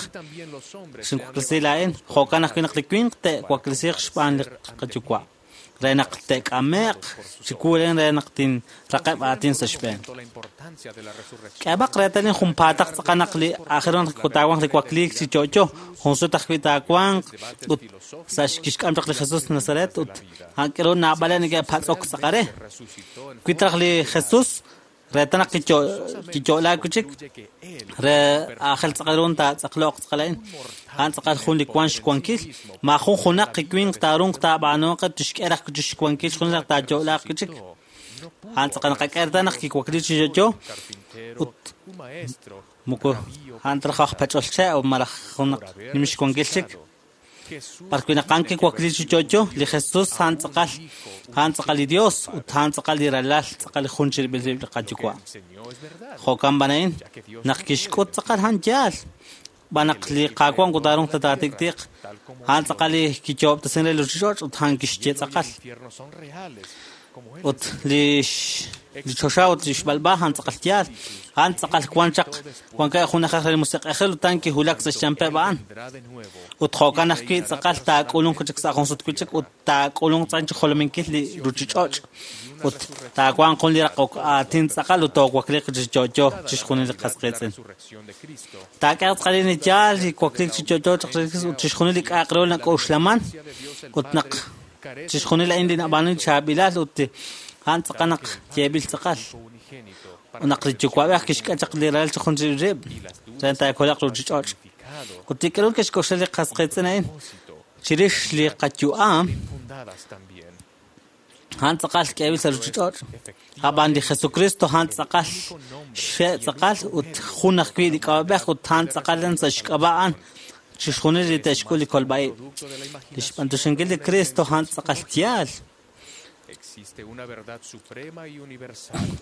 [SPEAKER 17] Xinwaklesi laa'in, jo'kan ajwi' naq li winq te'waklesiiq xb'aan li qayuwa' re naq te'k'ame'q chiwu len re naq tinraqeb' aatin sa' xb'een. K'eeb'aq reetal junpaataq tz'aqal naq li aajel ru naq taawanq li wakliik chi yo'yo, jun sut ajwi' taawanq ut sa' kixk'am chaq li Jesus Nazaret ut a'an k'aru naab'aleb' neke'patz'ok tz'aqal re. Wi traj li Jesus reetal naq kiyo'laak wi' chik re aajel tz'aqal ru taatz'aqloq tz'aqal a'in. A'an tz'aqal jun li wank xwankil. Maajun junaq li winq taarunq taab'aanuuq tixk'e raj chi xwankil xjunes naq taayo'laaq wi' chik. A'an tz'aqal naqak'e reetal naq kiwakliik chi yo'yo ut moko a'an ta raj aj pach'ol che' malaj junaq nim xwankil chik. B'arwi' naq a'an kiwakliik chi yo'yo, li Jesus a'an tz'aqal li Dios ut a'an tz'aqal li Ralal, tz'aqal li jun chirib'il rib' li qayuwa'. Jo'kan b'an a'in, naq kixk'ut tz'aqal a'an yaal, b'an naq li Qaawa' moko taarunq ta taatik'tiq, a'an tz'aqal li kiyo'ob'tesin re li ruuchich'och' ut a'an kixye tz'aqal. Ut li choxa ut li xb'alb'a a'an tz'aqal yaal, a'an tz'aqal wan chaq wankeb' jun na'ajej re li musiq'ejil ut a'an kiwulak sa' xyanpeb' a'an. Ut jo'kan ajwi' tz'aqal taak'ulunq chik sa' jun sut wi' chik ut taak'ulunq tz'aqal chi jolominkil li ruuchich'och' ut taawanq jun li raqok aatin tz'aqal ut toowakliiq chi yo'yo chixjunil li qas qiitz'in. Taak'ehaq tz'aqal li yaal li wakliik chi yo'yo chaq ut chixjunil li k'a'aq re ru nak'oxlaman ut naq chixjunil a'in li nab'aanu chaab'ilal ut a'an tz'aqal naq yeeb'il tz'aqal. Ut naq li yuwa'b'ej kixk'e chaq li ralal chi jun rib' re taakolaq ruuchich'och'. Ut li k'aru kixk'oxla li qas qiitz'in a'in chirix li qayu'am a'an tz'aqal k'eeb'il sa' ruuchich'och'. Ab'an li Jesucristo a'an tz'aqal xe' tz'aqal ut jun ajwi' li k'ab'a'ej ut a'an tz'aqal sa' xk'ab'a' a'an chixjunil li te'xk'ul li kolb'a'ib'. Li xb'antuxinkil li Cristo a'an tz'aqal yaal.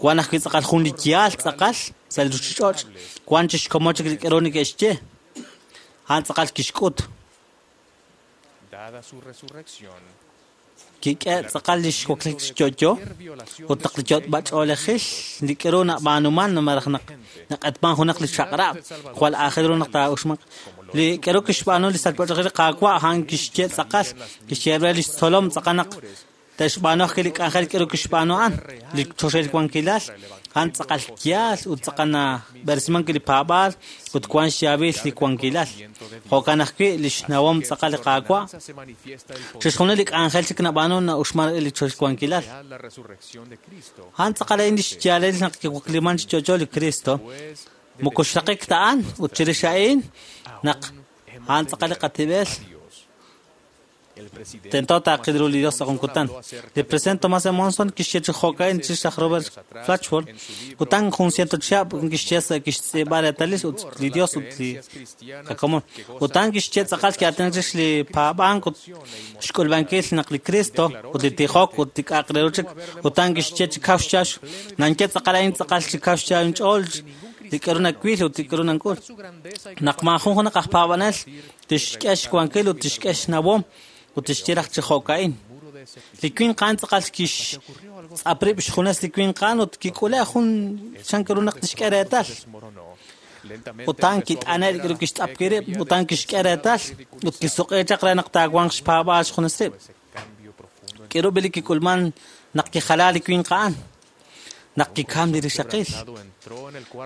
[SPEAKER 17] Wan ajwi' tz'aqal jun li yaal tz'aqal sa' li ruuchich'och'. Wan chixkomon chik li k'aru neke'xye. A'an tz'aqal kixk'ut. Kik'e tz'aqal li xwakliik chi yo'yo ut naq li yot'b'ach'oolejil li k'aru nab'aanuman malaj naq naq'etman junaq li chaq'rab' jwal aajel ru naq taa'uxmanq. Li k'aru kixb'aanu li sachb'ach'oolejil li Qaawa' a'an kixye tz'aqal, kixye re li xtzolom tz'aqal naq te'xb'aanu ajwi' li k'anjel k'aru kixb'aanu a'an, li choxahil wankilal, a'an tz'aqal yaal ut tz'aqal nab'eresimank li paab'aal ut wank xyaab'il li wankilal. Jo'kan ajwi' li xnawom tz'aqal li Qaawa', chixjunil li k'anjel chik nab'aanu na'uxman li choxahil wankilal. A'an tz'aqal a'in li xyaalil naq kiwakliman chi yo'yo li Cristo, moko xraqik ta a'an ut chirix a'in naq a'an tz'aqal li qatib'el. Tento taaqil ru li Dios sa' jun kutan. Li presidente Thomas E. Monson kixye chi jo'ka'in chirix laj Robert Flatchford, kutan jun ciento chihab' kixye sa' kixtz'iib'a reetalil ut li Dios ut li qakomon. Utan kixye tz'aqal ki'aatinak chirix li paab'ank ut xk'ulb'ankil naq li Cristo ut li tijok ut li k'a'aq re ru chik. Utan kixye chi kaw xchax, nanke tz'aqal a'in tz'aqal chi kaw xchax inch'ool li k'aru nawil ut li k'aru nank'ul. Naq maajun junaq aj paab'anel tixk'e xwankil ut tixk'e xnawom ut tixye raj chi jo'ka'in. Li winq a'an tz'aqal kixtz'ap rib' xjunes li winq a'an ut kik'ule' jun chan ru naq tixk'e reetal. Ut a'an kit'ane' li k'aru kixtz'ap wi' rib' ut a'an kixk'e reetal ut kisuq'i chaq re naq taawanq xpaab'aal xjunes rib'. K'aru b'i li kik'ulman naq kijala li winq a'an? Naq kikam li rixaqil.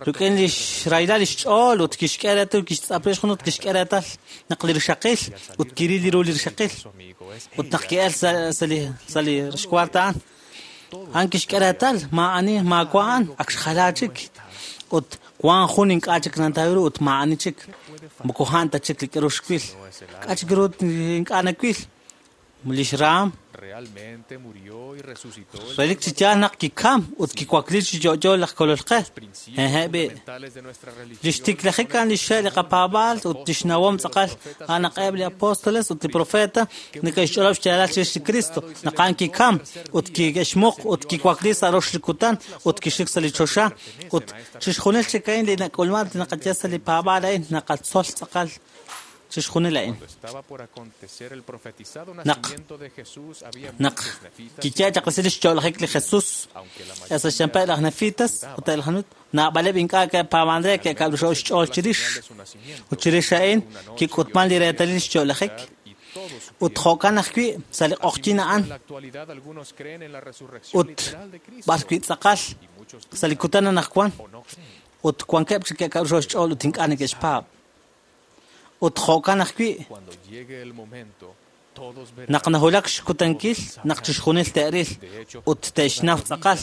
[SPEAKER 17] Rik'in li xrahilal li xch'ool ut kixk'e reetal kixtz'ap rib' xjun ut kixk'e reetal naq li rixaqil ut kiril ru li rixaqil. Ut naq ki'el sa' li xkuart a'an, a'an kixk'e reetal maa'ani maawa' a'an ak xjala chik. Ut wan jun ink'a' chik nantaw ru ut maa'ani chik. Moko a'an ta chik li k'aru xwil. K'a' chik ru ink'a' nawil. Li xraam. Relik chi yaal naq kikam ut kiwakli chi yo'yo laj kolol qe. Hehe' b'i. Lix tiklajik a'an lix xe' li qapaab'aal ut lix nawom tz'aqal a'an naq eb' li apóstoles ut li profeta neke'xch'olob' xyaalal chirix li Cristo, naq a'an kikam ut kixmuq ut kiwakli sa' rox li kutan ut kixik sa' li choxa ut chixjunil chik a'in li nak'ulman li naqaye sa' li paab'aal a'in naqatzol tz'aqal chixjunil a'in. Naq naq kiye chaq resil lix yo'lajik li Jesus, sa' xyanqeb' laj Nefitas ut eb' laj Nut, naab'aleb' ink'a' ke'paab'an re ke'kab'lixo' xch'ool chirix. Ut chirix a'in kik'utman li reetalil lix yo'lajik. Ut jo'kan ajwi' sa' li q'oqyin a'an ut b'arwi' tz'aqal sa' li kutan anaqwan ut wankeb' chik ke'kab'lixo' xch'ool ut ink'a' neke'xpaab'. Ut jo'kan ajwi' naq nahulak xkutankil naq chixjunil te'ril ut te'xnaw tz'aqal,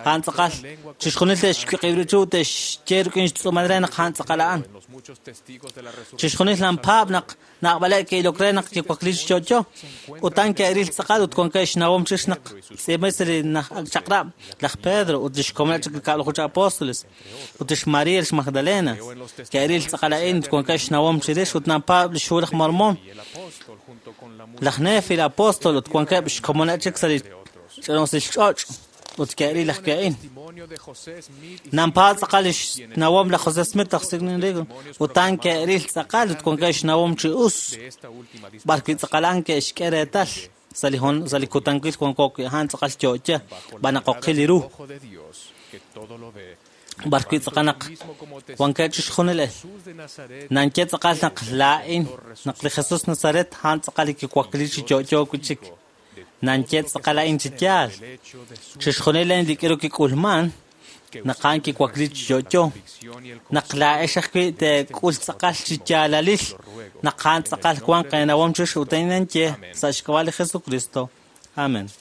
[SPEAKER 17] a'an tz'aqal, chixjunil te'xwiq'ib rib' ut te'xye rik'in xtz'uumal re naq a'an tz'aqal a'an. Chixjunil nanpaab' naq naab'aleb' ke'ilok re naq kiwakli chi yo'yo, ut a'an ke'ril tz'aqal ut wankeb' xnawom chirix naq tz'iib'anb'il sa' li chaq'rab' laj Pedro ut lix komoneb' chik li kab'laju chi apóstoles ut lix María lix Magdalena ke'ril tz'aqal a'in ut wankeb' xnawom chirix ut nanpaab' lix hu laj Mormón, laj Nefi, li apóstol ut wankeb' xkomoneb' chik sa' li ch'ina'usil ch'och' ut ke'ril ajwi' a'in. Nanpaab' tz'aqal lix nawom laj José Smith, laj Sidney Rigdon, ut a'an ke'ril tz'aqal ut wankeb' xnawom chi us, b'arwi' tz'aqal a'an ke'xk'e reetal sa' li kutankil wanko wi' a'an tz'aqal yo'yo, b'an naq oqil li ru. B'arwi' tz'aqal naq wankeb' chixjunil nanye tz'aqal naq laa'in naq li Jesus Nazaret a'an tz'aqal li kiwakli chi yo'yo wi' chik. Nanye tz'aqal a'in chi yaal. Chixjunil a'in li k'iru kik'ulman naq a'an kiwakli chi yo'yo. Naq laa'ex ajwi' teek'ul tz'aqal chi yaalalil naq a'an tz'aqal wanq eenawom chirix ut a'in nanye sa' xk'ab'a' li Jesucristo. Amen.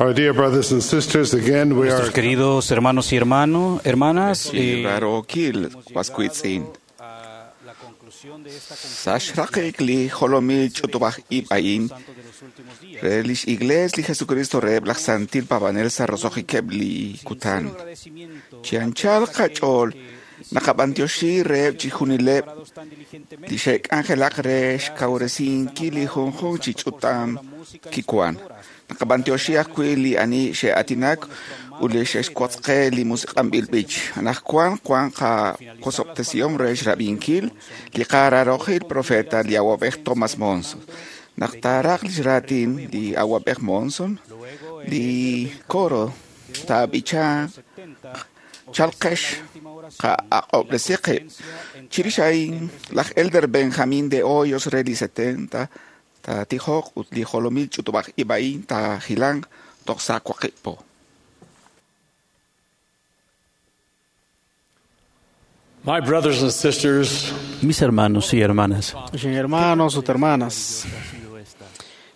[SPEAKER 4] Our dear brothers and sisters, again we
[SPEAKER 5] Nuestros
[SPEAKER 4] are
[SPEAKER 5] queridos hermanos y hermanas,
[SPEAKER 6] Rarokil waskuitzin. Sa' xraqik li jolomil ch'utub'aj ib' a'in re lix Iglees li Jesucristo reheb' laj Santil Paab'anel sa' roso'jikeb' li kutan. Chi anchal qach'ool naqab'antioxi reheb' chixjunileb' li xe'k'anjelaq re xkawresinkil li junjunq chi ch'utam kiwan. Naqab'antioxi ajwi' li ani xe'aatinak ut li xe'xwotzqe li musiq'anb'il b'ich. Anaqwan wan qawosob'tesihom re xrab'inkil li qararojil profeta li awab'ej Thomas Monson. Naq taaraq lix raatin li awab'ej Monson, li coro taab'icha chalqex qa'aq'ob'resi qib'. Chirix a'in laj Elder Benjamin de Hoyos re li 70 taatijoq ut li jolomil ch'utub'aj ib' a'in taajilanq toj sa' waqib' po.
[SPEAKER 1] My brothers and sisters,
[SPEAKER 18] Mis hermanos y hermanas,
[SPEAKER 10] Xin hermanos ut hermanas.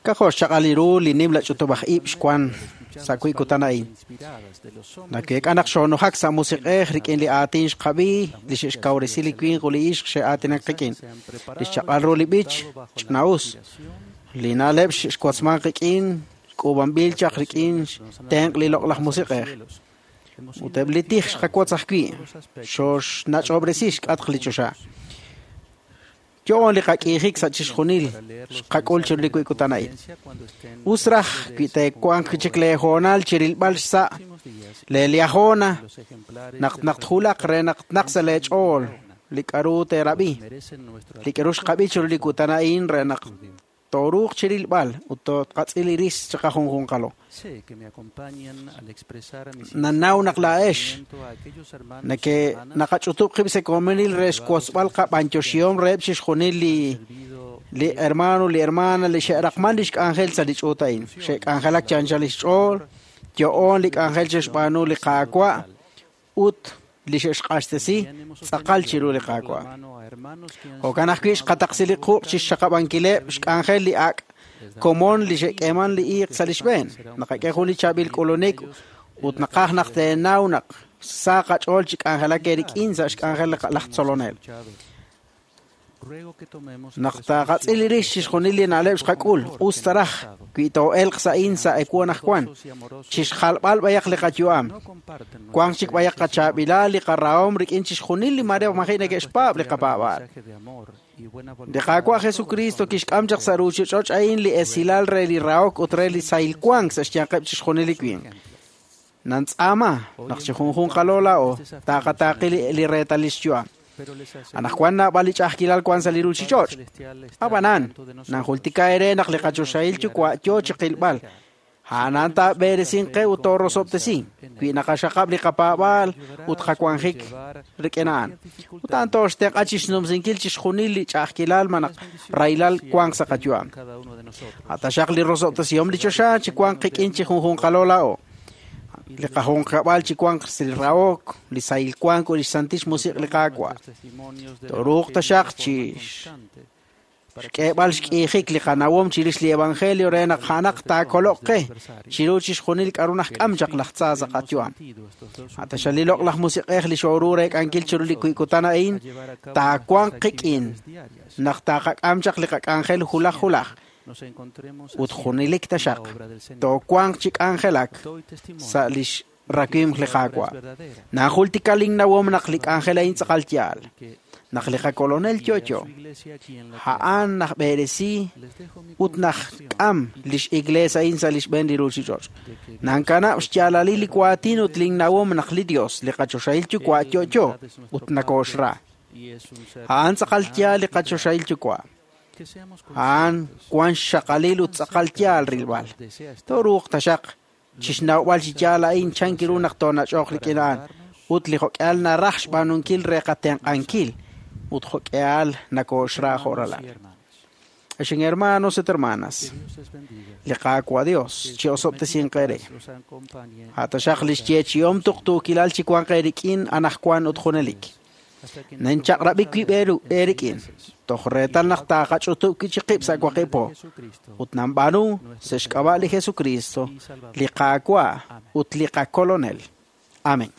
[SPEAKER 10] K'ajo' xchaq'al li ru li nimla ch'utub'aj ib' xwan sa' wi' kutan a'in. Nake'k'a naq xonujak sa' musiq'ej rik'in li aatin xqab'i li xe'xkawresi li winq ut li ixq xe'aatinak qik'in. Li xchaq'al ru li b'ich ch'ina'us. Li na'leb' xwotzman qik'in k'uub'anb'il chaq rik'in tenq' li loq'laj musiq'ej. Ut eb' li tij xqawotz ajwi' xoxnach'ob'resi xk'atq li choxa. Yo'on li qak'iijik sa' chixjunil xqak'ul chiru li wi' kutan a'in. Us raj wi' teewanq chik leehoonal chirilb'al xsa' leeliajona naq naqtjulaq re naq tnaq sa' leech'ool li k'aru teerab'i. Li k'aru xqab'i chiru li kutan a'in re naq tooruuq chirilb'al ut toqatz'il li ris chiqajunjunqalo. Nanaw naq laa'ex nake naqach'utub' qib' sa' komonil re xwotzb'al qab'antioxihom reheb' chixjunil li hermano li hermana li xe'raqman li xk'anjel sa' li ch'uut a'in. Xe'k'anjelak chi anchal li xch'ool, yo'on li k'anjel xe'xb'aanu li Qaawa' ut li xe'xq'axtesi tz'aqal chiru li Qaawa'. Jo'kan ajwi' xqataqsi li quq' chixxaqab'ankileb' xk'anjel li ak' komon li xe'k'eeman li iiq sa' li xb'een. Naqak'e jun li chaab'il k'ulunik ut naqaj naq teenaw naq sa qach'ool chi k'anjelak eerik'in sa' xk'anjel laj tzolonel. Naq taqatz'il rix chixjunil li na'leb' xqak'ul, us ta raj wi too'elq sa' in sa' ewu anaqwan, chixjalb'al b'ayaq li qayu'am. Wanq chik b'ayaq qachaab'ilal li qarahom rik'in chixjunil li mare maji' neke'xpaab' li qapaab'aal. Li Qaawa' Jesucristo kixk'am chaq sa' ruuchich'och' a'in li esilal re li rahok ut re li sahil wank sa' xyanqeb' chixjunil li winq. Nantz'aama naq chi junjunqalo laa'o taqataaqi li reetalil xyu'am. Anaqwan naab'al li ch'a'ajkilal wank sa' li ruuchich'och'. Ab'anan, nanjultika eere naq li qachoxahil yuwa' yoo chi qilb'al. A'anan taab'eresin qe ut toorosob'tesi wi naqaxaqab' li qapaab'aal ut qawanjik rik'in a'an. Ut a'an tooxtenq'a chixnumsinkil chixjunil li ch'a'ajkilal malaj rahilal wank sa' qayu'am. Ataxaq li rosob'tesihom li choxa chi wanq qik'in chi junjunqalo laa'o. Li qajunqab'al chi wanq li rahok, li sahil wank ut li xsantil xmusiq' li Qaawa'. Tooruuq taxaq chi xk'eeb'al xk'iijik li qanawom chirix li evangelio re naq a'anaq taakoloq qe chiru chixjunil k'aru najk'am chaq laj tza sa' qayu'am. Ataxal li loq'laj musiq'ej li xooru reek'ankil chiru li kutan a'in taawanq qik'in naq taqak'am chaq li qak'anjel hulaj hulaj ut junelik taxaq toowanq chi k'anjelak sa' lix rakwimq li Qaawa'. Najultika linnawom naq li k'anjel a'in tz'aqal yaal. Naq li qakolonel yo'yo, a'an najb'eresi ut najk'am lix iglees a'in sa' lix b'een li ruuchich'och'. Nankanab' xyaalalil li waatin ut linnawom naq li Dios, li qachoxahil yuwa' yo'yo ut nakooxra. A'an tz'aqal yaal li qachoxahil yuwa'. A'an wan xxaqalil ut tz'aqal yaal rilb'al. Tooruuq taxaq chixnawb'al chi yaal a'in chan kiru naq toonach'oq rik'in a'an ut li jo'k'ihal naraj xb'aanunkil re qatenq'ankil ut jo'k'ihal nakooxra jo' ralal. Ex hermanos et hermanas, li Qaawa' Dios chi osob'tesinq eere. Ataxaq li xyeechihom tuqtuukilal chi wanq eerik'in anaqwan ut junelik. Ninchaq'rab'ik wib' eerik'in toj reetal naq taqach'utub' wi' chi qib' sa' waqib' po ut nanb'aanu sa' xk'ab'a' li Jesucristo, li Qaawa' ut li qakolonel. Amén.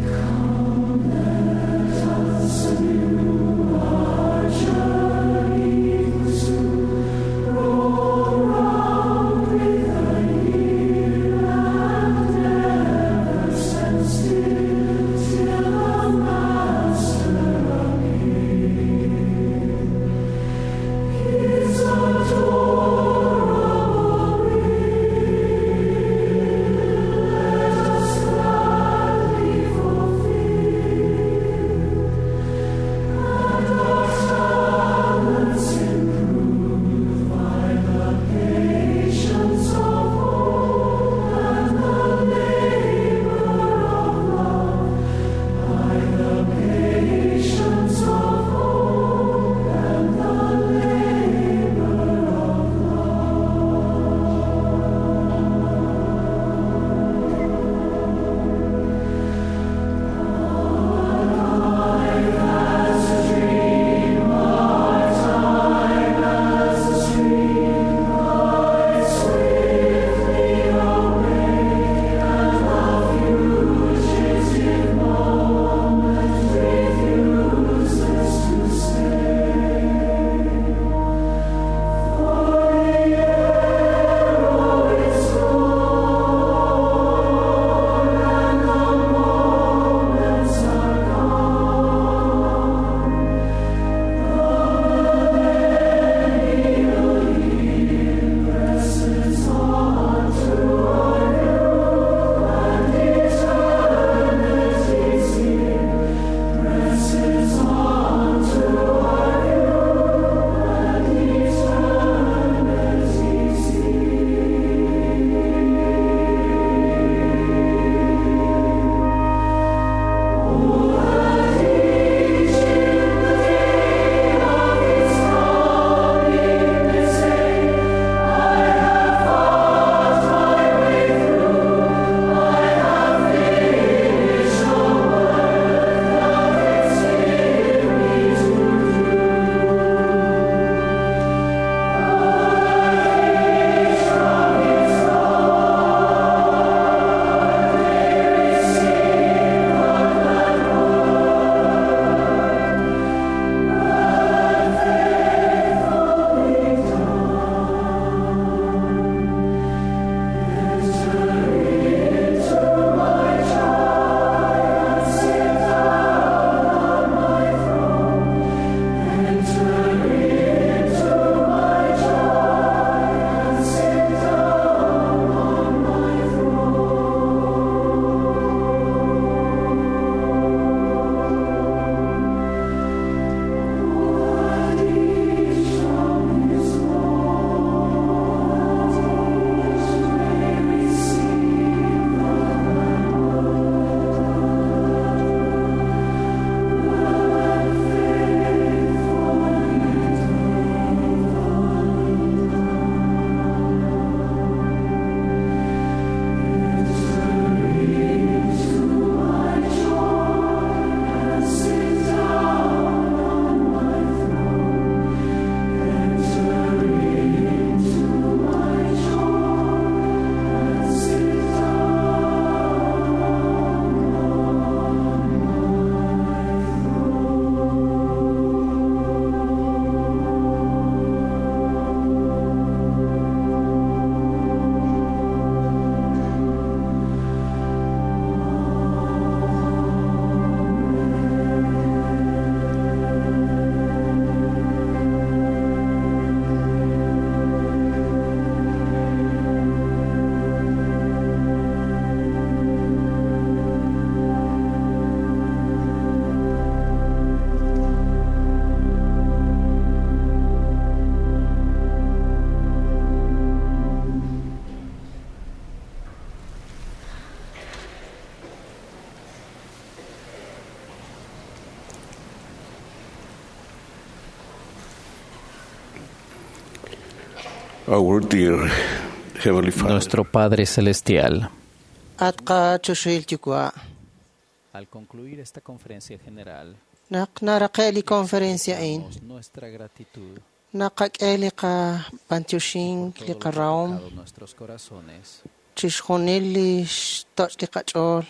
[SPEAKER 19] Come, let us renew our journey. Our dear Heavenly Father,
[SPEAKER 18] Nuestro Padre Celestial,
[SPEAKER 3] At qachoxahil yuwa',
[SPEAKER 18] al concluir esta conferencia general,
[SPEAKER 3] naq naraqe' li conferencia a'in,
[SPEAKER 18] nuestra gratitud
[SPEAKER 3] naqak'e li qab'antioxink, li qarahom,
[SPEAKER 18] a nuestros corazones
[SPEAKER 3] chixjunil li xtoch' li qach'ool.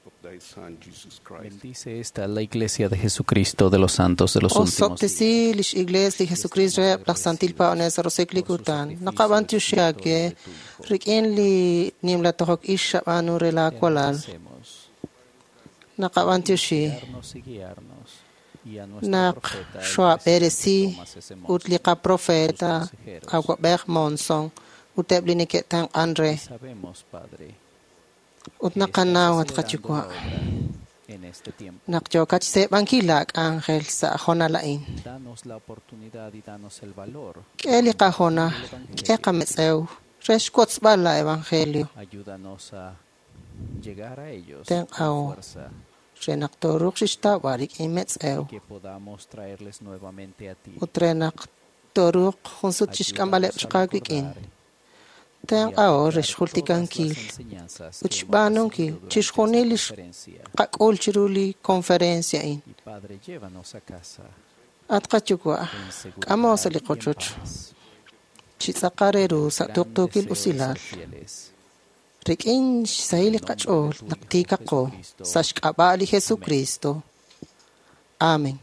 [SPEAKER 19] of thy Son, Jesus Christ.
[SPEAKER 18] Bendice esta la Iglesia de Jesucristo de los Santos de los Últimos Días.
[SPEAKER 3] Osob'tesi lix Iglesia li Jesucristo reheb' laj Santil Paab'anel sa' roso'jik li kutan. Naqab'antioxi aawe rik'in li nimla tojok ix xab'aanu re laa walal. Naqab'antioxi
[SPEAKER 18] Guiarnos y guiarnos y a nuestro
[SPEAKER 3] naq
[SPEAKER 18] profeta, el
[SPEAKER 3] xoab'eresi
[SPEAKER 18] presidente Thomas S.
[SPEAKER 3] ut li qaprofeta
[SPEAKER 18] consejeros.
[SPEAKER 3] awab'ej Monson ut eb' li neke'tenq'an re.
[SPEAKER 18] Sabemos, Padre,
[SPEAKER 3] Ut naqanaw at qayuwa'
[SPEAKER 18] en este tiempo.
[SPEAKER 3] naq yookat xseeb'ankil laa k'anjel sa' jonal a'in.
[SPEAKER 18] Danos la oportunidad y danos el valor.
[SPEAKER 3] K'e li qajonal, k'e qametz'ew re xwotzb'al la evangelio.
[SPEAKER 18] Ayúdanos a llegar a ellos
[SPEAKER 3] Tenq'aw
[SPEAKER 18] con fuerza
[SPEAKER 3] re naq tooruuq xixtawb'al rik'in metz'ew
[SPEAKER 18] y que podamos traerles nuevamente a ti.
[SPEAKER 3] ut re naq tooruuq jun sut chixk'amb'aleb' chaq aawik'in. Tenq'aw re xjultikankil
[SPEAKER 18] enseñanzas
[SPEAKER 3] ut xb'aanunkil chixjunil li xqak'ul chiru li conferencia a'in.
[SPEAKER 18] Y Padre, llévanos a casa
[SPEAKER 3] At qayuwa',
[SPEAKER 18] en seguridad
[SPEAKER 3] k'amo sa' li
[SPEAKER 18] y en
[SPEAKER 3] qochoch
[SPEAKER 18] paz.
[SPEAKER 3] chi tz'aqal re ru sa'
[SPEAKER 18] Gran
[SPEAKER 3] tuqtuukil
[SPEAKER 18] deseo de
[SPEAKER 3] usilal.
[SPEAKER 18] ser fieles.
[SPEAKER 3] Rik'in xsahil li qach'ool naq tiikaqo sa' xk'ab'a' li Jesucristo. Amen.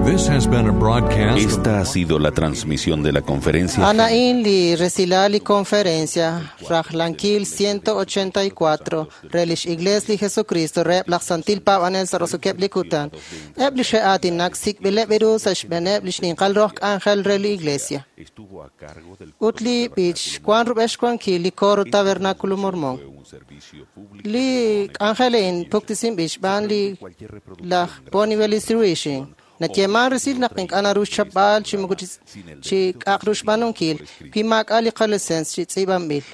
[SPEAKER 20] This has been a broadcast of
[SPEAKER 2] Esta ha sido la transmisión de la conferencia
[SPEAKER 3] Anaín li resilal li conferencia Rajlankil 184 Relish Iglesia li Jesucristo reheb' laj Santil Paab'anel sa' roso'jikeb' li kutan. Eb' li xe'aatinak sik'b'ileb' ru sa' xb'eeneb' li xninqal roq k'anjel re li Iglesia.
[SPEAKER 2] estuvo a cargo del
[SPEAKER 3] Ut li b'ich wan rub'el xwankil li coro Tabernáculo Mormón. Li k'anjel a'in puktisinb'il xb'aan li laj Bonnie Bellis Ruixin. Nayeeman resil naq ink'a' naru xchapb'al chi moko chi k'aq ru xb'aanunkil wi maak'a' li qalisens chi tz'iib'anb'il.